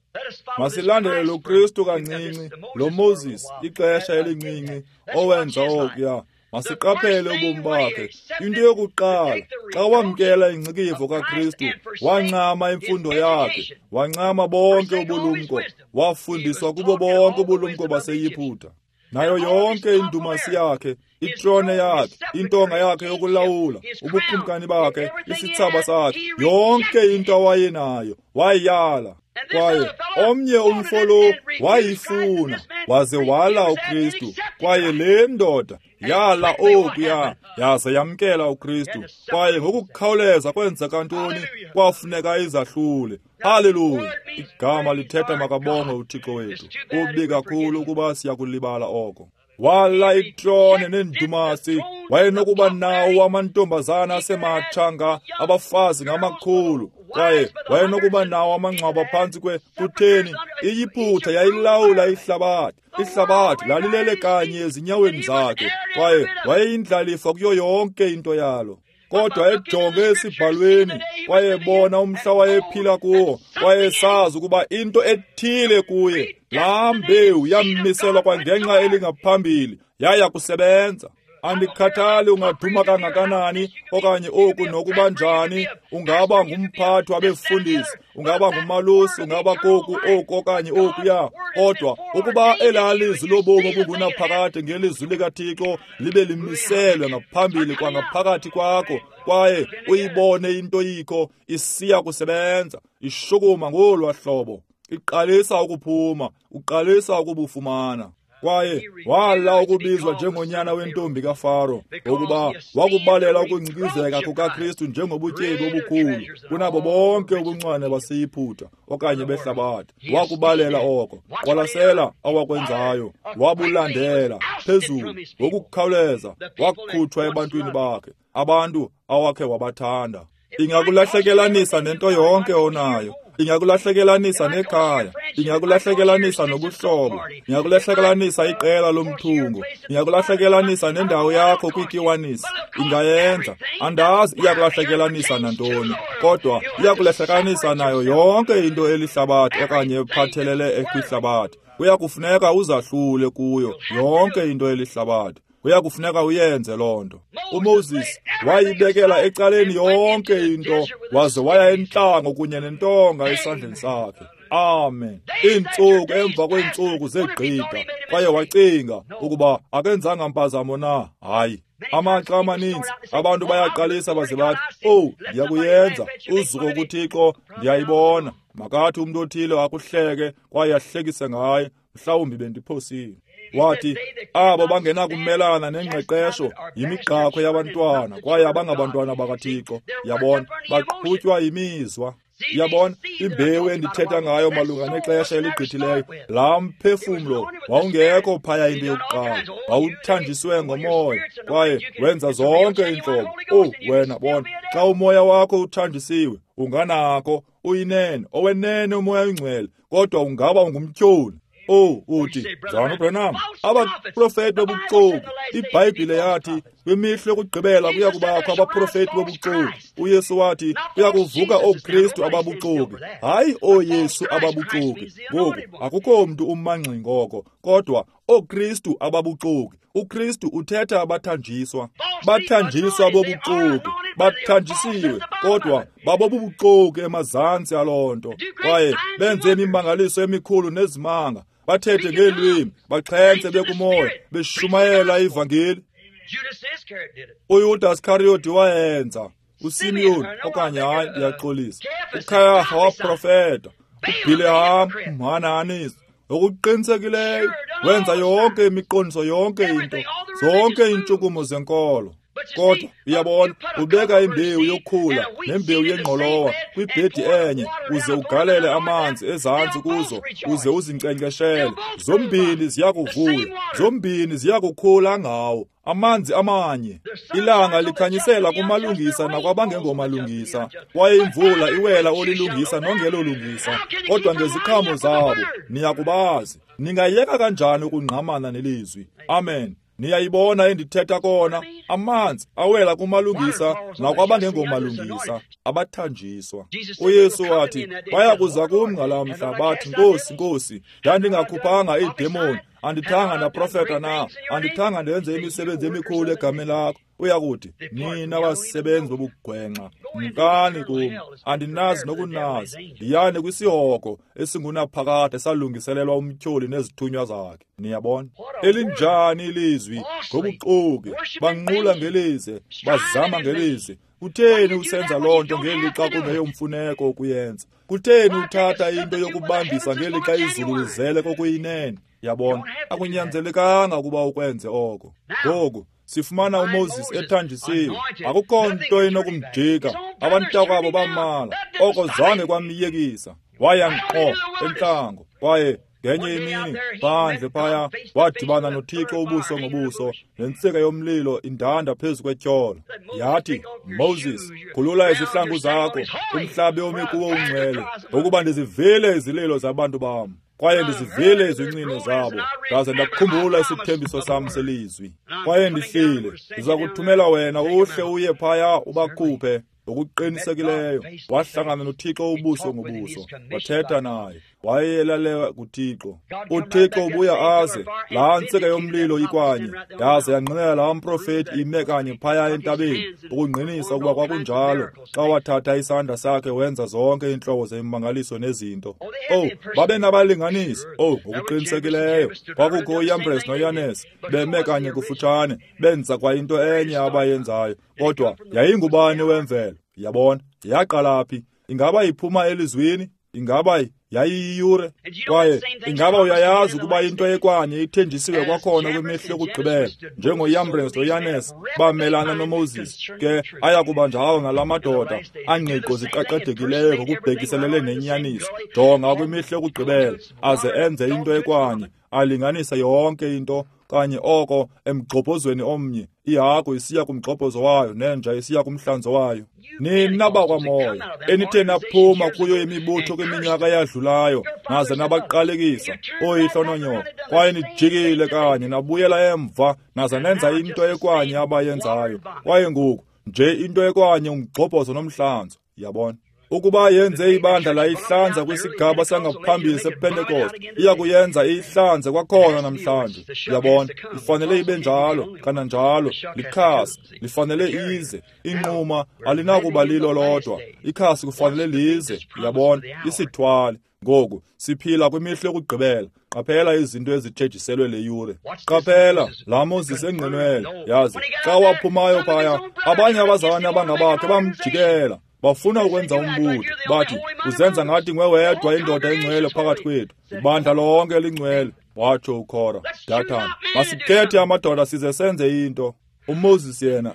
Masilandele lo Kristu kancinci, lo Moses ixesha elincinci owenza okuya. Masiqaphele ubomi bakhe. Into yokuqala, xa wamkela ingcikivo kaKristu, wancama imfundo yakhe, wancama bonke ubulumko, wafundiswa kubo bonke ubulumko baseYiputa. Nayo yonke indumasi yakhe, itrone yakhe, intonga yakhe yokulawula, ubukumkani bakhe, isithsaba sakhe, yonke into awayenayo wayala. Kwaye omnye umfo lo wayifuna, waze wala uKristu. Kwaye le ndoda yala okuya, yaze yamkela uKristu. Kwaye ngokukhawuleza kwenzeka ntoni? Kwafuneka izahlule. Haleluya! Igama lithetha makabongwe uThixo wethu. Kubi kakhulu ukuba siyakulibala oko. Wala itrone nendumasi, wayenokuba nawo amantombazana asematsha nga abafazi ngamakhulu, kwaye wayenokuba nawo amangcwaba phantsi kwe. Kutheni? IYiputa yayilawula ihlabathi. Ihlabathi lalilele kanye ezinyaweni zakhe, kwaye wayeyindlalifa kuyo yonke into yalo. Kodwa ejonge esibhalweni, wayebona umhla wayephila kuwo, wayesazi ukuba into ethile kuye, laa mbewu yammiselwa kwangenxa elingaphambili, yaya kusebenza. Andikhathali ungaduma kangakanani okanye oku nokuba njani, ungaba ngumphathi wabefundisi, ungaba ngumalusi, ungaba koku oku okanye okuya, kodwa ukuba elaa lizwi lobomi obungunaphakade ngelizwi likaThixo libe limiselwe ngaphambili kwangaphakathi kwakho, kwaye uyibone into yikho isiya kusebenza, ishukuma ngolwa hlobo, iqalisa ukuphuma, uqalisa ukubufumana. Kwaye wala ukubizwa njengonyana wentombi kaFaro, ngokuba wakubalela ukungcikizeka kukaKristu njengobutyebi obukhulu kunabo bonke ubuncwane baseYiputa okanye behlabathi. Wakubalela oko. Qwalasela awakwenzayo, wabulandela phezulu ngokukhawuleza, wakhutshwa ebantwini bakhe, abantu awakhe wabathanda. Ingakulahlekelanisa nento yonke onayo. Ingakulahlekelanisa nekhaya, ingakulahlekelanisa nobuhlobo, ingakulahlekelanisa iqela lomthungo, ingakulahlekelanisa nendawo yakho kwikiwanisi. Ingayenza. Andazi iyakulahlekelanisa nantoni, kodwa iyakulahlekelanisa nayo yonke into elihlabathi okanye ephathelele ekwihlabathi. Kuyakufuneka uzahlule kuyo yonke into elihlabathi. Kuyakufuneka uyenze loo nto. UMoses wayibekela ecaleni yonke into, waze waya entlango kunye nentonga esandleni sakhe. Amen. Iintsuku emva kweentsuku zegqitha, kwaye wacinga ukuba akenzanga mpazamo na. Hayi. Amaxa amaninzi abantu bayaqalisa baze bathi, "Oh, ndiyakuyenza, uzuko kuThixo, ndiyayibona." Makathi umntu othile akuhleke kwaye ahlekise ngaye, mhlawumbi bendiphosile. Wathi, abo bangenakumelana nengqeqesho yimigqakhwe yabantwana, kwaye abangabantwana bakaThixo. Yabona, baqhutywa yimizwa. Yabona, imbewu endithetha ngayo malunga nexesha eligqithileyo, laa mphefumlo wawungekho phaya into yokuqala, wawuthanjiswe ngomoya, kwaye wenza zonke iintlobo. Oh, wena bona, xa umoya wakho uthanjisiwe, unganako, uyinene, owenene umoya oyingcwele, kodwa ungaba ungumtyholi. Oh, uthi, Mzalwana uBranham, abaprofeti bobuxoki. IBhayibhile yathi kwimihla yokugqibela kuya kubakho abaprofeti bobuxoki. UYesu wathi kuya kuvuka ooKristu ababuxoki, hayi ooYesu ababuxoki. Ngoku akukho mntu umangxi ngoko, kodwa ooKristu ababuxoki. UKristu uthetha abathanjiswa, bathanjiswa bobuxoki. Bathanjisiwe, kodwa babobubuxoki emazantsi aloo nto. Kwaye benze imimangaliso emikhulu nezimanga, bathethe ngeelwimi, baxhentse bekumoya, beshumayela ivangeli. UYudas Iskariyoti wayenza, uSimeon okanye hayi ndiyaxolisa, uKhayafa waprofeta, uBhileham umhanahanisi. Ngokuqinisekileyo wenza yonke imiqondiso, yonke into, zonke iintshukumo zenkolo. Kodwa uyabona, ubeka imbewu yokhula nembewu yengqolowa kwibhedi enye, uze ugalele amanzi ezantsi kuzo, uze uzinkcenkceshele. Zombini ziyakuvuya, zombini ziyakukhula ngawo amanzi amanye. Ilanga likhanyisela kumalungisa nakwabangengomalungisa, kwaye imvula iwela olilungisa nongelolungisa. Kodwa ngeziqhamo zabo niyakubazi. Ningayeka kanjani ukungqamana nelizwi? Amen. Niyayibona endithetha kona, amanzi awela kumalungisa nakwabangengomalungisa, abathanjiswa. UYesu wathi, baya kuza kum ngalaa mhla bathi, Nkosi, Nkosi, ndandingakhuphanga iidemoni, andithanga ndaprofeta na, andithanga ndenze imisebenzi emikhulu egameni lakho. Uyakuthi, nina basebenzi bobugwenxa, mkani kum, andinazi nokunazi, ndiyani kwisihogo esingunaphakade salungiselelwa umtyholi nezithunywa zakhe. Niyabona? Elinjani ilizwi ngobuxoki, banqula ngelize, bazama ngelize. Kutheni usenza loo nto ngelixa kungeyomfuneko ukuyenza? Kutheni uthatha into yokubambisa ngelixa izulu lizele kokuyinene? Yabona, akunyanzelekanga ukuba ukwenze oko. Ngoku sifumana uMoses ethanjisiwe, akukho nto inokumjika. Abantakwabo bamala, oko zange kwamyekisa. Waya ngqo entlango, kwaye ngenye imini phandle phaya wadibana noThixo ubuso ngobuso, nentsika yomlilo indanda phezu kwetyholo. Yathi, Moses, khulula izihlangu zakho, umhlabe omi kuwo ungcwele, ngokuba ndizivile izililo zabantu bam, kwaye ndizivile izincino zabo, ndaze ndakukhumbula isithembiso sam selizwi. Kwaye ndihlile, ndiza kuthumela wena uhle uye phaya ubakhuphe. Ngokuqinisekileyo wahlangana noThixo ubuso ngobuso, wathetha naye, wayelalewa kuThixo. UThixo ubuya aze, laa ntsika yomlilo ikwanye, yaze yangqinela laa mprofeti ime kanye phaya entabeni, ukungqinisa ukuba kwakunjalo, xa wathatha isandla sakhe wenza zonke iintlobo zemimangaliso nezinto. Oh, babe nabalinganisi. Oh, ngokuqinisekileyo kwakukho uYambres noYanes beme kanye kufutshane, benza kwa into enye abayenzayo, kodwa yayingubani wemvelo? Yabona, yaqala phi? Ingaba iphuma elizwini? Ingaba yayiyiyure? Kwaye ingaba uyayazi ukuba into ekwanye ithenjisiwe kwakhona kwimihla yokugqibela, njengoYambres noYanes bamelana noMoses, ke aya kuba njalo nala madoda angqiqo ziqaqadekileyo ngokubhekiselele nenyaniso. Jonga kwimihla yokugqibela, aze enze into ekwanye, alinganise yonke into kanye oko emgxobhozweni omnye, ihagu isiya kumgxobhozo wayo nenja isiya kumhlanzo wayo. Nina bakwamoya, enithe naphuma kuyo imibutho kwiminyaka eyadlulayo, naze nabaqalekisa oyihlo nonyoko, kwaye nijikile kanye nabuyela emva, naze nenza into ekwanye abayenzayo. Kwaye ngoku nje into ekwanye umgxobhozo nomhlanzo. Yabona? Ukuba yenze ibandla layihlanza kwisigaba sangaphambili sePentecost, iya kuyenza iyihlanze kwakhona namhlanje. Uyabona, ifanele ibe njalo, kananjalo likhasi lifanele ize. Inquma alinakuba lilo lodwa, ikhasi kufanele lize. Uyabona, isithwale. Ngoku siphila kwimihla yokugqibela. Qaphela izinto ezithenjiselwe le yure. Qaphela laa Moses engqinwele. Yazi, xa waphumayo phaya, abanye abazalwane abangabakhe bamjikela, bafuna ukwenza umbutho. Bathi, uzenza ngathi nguwe wedwa indoda engcwele phakathi kwethu, ibandla lonke lingcwele. Watsho uKhora, Dathan, masikhethe amadoda size senze into. uMoses yena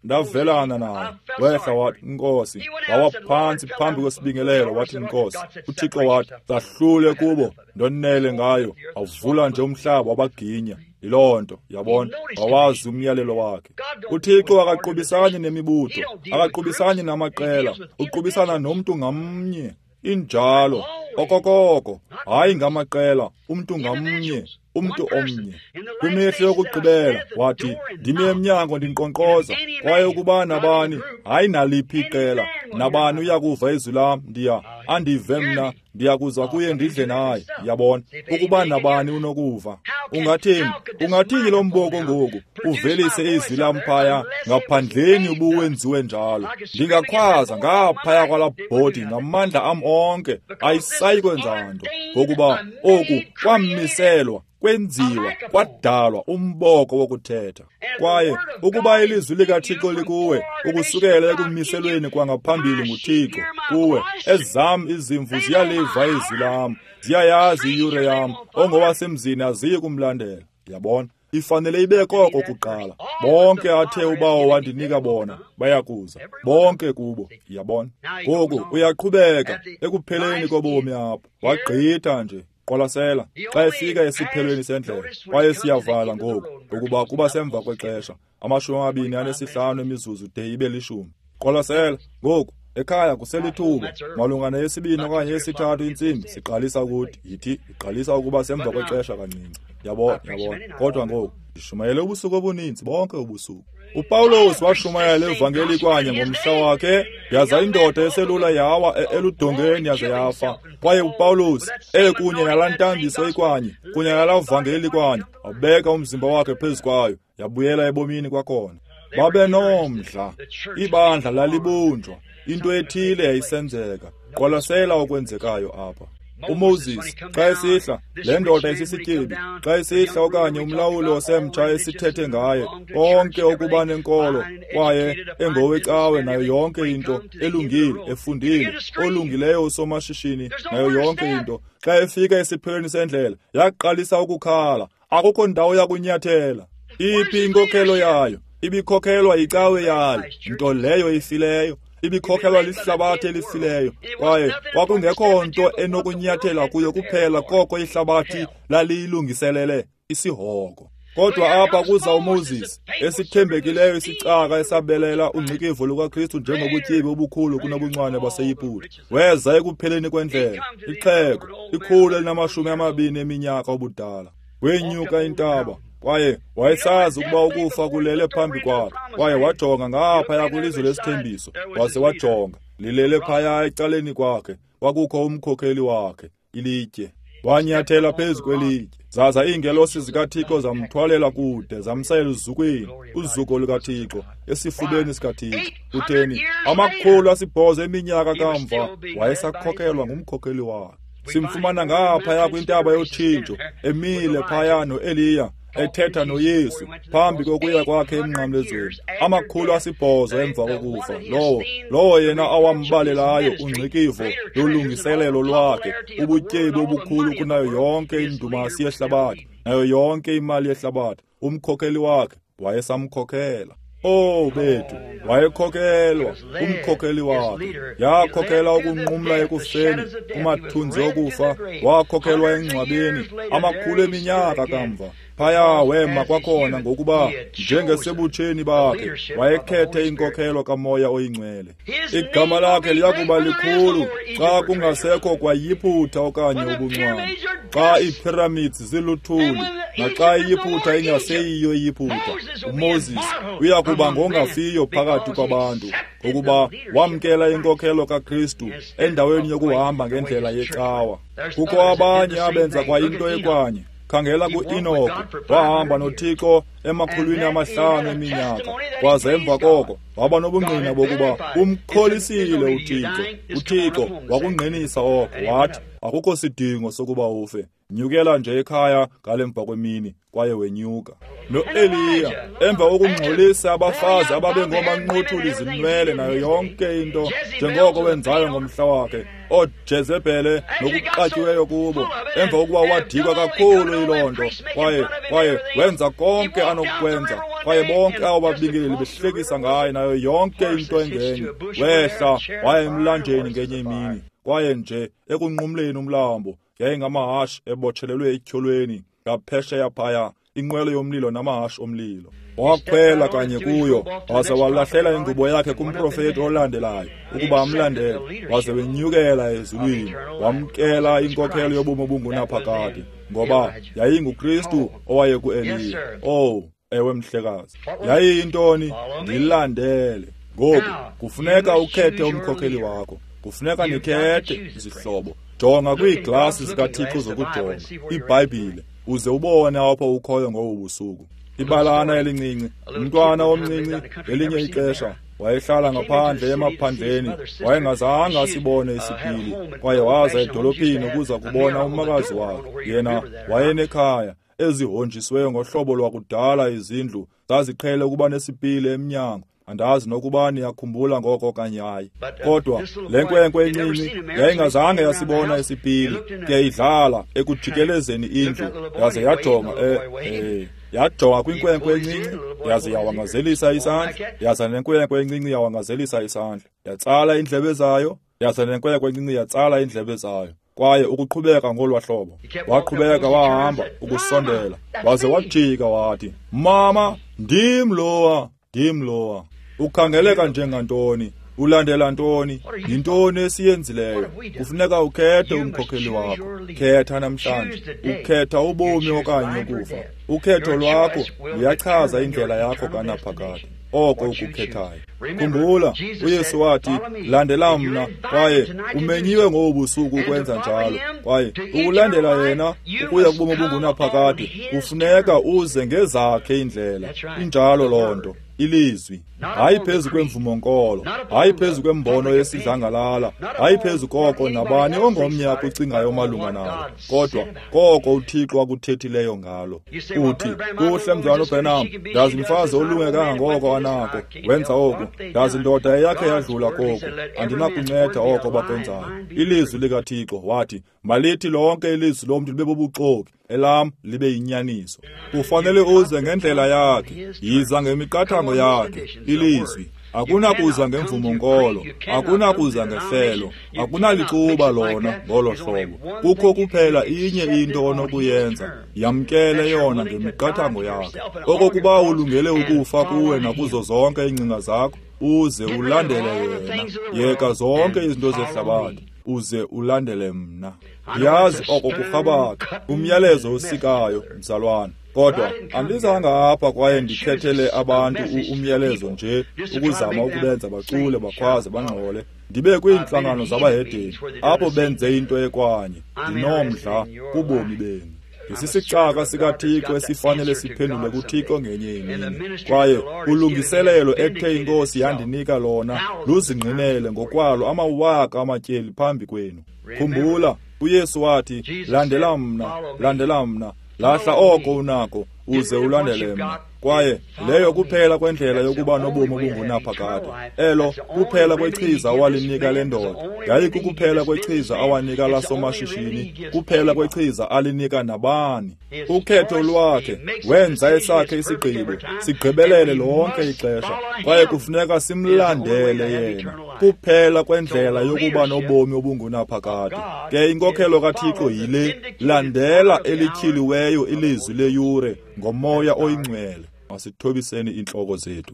ndavelana naye, wehla wathi, Nkosi, wawa phantsi phambi kwesibingelelo, wathi, Nkosi. UThixo wathi, zahlule kubo, ndonele ngayo. Awuvula nje umhlaba wabaginya. Yiloo nto, yabona, wawazi umyalelo wakhe. UThixo akaqubisani nemibutho, akaqubisani namaqela, uqubisana nomntu ngamnye. Injalo, okokoko, hayi ngamaqela, umntu ngamnye, umntu omnye. Kwimihla yokugqibela wathi, ndimi emnyango ndinkqonkqoza, kwaye ukuba nabani, hayi naliphi iqela, nabani uyakuva izwi lam, ndiya andive mna, ndiyakuza kuye ndidle naye. Yabona, ukuba nabani unokuva. Ungathini? Ungathini lo mboko ngoku? uvelise izwi lam phaya ngaphandleni ubuwenziwe njalo. Ndingakhwaza ngaphaya kwalaa bhodi ngamandla am onke, ayisayi kwenza nto, ngokuba oku kwamiselwa, kwenziwa, kwadalwa umboko wokuthetha. Kwaye ukuba ilizwi likaThixo likuwe, ukusukela ekumiselweni kwangaphambili nguThixo kuwe, ezam izimvu ziyaliva izwi lam, ziyayazi iyure yam, ongowasemzini aziyi kumlandela. Yabona, ifanele ibe koko kuqala. Bonke athe uBawo wandinika bona bayakuza, bonke kubo. Yabona, ngoku uyaqhubeka ekupheleni kobomi apho, wagqitha nje. Qwalasela, xa efika esiphelweni sendlela, kwaye siyavala ngoku, ukuba kuba semva kwexesha, amashumi amabini anesihlanu emizuzu de ibe lishumi. Qwalasela, ngoku, ekhaya kuselithuba, malunga neyesibini okanye yesithathu intsimbi, siqalisa ukuthi, yithi, iqalisa ukuba semva kwexesha kancinci. Yabona, yabona, kodwa ngoku, ndishumayele ubusuku obuninzi, bonke ubusuku. UPawulos washumayela ivangeli kwanye ngomhla wakhe, yaza indoda eselula yawa eludongeni yaze yafa. Kwaye uPawulos ekunye nalaa ntambiso ikwanye, kunye nalaa vangeli kwanye, wabeka umzimba wakhe phezu kwayo, yabuyela ebomini kwakhona. Babe nomdla, ibandla lalibunjwa, into ethile yayisenzeka. Qwalasela okwenzekayo apha. UMoses xa esihla, le ndoda isisityebi, xa esihla okanye umlawuli osemtsha esithethe ngaye, konke okuba nenkolo, kwaye engowecawe nayo yonke into, elungile, efundile, olungileyo usomashishini nayo yonke into. Xa efika esiphelweni sendlela, yaqalisa ukukhala, akukho ndawo yakunyathela. Iphi inkokhelo yayo? Ibikhokhelwa yicawe yayo, nto leyo ifileyo. Ibikhokhelwa lihlabathi elifileyo, kwaye kwakungekho nto enokunyathela kuyo kuphela koko ihlabathi laliyilungiselele, isihogo. Kodwa apha kuza uMoses, esithembekileyo isicaka esabelela ungcikivo lukaKristu njengobutyebi obukhulu kunobuncwane baseYiputa. Weza ekupheleni kwendlela, ixhego, ikhulu elinamashumi amabini eminyaka obudala. Wenyuka intaba, kwaye wayesazi ukuba ukufa kulele phambi kwakhe. Kwaye wajonga ngaphaya kwilizwe lesithembiso, waze wajonga, lilele phaya ecaleni kwakhe, kwakukho umkhokheli wakhe, ilitye. Wanyathela phezu kwelitye, zaza iingelosi zikaThixo zamthwalela kude, zamsa eluzukweni, uzuko lukaThixo, esifubeni sikaThixo. Kutheni? Amakhulu asibhozo eminyaka kamva, wayesakhokhelwa ngumkhokheli wakhe. Simfumana ngaphaya kwintaba yotshintsho, emile phaya noEliya, ethetha noYesu phambi kokuya kwakhe emnqamlezweni, amakhulu asibhozo emva kokufa. Lowo lowo yena awambalelayo ungcikivo lolungiselelo lwakhe, ubutyebi obukhulu kunayo yonke indumasi yehlabathi, nayo yonke imali yehlabathi, umkhokheli wakhe wayesamkhokhela. Oh bethu, wayekhokelwa umkhokheli wakhe. Yakhokhela ukunqumla ekufeni, kumathunzi okufa, wakhokhelwa engcwabeni amakhulu eminyaka kamva. Phaya wema kwakhona, ngokuba njengesebutsheni bakhe wayekhethe inkokhelo kaMoya oyiNgcwele. Igama lakhe liyakuba likhulu xa kungasekho kwaYiphutha okanye ubuncwane, xa iipyramids ziluthuli, naxa iYiphutha ingaseyiyo iYiphutha. uMoses uyakuba ngongafiyo phakathi kwabantu, ngokuba wamkela inkokhelo kaKristu endaweni yokuhamba ngendlela yecawa. Kukho abanye abenza kwayinto ekwanye. Khangela ku-Enoch, wahamba noThixo emakhulwini amahlanu eminyaka, kwaze emva koko waba nobungqina bokuba umkholisile uThixo. UThixo wakungqinisa oko, wathi akukho sidingo sokuba ufe, nyukela nje ekhaya ngale mva kwemini, kwaye wenyuka. No-Eliya, emva kokungxolisa abafazi ababengomanqothuli izinwele nayo yonke into njengoko wenzayo ngomhla wakhe, ooJezebhele nokuqatyiweyo kubo, emva kokuba wadikwa kakhulu yiloo nto, kwaye kwaye wenza konke anokukwenza, kwaye bonke abo babingeleli behlekisa ngaye nayo yonke into engenye. Wehla waya emlanjeni ngenye imini, kwaye nje ekunqumleni umlambo yayingamahashe ebotshelelwe etyholweni ngaphesheya phaya, inqwelo yomlilo namahashe omlilo. Wakhwela kanye kuyo, waze walahlela ingubo yakhe kumprofeti olandelayo ukuba amlandele, waze wenyukela ezulwini, wamkela inkokhelo yobomi obungunaphakade, ngoba yayinguKristu owayekuEliya. Oh, ewe mhlekazi, yayiyintoni? Ndilandele. Ngoku kufuneka ukhethe umkhokheli wakho, kufuneka nikhethe izihlobo. Jonga kwiiglasi zikaThixo zokujonga, iBhayibhile, Uze ubone apho ukhoyo ngobu busuku. Ibalana elincinci, umntwana omncinci ngelinye ixesha wayehlala ngaphandle emaphandleni, wayengazange asibone isipili, kwaye waza edolophini ukuza kubona umakazi wakhe. Yena wayenekhaya ezihonjisweyo ngohlobo lwakudala, izindlu zaziqhele ukuba nesipili emnyango. Andazi nokuba niyakhumbula ngoko okanye hayi. Kodwa le nkwenkwe encinci yayingazange yasibona isipili, ke idlala ekujikelezeni indlu, yaze yajonga eh, eh, yajonga kwinkwenkwe encinci, yaze yawangazelisa isandla, yaza nenkwenkwe encinci yawangazelisa isandla, yatsala iindlebe zayo, yaza nenkwenkwe encinci yatsala iindlebe zayo. Kwaye ukuqhubeka ngolwa hlobo, waqhubeka wahamba ukusondela, waze wajika wathi, "Mama, ndim lowa, ndim lowa." Ukhangeleka njengantoni? Ulandela ntoni? Yintoni esiyenzileyo? Kufuneka ukhethe umkhokheli wakho. Khetha namhlanje. Ukhetha ubomi okanye ukufa. Ukhetho lwakho luyachaza indlela yakho kanaphakade, oko ukukhethayo. Khumbula, uYesu wathi, "Landela mna," kwaye umenyiwe ngobu busuku ukwenza njalo. Kwaye ukulandela yena ukuya kubomi obungunaphakade kufuneka uze ngezakhe indlela. Injalo loo nto. Ilizwi, hayi phezu kwemvumo-nkolo, hayi phezu kwembono yesidlangalala, hayi phezu koko nabani ongomnye akucingayo malunga nalo, kodwa koko uThixo akuthethileyo ngalo. Uthi, "Kuhle, mzalwana uBranham, ndazi mfazi olunge kangangoko anako, wenza oku, ndazi ndoda eyakhe yadlula koku, andinakunceda oko bakwenzayo." Ilizwi likaThixo wathi, "Malithi lonke ilizwi lomntu libe bubuxoki, elam libe yinyaniso." Kufanele uze ngendlela yakhe, yiza ngemiqathango yakhe, ilizwi. Akunakuza ngemvumo-nkolo, akunakuza ngehlelo, akunalicuba lona ngolo hlobo. Kukho kuphela inye into onokuyenza, yamkele yona ngemiqathango yakhe. Okokuba ulungele ukufa kuwe nakuzo zonke iingcinga zakho, uze ulandele yena. Yeka zonke izinto zehlabathi, uze ulandele mna. Ndiyazi oko kurhabaxa, umyalezo osikayo, mzalwana. Kodwa andizanga apha kwaye ndikhethele abantu umyalezo nje ukuzama ukubenza bacule, bakhwaze, bangxole. Ndibe kwiintlangano zabahedeni apho benze into ekwanye. Ndinomdla kubomi benu. Ndisisicaka sikaThixo esifanele siphendule kuThixo ngenye imini. Kwaye ulungiselelo ethe iNkosi yandinika lona luzingqinele ngokwalo amawaka amatyeli phambi kwenu. Khumbula, uYesu wathi, "Landela mna, landela mna, lahla oko unako, uze ulandele mna." Kwaye leyo kuphela kwendlela yokuba nobomi obungunaphakade. Elo kuphela kwechiza awalinika le ndoda, yayikukuphela kwechiza awanika lasomashishini, kuphela kwechiza alinika nabani. Ukhetho lwakhe wenza esakhe isigqibo, sigqibelele lonke ixesha, kwaye kufuneka simlandele yena. Kuphela kwendlela yokuba nobomi obungunaphakade. Ke inkokhelo kaThixo yile: landela elityhiliweyo ilizwi leyure ngoMoya oyiNgcwele. Masithobiseni iintloko zethu.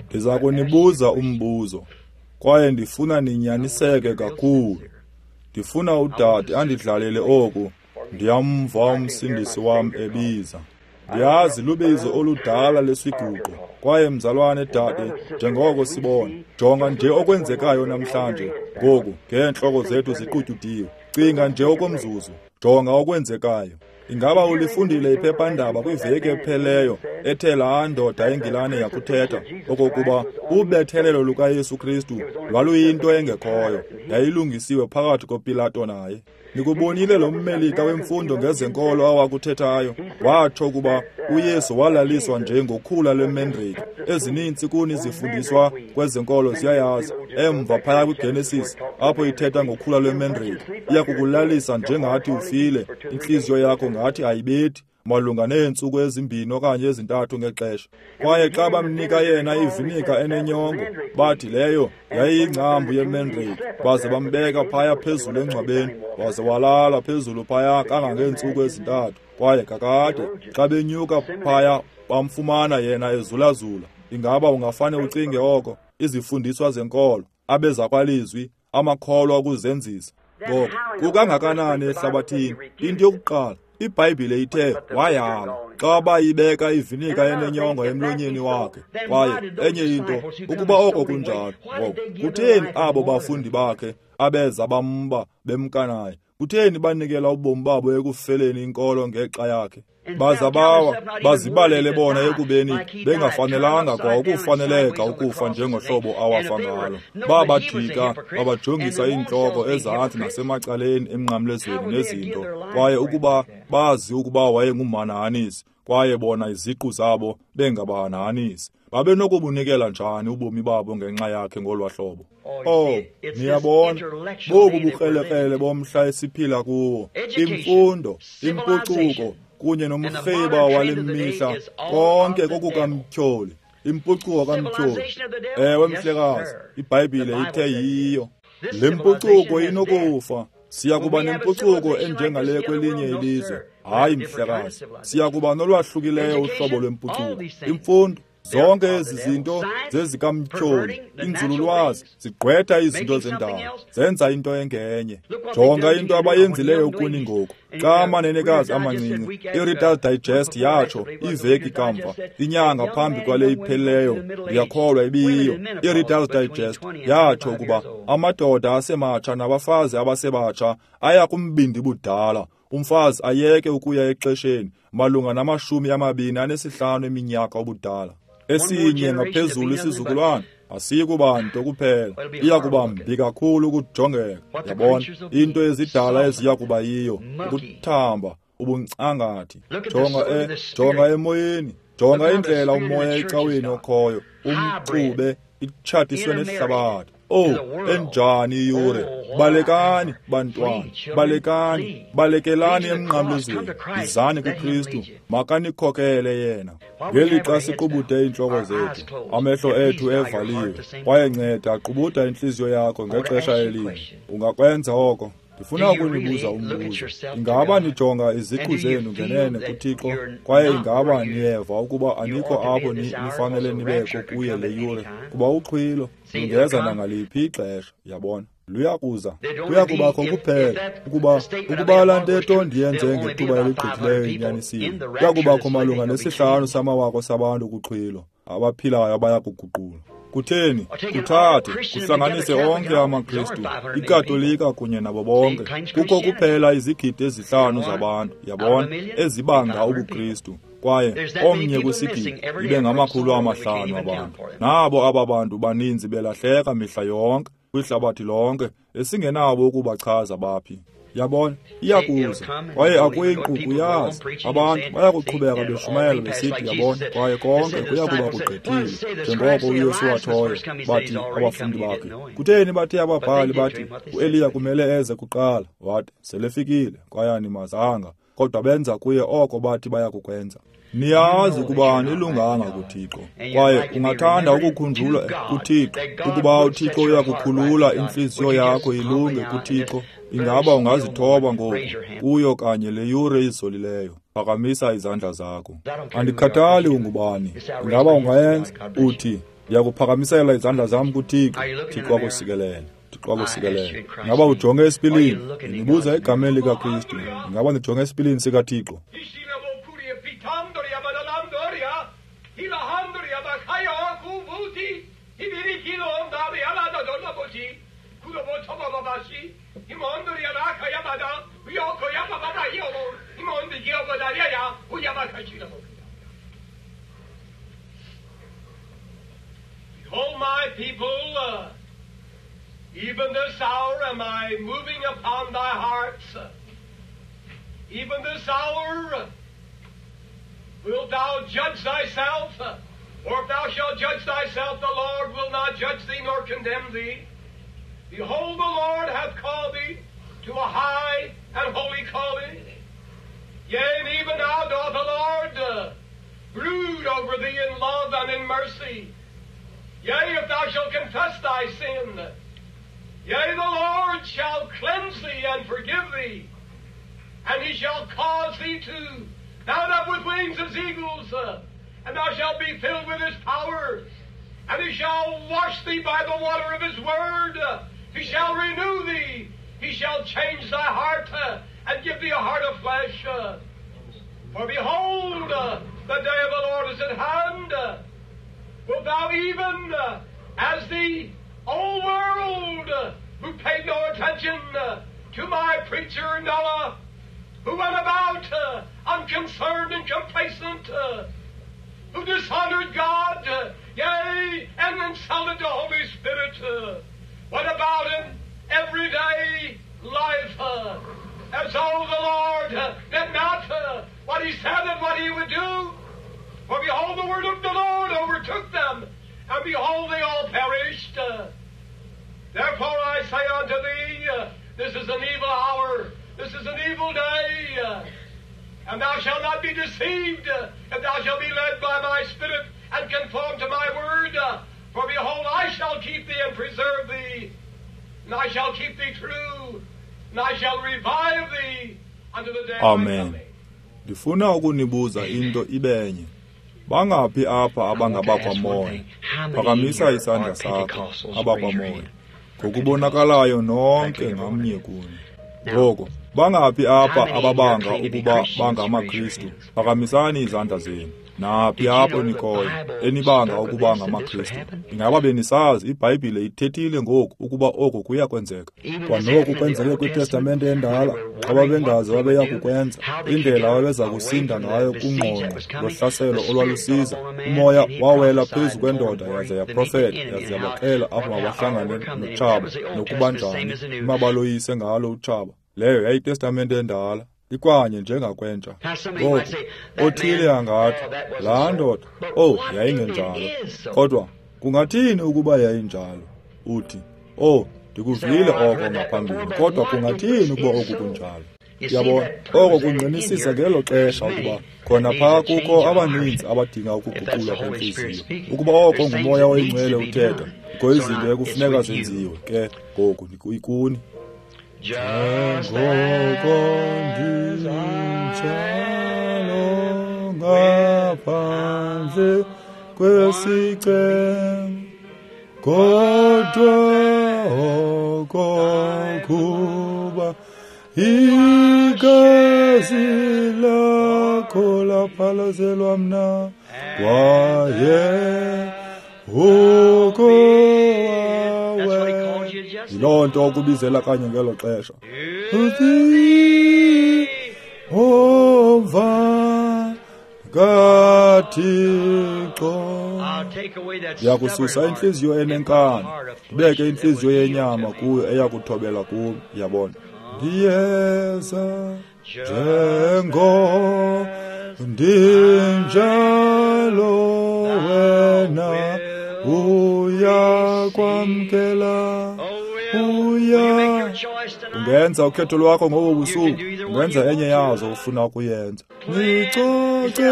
Ndiza kunibuza umbuzo, kwaye ndifuna ninyaniseke kakhulu. Ndifuna udade andidlalele oku. Ndiyamva umsindisi wam ebiza. Ndiyazi lubizo oludala lesiguqo. Kwaye mzalwane dade, njengoko sibona, jonga nje okwenzekayo namhlanje. Ngoku ngeentloko zethu ziqutyudiwe. Cinga nje okomzuzu, jonga okwenzekayo. Ingaba ulifundile iphephandaba kwiveki epheleyo ethe laa ndoda eNgilane yakuthetha okokuba ubethelelo lukaYesu Kristu lwaluyinto engekhoyo, yayilungisiwe phakathi koPilato naye? Nikubonile lo mmelika wemfundo ngezenkolo awakuthethayo? Watsho ukuba uYesu walaliswa nje ngokhula lwemendrake. Ezininzi kuni zifundiswa kwezenkolo ziyayazi. Emva phaya kwiGenesis, apho ithetha ngokhula lwemendrake, iyakukulalisa njengathi ufile, intliziyo yakho ngathi ayibethi, malunga neentsuku ezimbini okanye ezintathu ngexesha. Kwaye xa bamnika yena ivinika enenyongo, bathi leyo yayiyingcambu yemendrake, baze bambeka phaya phezulu engcwabeni, waze walala phezulu phaya kangangeentsuku ezintathu. Kwaye kakade xa benyuka phaya bamfumana yena ezulazula. Ingaba ungafane ucinge oko? Izifundiswa zenkolo, abezakwalizwi, amakholwa okuzenzisa. Ngoko kukangakanani ehlabathini? Into yokuqala, iBhayibhile ithe wayala xa bayibeka ivinika enenyongo emlonyeni wakhe. Kwaye enye into, ukuba oko kunjalo, ngoko kutheni abo bafundi bakhe abeza bamba bemka naye? Kutheni banikela ubomi babo ekufeleni inkolo ngexa yakhe? Baza bawa, bazibalele bona ekubeni bengafanelanga kwa ukufaneleka ukufa njengohlobo awafa ngalo. Babajika, babajongisa iintloko ezantsi nasemacaleni emnqamlezweni nezinto, kwaye ukuba bazi ukuba wayengumhanahanisi, kwaye bona iziqu zabo bengabahanahanisi, babenokubunikela njani ubomi babo ngenxa yakhe ngolwa hlobo? Oh, niyabona, bobu bukrelekrele bomhla esiphila kuwo, imfundo, impucuko, kunye nomrheba wale mihla, konke kokukamtyholi, impucuko kamtyholi. Ewe, mhlekazi, iBhayibhile ithe yiyo. Le mpucuko inokufa. Siya kuba nempucuko enjengale kwelinye ilizwe. Hayi, mhlekazi, siya kuba nolwahlukileyo uhlobo lwempucuko. Imfundo, zonke ezi zinto zezikamtyholi, inzululwazi, zigqwetha izinto zendalo, zenza into engenye. Jonga into abayenzileyo kuni ngoku. Xa amanenekazi amancinci, iReader's Digest yatsho iveki kamva, inyanga phambi kwale iphelileyo, ndiyakholwa ibiyiyo. iReader's Digest yatsho ukuba amadoda asematsha nabafazi abasebatsha aya kumbindi budala, umfazi ayeke ukuya exesheni malunga namashumi amabini anesihlanu eminyaka ubudala. Esinye ngaphezulu isizukulwana asiyi kuba nto kuphela, iya kuba mbi kakhulu ukujongeka. Yabona into ezidala eziya kuba yiyo, ukuthamba, ubuncangathi. Jonga e, jonga emoyeni, jonga indlela umoya ecaweni okhoyo, umxube, itshatiswe nehlabathi. Oh, enjani iyure! Balekani, bantwana, balekani, balekelani emnqamlezweni, izani kuKristu, makanikhokele yena. Ngelixa siqubude iintloko zethu, amehlo ethu evaliwe, kwaye nceda qubuda intliziyo yakho ngexesha elinye. Ungakwenza oko? Ndifuna ukunibuza umbuzo. Ingaba nijonga iziqu zenu ngenene kuThixo, kwaye ingaba niyeva ukuba anikho apho nifanele nibekho kuye le yure? Kuba uxhwilo lungeza nangaliphi ixesha, yabona. Luyakuza, kuya kubakho kuphela ukuba ukuba laa ntetho ndiyenze ngethuba eligqithileyo inyanisile. Kuya kubakho malunga nesihlanu samawaka sabantu kuxhwilo abaphilayo abaya kuguqula. Kutheni? Kuthathe, kuhlanganise onke amaKristu, iKatolika kunye nabo bonke. Kukho kuphela izigidi ezihlanu zabantu, yabona, ezibanga ubuKristu. Kwaye omnye kwisigidi ibe ngamakhulu amahlanu abantu. Nabo aba bantu baninzi belahleka mihla yonke kwihlabathi lonke, esingenabo ukubachaza baphi. Yabona, iyakuza, kwaye akuyinkquku yazi. Abantu bayakuqhubeka beshumayela besithi, yabona, kwaye konke kuya kuba kugqithile, njengoko uYesu watshoyo. Bathi abafundi bakhe, kutheni bathe ababhali bathi uEliya kumele eze kuqala? Wathi, selefikile, kwaye animazanga, kodwa benza kuye oko bathi baya kukwenza. Niyazi ukuba anilunganga kuThixo, kwaye ungathanda ukukhunjulwa kuThixo, ukuba uThixo uyakukhulula intliziyo yakho ilunge kuThixo. Ingaba ungazithoba ngoku kuyo kanye le yure izolileyo? Phakamisa izandla zakho. Andikhathali ungubani. Ingaba ungayenza? Uthi, ndiyakuphakamisela izandla zam kuThixo. Thixo akusikelele. Thixo akusikelele. Ingaba ujonge esipilini? Ndinibuza egameni likaKristu. Ingaba ndijonge esipilini sikaThixo? Behold, my people, uh, even this hour am I moving upon thy hearts. Even this hour wilt thou judge thyself, or if thou shalt judge thyself, the Lord will not judge thee nor condemn thee. Behold, the Lord hath called thee to a high and holy calling. Yea, and even now doth the Lord uh, brood over thee in love and in mercy. Yea, if thou shalt confess thy sin, yea, the Lord shall cleanse thee and forgive thee, and he shall cause thee to mount up with wings as eagles, uh, and thou shalt be filled with his power, and he shall wash thee by the water of his word. Uh, he shall renew thee. He shall change thy heart uh, and give thee a heart of flesh. Uh, for behold, uh, the day of the Lord is at hand. Uh, wilt thou even, uh, as the old world, uh, who paid no attention uh, to my preacher Noah, who went about uh, unconcerned and complacent, uh, who dishonored God, uh, yea, and insulted the Holy Spirit, uh, went about in everyday life, uh, as though the Lord uh, did not uh, what he said and what he would do. For behold, the word of the Lord overtook them, and behold, they all perished. Uh, therefore I say unto thee, uh, this is an evil hour, this is an evil day, uh, and thou shalt not be deceived, uh, if thou shalt be led by my Spirit and conform to my word. Uh, for behold, I shall keep thee and preserve thee, and I shall keep thee true, and I shall revive thee unto the day of my Amen. coming. Ndifuna ukunibuza into ibenye. Bangaphi apha abangabakwamoya? Phakamisa isandla sakho, abakwamoya. Ngokubonakalayo nonke ngamnye kuni. Ngoko, bangaphi apha ababanga ukuba bangamaKristu? Phakamisani izandla zenu. Naphi apho nikhoyo enibanga ukuba ngamaKristu? Ingaba benisazi iBhayibhile ithethile ngoku ukuba oko kuya kwenzeka? Kwanoku kwenzeke kwiTestamente endala, xa babengazi babeya kukwenza, indlela ababeza kusinda ngayo kungqongqo lohlaselo olwalusiza. Umoya wawela phezu kwendoda yaze yaprofeta, yaze yabaxela apho mabahlangane notshaba nokuba njani mabaloyise ngalo utshaba. Leyo yayiTestamente endala, ikwanye njengakwentsha. Ngoku, othile angathi, laa ndoda, oh, yayingenjalo. Kodwa kungathini ukuba yayinjalo? Uthi, oh, ndikuvile oko ngaphambili, kodwa kungathini ukuba oku kunjalo? Yabona, oko kungqinisisa ngelo xesha ukuba khona phaa kukho abaninzi abadinga ukuguqulwa kwentliziyo. Ukuba oko nguMoya oyiNgcwele uthetha, kukho izinto ekufuneka zenziwe. Ke ngoku ikuni. Njengoko ndinjalo ngaphandle kwesicelo, kodwa okokuba igazi lakho laphalazelwa mna, kwaye uko yiloo nto okubizela kanye ngelo xesha. Uthi omva kaThixo, ndiyakususa intliziyo enenkani, ndibeke intliziyo yenyama kuyo eyakuthobela kum. Yabona, ndiyeza njengo ndinjalo, wena uyakwamkela. Uya ungenza ukhetho lwakho ngobo busuku, ungenza enye yazo ufuna ukuyenza. Nicoce.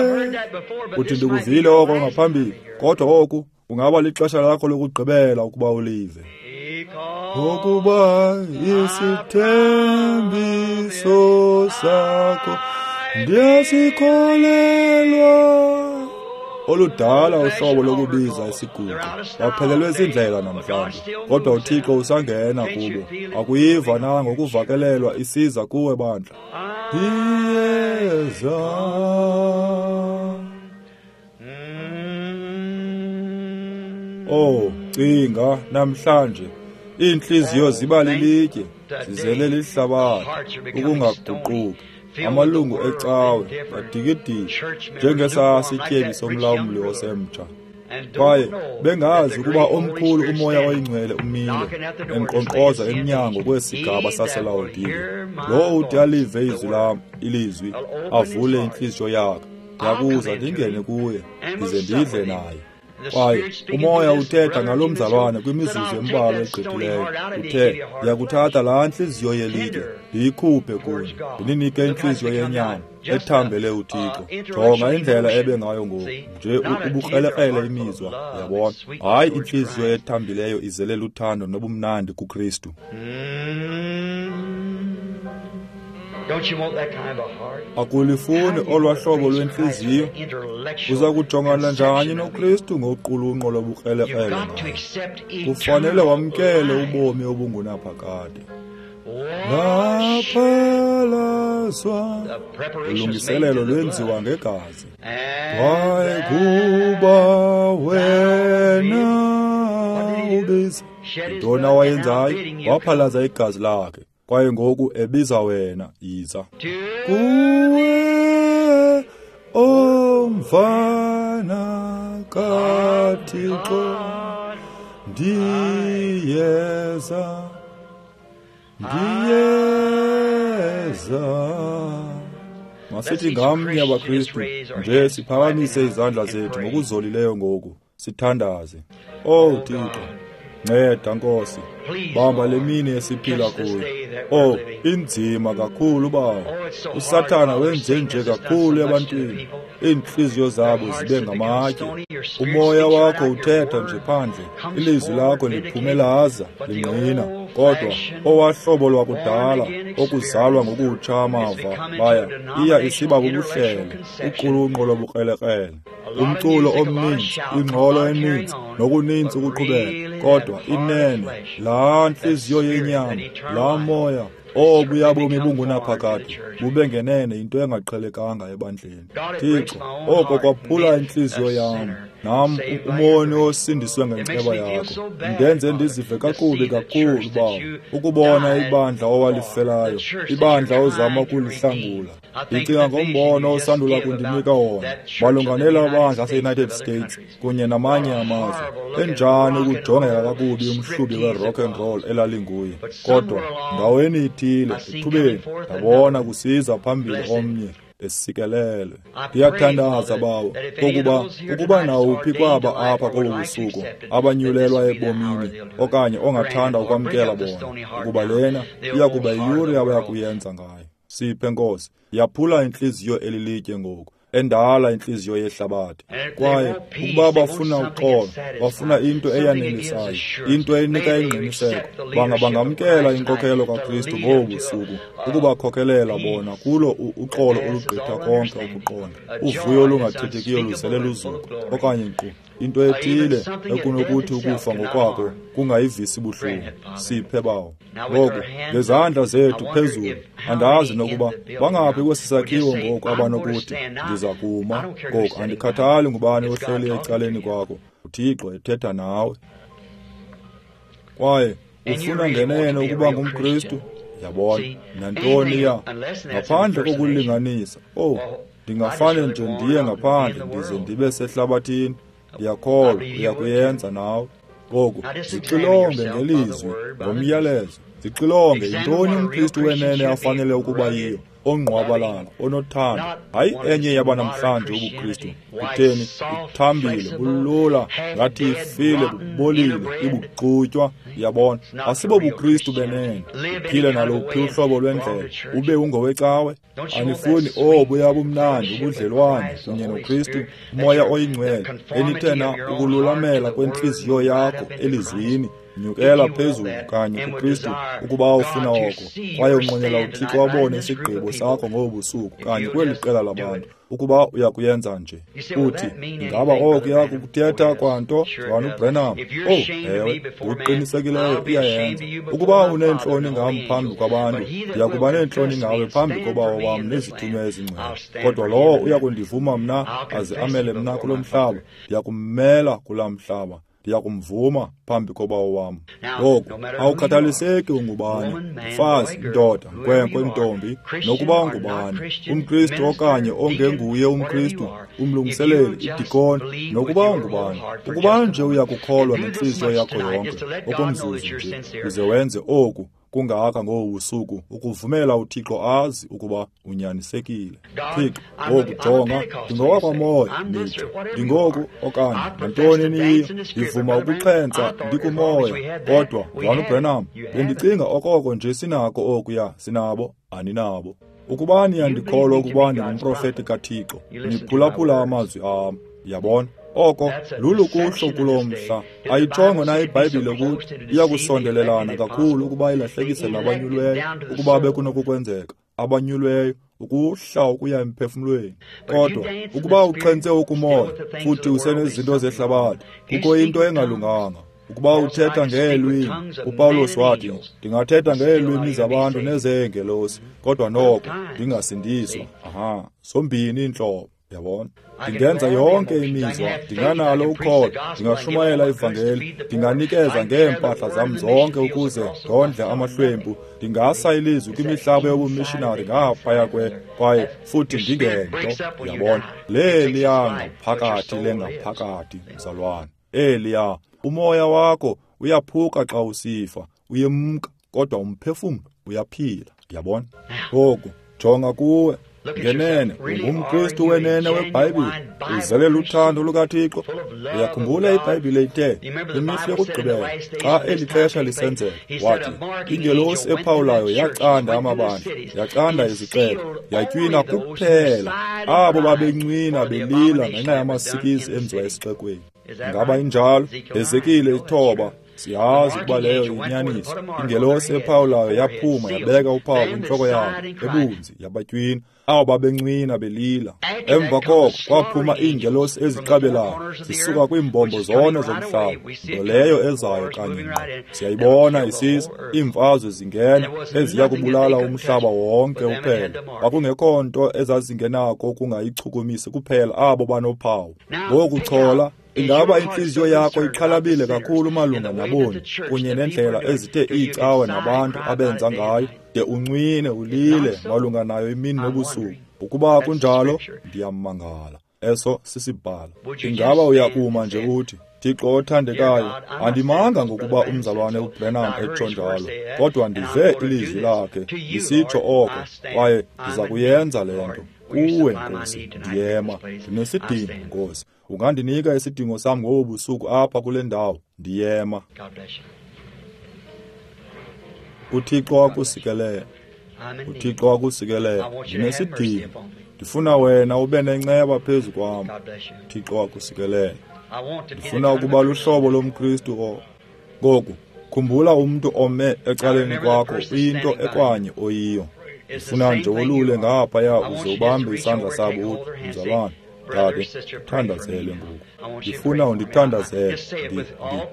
Uthi ndikuvile oko ngaphambili, kodwa oku kungaba lixesha lakho lokugqibela ukuba ulive. Ngokuba isithembiso sakho ndiyasikholelwa. Oludala uhlobo lokubiza isiguqo baphelelwe zindlela namhlanje, kodwa uThixo usangena kubo. Akuyiva na ngokuvakelelwa isiza kuwe bandla? Ndiyeza. Oh, cinga namhlanje iintliziyo ziba lilitye, zizele lihlabathi, ukungaguquki. Amalungu ecawe badikidiki njengesasityebi somlawuli osemtsha, kwaye bengazi ukuba omkhulu uMoya oyiNgcwele umile enkqonkqoza emnyango kwesigaba saseLawodike. Lowo uthi alive izwi lam, ilizwi, avule intliziyo yakhe, ndiyakuza ndingene kuye, ndize ndidle naye. Kwaye uMoya uthetha ngalo mzalwane kwimizuzu embalwa egqithileyo. Uthe, ndiyakuthatha laa ntliziyo yelitye ndiyikhuphe kuni, ndininike intliziyo yenyama ethambele uThixo. Jonga indlela ebe ngayo ngoku, nje ubukrelekrele imizwa, yabona. Hayi intliziyo ethambileyo izele luthando nobumnandi kuKristu. Akulifuni olwaa hlobo lwentliziyo? Uza kujongana njani noKristu ngoqulunqo lobukrelekrele ngayo? Kufanele wamkele ubomi obungunaphakade. Laphalaswa, ulungiselelo lwenziwa ngegazi. Kwaye kuba wena ubiza, yintoni awayenzayo? Waphalaza igazi lakhe. Kwaye ngoku ebiza wena, yiza. Kuwe omvana kaThixo ndiyeza, ndiyeza. Masithi ngamnye abaKristu nje siphakamise izandla zethu ngokuzolileyo ngoku, sithandaze. Oh Thixo, nceda Nkosi, bamba le mini esiphila kuyo. Oh, inzima kakhulu bawo. USathana wenze nje kakhulu ebantwini, iintliziyo zabo zibe ngamatye. Umoya wakho uthetha nje phandle, ilizwi lakho liphumelaza lingqina. Kodwa owahlobo lwakudala okuzalwa ngokutsha amava baya iya isiba bubuhlelo, uqulunqo lobukrelekrele, umculo omninzi, ingxolo eninzi, nokuninzi ukuqhubeka. Kodwa inene laa ntliziyo yenyama, laa moya obuya bomi bungunaphakade bube ngenene into engaqhelekanga ebandleni. Thixo, oko kwaphula intliziyo yam, nam umoni osindiswe ngenceba yakho. Ndenze ndizive kakubi kakhulu bawo, ukubona ibandla owalifelayo, ibandla ozama ukulihlangula. Ndicinga ngombono osandula kundinika wona malunga nela bandla lase-United States kunye namanye amazwe. Enjani ukujongeka kakubi umhlubi we-rock and roll elalinguye. Kodwa ndaweni ithile ethubeni ndabona kusiza phambili omnye esikelelwe. Ndiyathandaza bawo kokuba ukuba nawuphi kwaba apha kobu busuku abanyulelwa ebomini okanye ongathanda ukwamkela bona, ukuba lena iya kuba yiyure abaya kuyenza ngayo. Siphe Nkosi, yaphula intliziyo elilitye ngoku, endala intliziyo yehlabathi. Kwaye ukuba bafuna uxolo, bafuna into eyanelisayo, into enika ingqiniseko, banga bangamkela inkokhelo kaKristu ngobu busuku, ukubakhokelela bona kulo uxolo olugqitha konke ukuqonda, uvuyo olungathethekiyo luzele luzuko, okanye nkqu into ethile ekunokuthi ukufa ngokwako kungayivisi buhlungu. Siphe bawo. Ngoku ngezandla zethu phezulu, andazi nokuba bangaphi kwesi sakhiwo ngoku abanokuthi ndiza kuma. Ngoku andikhathali ngubani ohleli ecaleni kwakho, uThixo ethetha nawe. Kwaye ufuna ngenene ukuba ngumKristu, yabona nantoni ya ngaphandle kokulinganisa. Oh, ndingafane nje ndiye ngaphandle ndize ndibe sehlabathini. Ndiyakholwa uyakuyenza nawe. Ngoku zixilonge ngelizwi, ngomyalezo. Zixilonge yintoni umKristu wenene afanele ukuba yiyo, ongqwabalala, onothando, hayi enye yabanamhlanje ubuKristu. Kutheni ithambile, bulula, ngathi ifile, bubolile, ibuxutywa. Yabona, asibo buKristu benene. Uphile naluphi uhlobo lwendlela, ube ungowecawe. Anifuni obuya bumnandi ubudlelwane kunye noKristu, uMoya oyiNgcwele, enithe na ukululamela kwentliziyo yakho elizwini. Nyukela phezulu kanye kuKristu ukuba ufuna oko, kwaye unqwenela uThixo abone isigqibo sakho ngobu busuku kanye kweli qela labantu. Ukuba uyakuyenza nje, uthi ingaba oko kuyakuthetha kwanto Mzalwana uBranham? Oh, ewe, ngokuqinisekileyo iyayenza. Ukuba uneentloni ngam phambi kwabantu, ndiya kuba neentloni ngawe phambi koBawo wam nezithunywa ezingcwele. Kodwa lowo uya kundivuma mna aze amele mna kulo mhlaba, ndiya kummela kulaa mhlaba. Ndiyakumvuma phambi koBawo wam. Ngoku awukhathaliseki ungubani, mfazi, ndoda, nkwenkwe, ntombi, nokuba ungubani, umKristu okanye ongenguye umKristu, umlungiseleli, idikoni, nokuba ungubani. Ukuba nje uyakukholwa ngentliziyo yakho yonke okomzuzu nje, uze wenze oku kungaka ngobu busuku, ukuvumela uThixo azi ukuba unyanisekile. Thixo, ngoku jonga, ndingowakwamoya, nditsho, ndingoku okanye nantoni niyiyo, ndivuma ukuxhentsa ndikumoya. Kodwa Mzalwana uBranham, bendicinga okoko nje sinako okuya, sinabo, aninabo. Ukuba niyandikholwa ukuba ndingumprofeti kaThixo, niphulaphula amazwi am. Yabona? Oko lulukuhlo kulo mhla. Ayitshongo na iBhayibhile ukuthi iyakusondelelana kakhulu ukuba ilahlekise nabanyulweyo, ukuba bekunokukwenzeka, abanyulweyo ukuhla ukuya emphefumlweni. Kodwa ukuba uxhentse ukumoya futhi usenezinto zehlabathi, kukho into engalunganga. Ukuba uthetha ngeelwimi, uPawulos wathi, ndingathetha ngeelwimi zabantu nezeengelosi, kodwa noko ndingasindiswa. Aha, zombini iintlobo. Yabona? Ndingenza yonke imizwa, ndinganalo ukholo, ndingashumayela ivangeli, ndinganikeza ngeempahla zam zonke ukuze ndondle amahlwempu, ndingasa ilizwi kwimihlaba yobumishinari ngaphaya kwe, kwaye futhi ndingento. Yabona? Leliya ngaphakathi lengaphakathi, mzalwane. Eliya, umoya wakho uyaphuka xa usifa, uyemka, kodwa umphefumlo uyaphila. Yabona? Ngoku jonga kuwe. Ngenene, ungumKristu wenene weBhayibhile, uzele luthando lukaThixo. Uyakhumbula iBhayibhile ithe, kwimihla yokugqibela, xa eli xesha lisenzeka, wathi, ingelosi ephawulayo yacanda amabandla, yacanda izixeko, yatywina kuphela abo babencwina belila ngenxa yamasikizi enziwa esixekweni. Ngaba injalo? Hezekile ithoba. Siyazi ukuba leyo yinyaniso. Ingelosi ephawulayo yaphuma yabeka uphawu kwintloko yabo ebunzi yabatywina abo babencwina belila. Emva koko kwaphuma iingelosi eziqabelayo zisuka kwiimbombo zone zomhlaba, nto leyo ezayo kanye ngqo. Siyayibona isiza, iimfazwe zingena eziya kubulala umhlaba wonke uphela. Kwakungekho nto ezazingenako ukungayichukumisi kuphela abo banophawu. Ngoku chola. Ingaba intliziyo yakho ixhalabile kakhulu malunga naboni kunye nendlela ezithe iicawe nabantu abenza ngayo, de uncwine ulile malunga nayo imini nobusuku? Ukuba kunjalo, ndiyamangala. Eso sisibhalo. Ingaba uyakuma nje uthi, Thixo othandekayo, andimanga ngokuba umzalwane uBrenham etsho njalo, kodwa ndive ilizwi lakhe lisitsho oko, kwaye ndiza kuyenza le nto. Kuwe, Nkosi, ndiyema. Ndinesidingo, Nkosi. Ungandinika isidingo sam ngobu busuku apha kule ndawo. Ndiyema. UThixo akusikelele. UThixo akusikelele. Ndinesidingo. Ndifuna wena ube nenceba phezu kwam. UThixo akusikelele. Ndifuna ukuba luhlobo lomKristu o. Ngoku, khumbula umntu ome ecaleni kwakho uyinto ekwanye oyiyo. Ndifuna nje wolule ngaphaya uze ubambe isandla sabo uthi, mzalwane, dade, thandazele ngoku. Ndifuna undithandazele.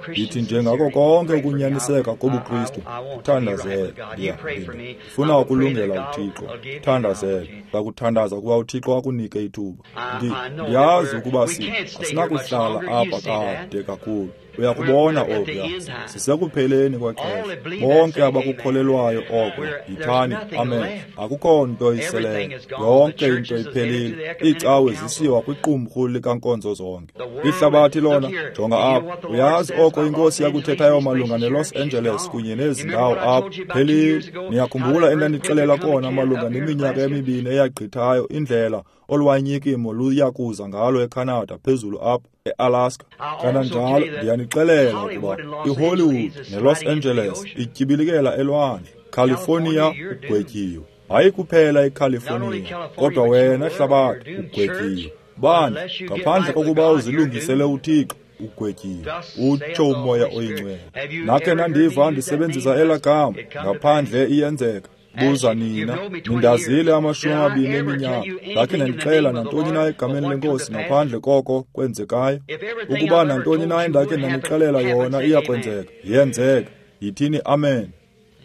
Ndithi nje ngako konke ukunyaniseka kobuKristu, thandazele. Ndifuna ukulungela uThixo. Thandazele. Ndakuthandaza ukuba uThixo akunike ithuba. Ndiyazi ukuba asinakuhlala apha kade kakhulu. Uyakubona okuya. Sisekupheleni kwexesha. Bonke abakukholelwayo oko, yithani amen. Akukho nto iseleyo. Yonke into iphelile. Iicawe zisiwa kwiqumrhu likankonzo zonke. Ihlabathi lona, jonga apha. Uyazi oko iNkosi yakuthethayo malunga neLos Angeles kunye nezi ndawo apha. Phelile. Niyakhumbula endandixelela kona malunga neminyaka emibini eyagqithayo indlela olwanyikimo luya kuza ngalo eCanada phezulu apha eAlaska. Kananjalo ndiyanixelela ukuba iHollywood neLos Angeles ityibilikela elwandle. California ugwetyiwe. Hayi kuphela iCalifornia, kodwa wena hlabathi ugwetyiwe. Bandla, ngaphandle kokuba uzilungisele uThixo, ugwetyiwe, utsho uMoya oyiNgcwele. Nakhe nandiva ndisebenzisa elaa gama, ngaphandle iyenzeka. Buza nina, nindazile amashumi amabini eminyaka, ndakhe ndandixela nantoni na egameni leNkosi ngaphandle koko kwenzekayo? Ukuba nantoni na endakhe ndanixelela yona iyakwenzeka, yenzeka. Yithini amen.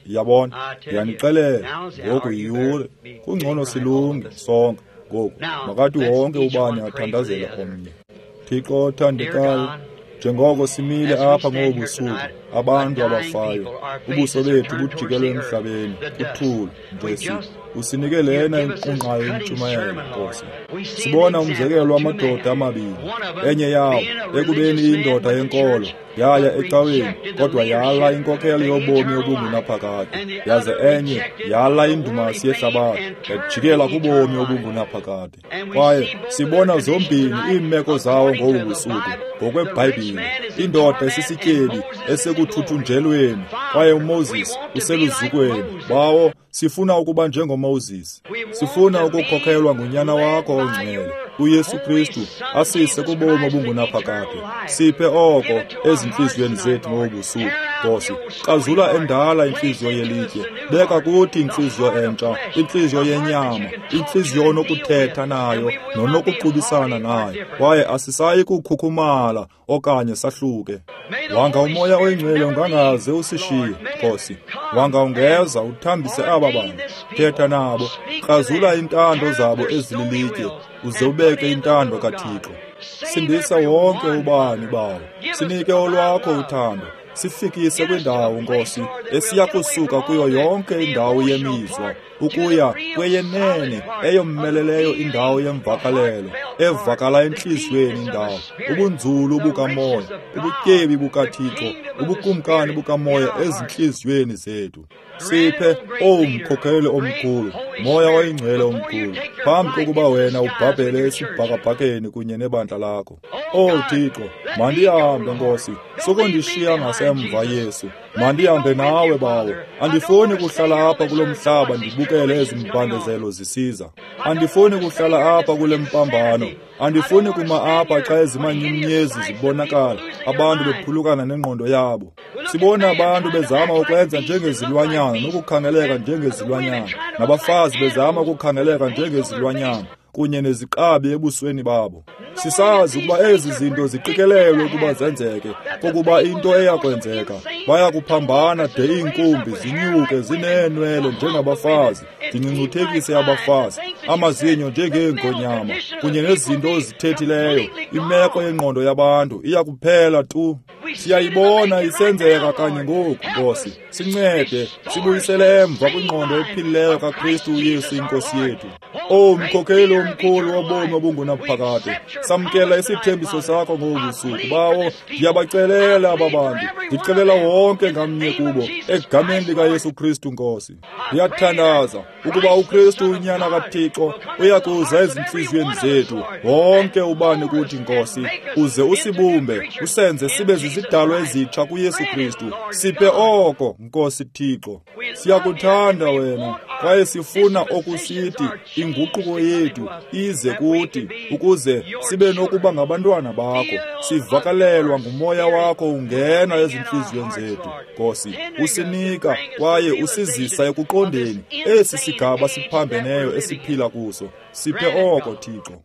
Yabona, ndiyanixelela ngoku yiyure. Kungcono silunge sonke ngoku. Makathi wonke ubani athandazele omnye. Thixo othandekayo, njengoko simile apha ngobu busuku, abantu abafayo, ubuso bethu bujikelwe emhlabeni, uthulu nje usinike lena inqunqayo intshumayelo, Nkosi. Sibona umzekelo wamadoda amabini, enye yawo ekubeni indoda yenkolo, yaya ecaweni, kodwa yala inkokhelo yobomi obungunaphakade, yaze enye yala indumasi yehlabathi, yajikela kubomi obungunaphakade. Kwaye sibona zombini iimeko zawo ngobu busuku, ngokweBhayibhile, indoda esisityebi esekuthuthunjelweni, kwaye uMoses useluzukweni. Bawo, sifuna ukuba njengoMoses. Sifuna ukukhokhelwa ngunyana wakho ongcwele, uYesu Kristu, asise kubomi obungunaphakade. Siphe oko ezintliziyweni zethu ngobu busuku. Nkosi. Krazula endala intliziyo yelitye, beka kuthi intliziyo entsha, intliziyo yenyama, intliziyo onokuthetha nayo nonokuqubisana nayo, kwaye asisayi kukhukhumala okanye sahluke. Wanga uMoya oyiNgcwele ungangaze usishiye, Nkosi. Wanga ungeza uthambise aba bantu, thetha nabo, krazula iintando zabo ezililitye, uze ubeke intando kaThixo. Sindisa wonke ubani bawo, sinike olwakho uthando, sifikise kwindawo, Nkosi, esiya kusuka kuyo yonke indawo yemizwa ukuya kweyenene eyommeleleyo indawo yemvakalelo, evakala entliziyweni indawo, ubunzulu bukamoya, ubutyebi bukaThixo, ubukumkani bukamoya ezintliziyweni zethu. Siphe, owu mkhokheli omkhulu, Moya oyiNgcwele omkhulu, phambi kokuba wena ubhabhele esibhakabhakeni kunye nebandla lakho. Owu Thixo, mandihambe, Nkosi, sukundishiya ngasemva, Yesu. Mandihambe nawe, Bawo. Andifuni kuhlala apha kulo mhlaba ndibukele ezi mbandezelo zisiza. Andifuni kuhlala apha kule mpambano. Andifuni kuma apha xa ezimanyumnyezi zibonakala, abantu bephulukana nengqondo yabo. Sibona abantu bezama ukwenza njengezilwanyana nokukhangeleka njengezilwanyana, nabafazi bezama ukukhangeleka njengezilwanyana kunye neziqabi ebusweni babo. Sisazi ukuba ezi zinto ziqikelelwe ukuba zenzeke, kokuba into eyakwenzeka, baya kuphambana de iinkumbi zinyuke zineenwele njengabafazi, zingcungcuthekise abafazi, amazinyo njengeengonyama, kunye nezinto ozithethileyo. Imeko yengqondo yabantu iya kuphela tu. Siyayibona isenzeka kanye ngoku, Nkosi. Sincede, sibuyisele emva kwingqondo ephilileyo kaKristu uYesu iNkosi yethu. Owu mkhokheli omkhulu wobomi obungunaphakade, samkela isithembiso sakho ngobu busuku. Bawo, ndiyabacelela aba bantu, ndicelela wonke ngamnye kubo, egameni likaYesu Kristu, Nkosi. Ndiyathandaza ukuba uKristu uNyana kaThixo uyakuza ezintliziyweni zethu, wonke ubani kuthi, Nkosi, uze usibumbe, usenze sibe zizidalwa ezitsha kuYesu Kristu. Siphe oko, Nkosi Thixo. Siyakuthanda wena, kwaye sifuna okusithi inguquko yethu ize kuthi, ukuze sibe nokuba ngabantwana bakho. Sivakalelwa nguMoya wakho ungena ezintliziyweni zethu, Nkosi. Usinika kwaye usizisa ekuqondeni esi sigaba siphambeneyo esiphila kuso. Siphe oko, Thixo.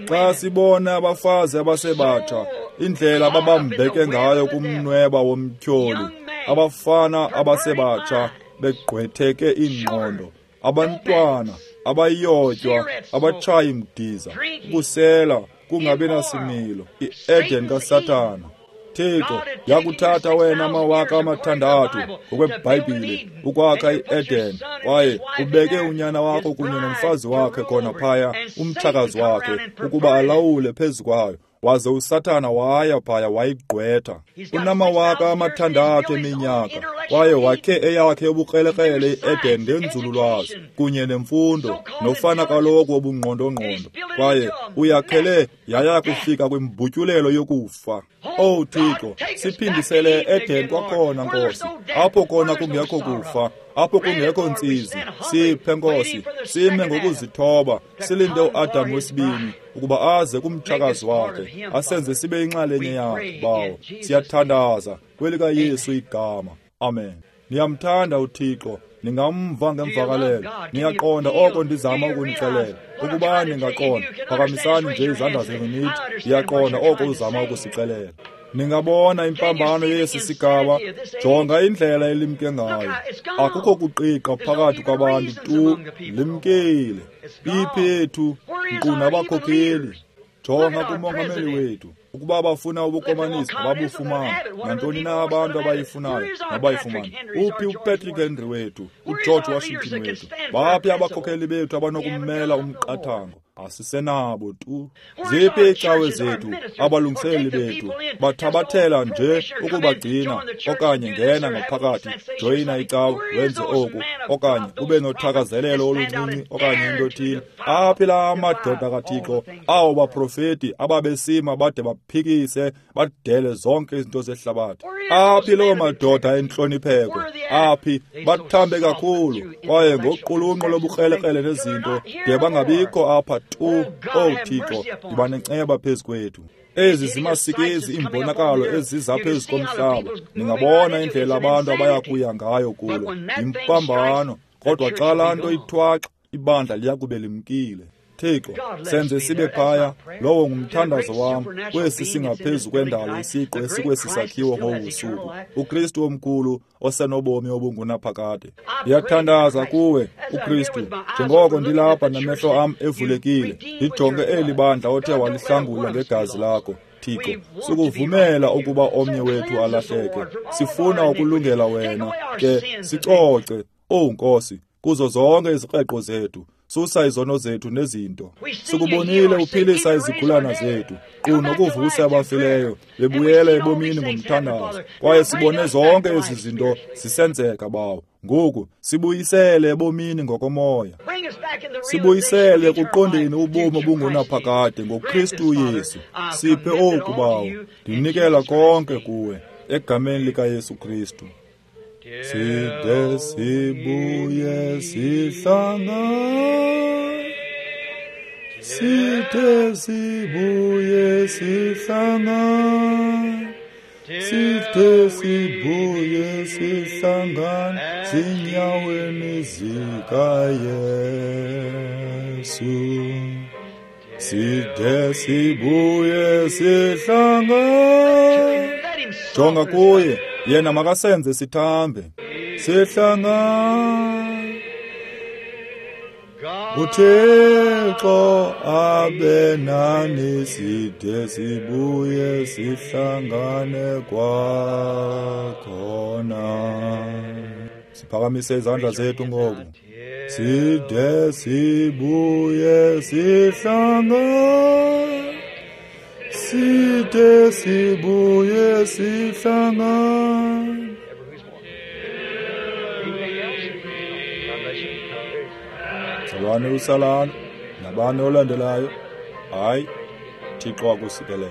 Xa sibona abafazi abasebatsha, indlela ababambeke ngayo kumnweba womtyholi, abafana abasebatsha begqwetheke iingqondo, abantwana abayotywa, abatshayi mdiza, ukusela kungabi nasimilo, i-Eden kaSathana. Thixo, yakuthatha wena amawaka amathandathu ngokweBhayibhile ukwakha i-Eden, kwaye ubeke unyana wakho kunye nomfazi wakhe khona phaya, umtshakazi wakhe, ukuba alawule phezu kwayo. Waze uSathana waya phaya wayigqwetha. Unamawaka amathandathu eminyaka, kwaye wakhe eyakhe ubukrelekrele i-Eden ngenzululwazi kunye nemfundo nofana kaloku obungqondongqondo, kwaye uyakhele yaya kufika kwimbutyulelo yokufa. Owu Thixo, siphindisele e-Eden kwakhona, Nkosi, apho kona kungekho kufa, apho kungekho ntsizi. Siphe, Nkosi, sime ngokuzithoba, silinde uAdam wesibini ukuba aze kumtshakazi wakhe, asenze sibe inxalenye yakhe. Bawo, siyathandaza kwelikaYesu igama. Amen. Niyamthanda uThixo, ningamva ngemvakalelo, niyaqonda oko ndizama ukunixelela. Ukuba ningaqonda, phakamisani nje izandla zenu nithi, ndiyaqonda oko uzama ukusixelela. Ningabona impambano yesi sigaba, jonga indlela elimke ngayo. Akukho kuqiqa phakathi kwabantu tu, limkile. Iphi yethu, nkqu nabakhokheli. Jonga kumongameli wethu, ukuba bafuna ubukomanisi ababufumana, nantoni na abantu abayifunayo nabayifumana. Uphi uPatrick Henry wethu, uGeorge Washington wethu? Baphi abakhokheli bethu abanokumela umqathango? Asisenabo tu. Ziphi iicawe zethu, abalungiseleli bethu? Bathabathela nje ukubagcina, okanye ngena ngaphakathi, joyina icawe, wenze oku, okanye ube nothakazelelo oluncinci, okanye into ethile. Aphi la madoda kaThixo, awo baprofeti ababesima bade baphikise, badele zonke izinto zehlabathi? Aphi loo madoda entlonipheko? Aphi? Bathambe kakhulu, kwaye ngoqulunqo lobukrelekrele nezinto, de bangabikho apha tu. Owu Thixo, yiba nenceba phezu kwethu. Ezi zimasikizi iimbonakalo eziza phezu komhlaba. Ningabona indlela abantu abaya kuya ngayo kulo. Yimpambano. Kodwa xa laa nto ithwaxa, ibandla liya kube limkile. Thixo, senze sibe phaya. Lowo ngumthandazo wam kwesi singaphezu kwendalo isiqu esikwesi sakhiwo ngobu busuku. UKristu omkhulu osenobomi obungunaphakade. Ndiyathandaza kuwe, uKristu, njengoko ndilapha namehlo am evulekile, ndijonge eli bandla othe walihlangula ngegazi lakho. Thixo, sukuvumela ukuba omnye wethu alahleke. Sifuna ukulungela wena, ke sicoce, owu Nkosi, kuzo zonke izikreqo zethu. Susa izono zethu nezinto. Sikubonile uphilisa izigulana zethu, nkqu nokuvusa abafileyo, bebuyela ebomini ngomthandazo. Kwaye sibone zonke ezi zinto zisenzeka, Bawo. Ngoku sibuyisele ebomini ngokomoya. Sibuyisele ekuqondeni ubomi obungunaphakade ngoKristu Yesu. Siphe oku, Bawo. Ndinikela konke kuwe, egameni likaYesu Kristu. Side sibuye sihlangane, side sibuye sihlangane, side sibuye sihlangane zinyaweni zikaYesu. Side sibuye sihlangane. Jonga kuye, yena makasenze sithambe. Sihlangane. UThixo abe nani, side sibuye sihlangane kwakhona. Siphakamise izandla zethu ngoku. Side sibuye sihlangane, side sibuye sihlangane. Mzalwane uSalana nabani olandelayo. Hayi, Thixo akusikelele.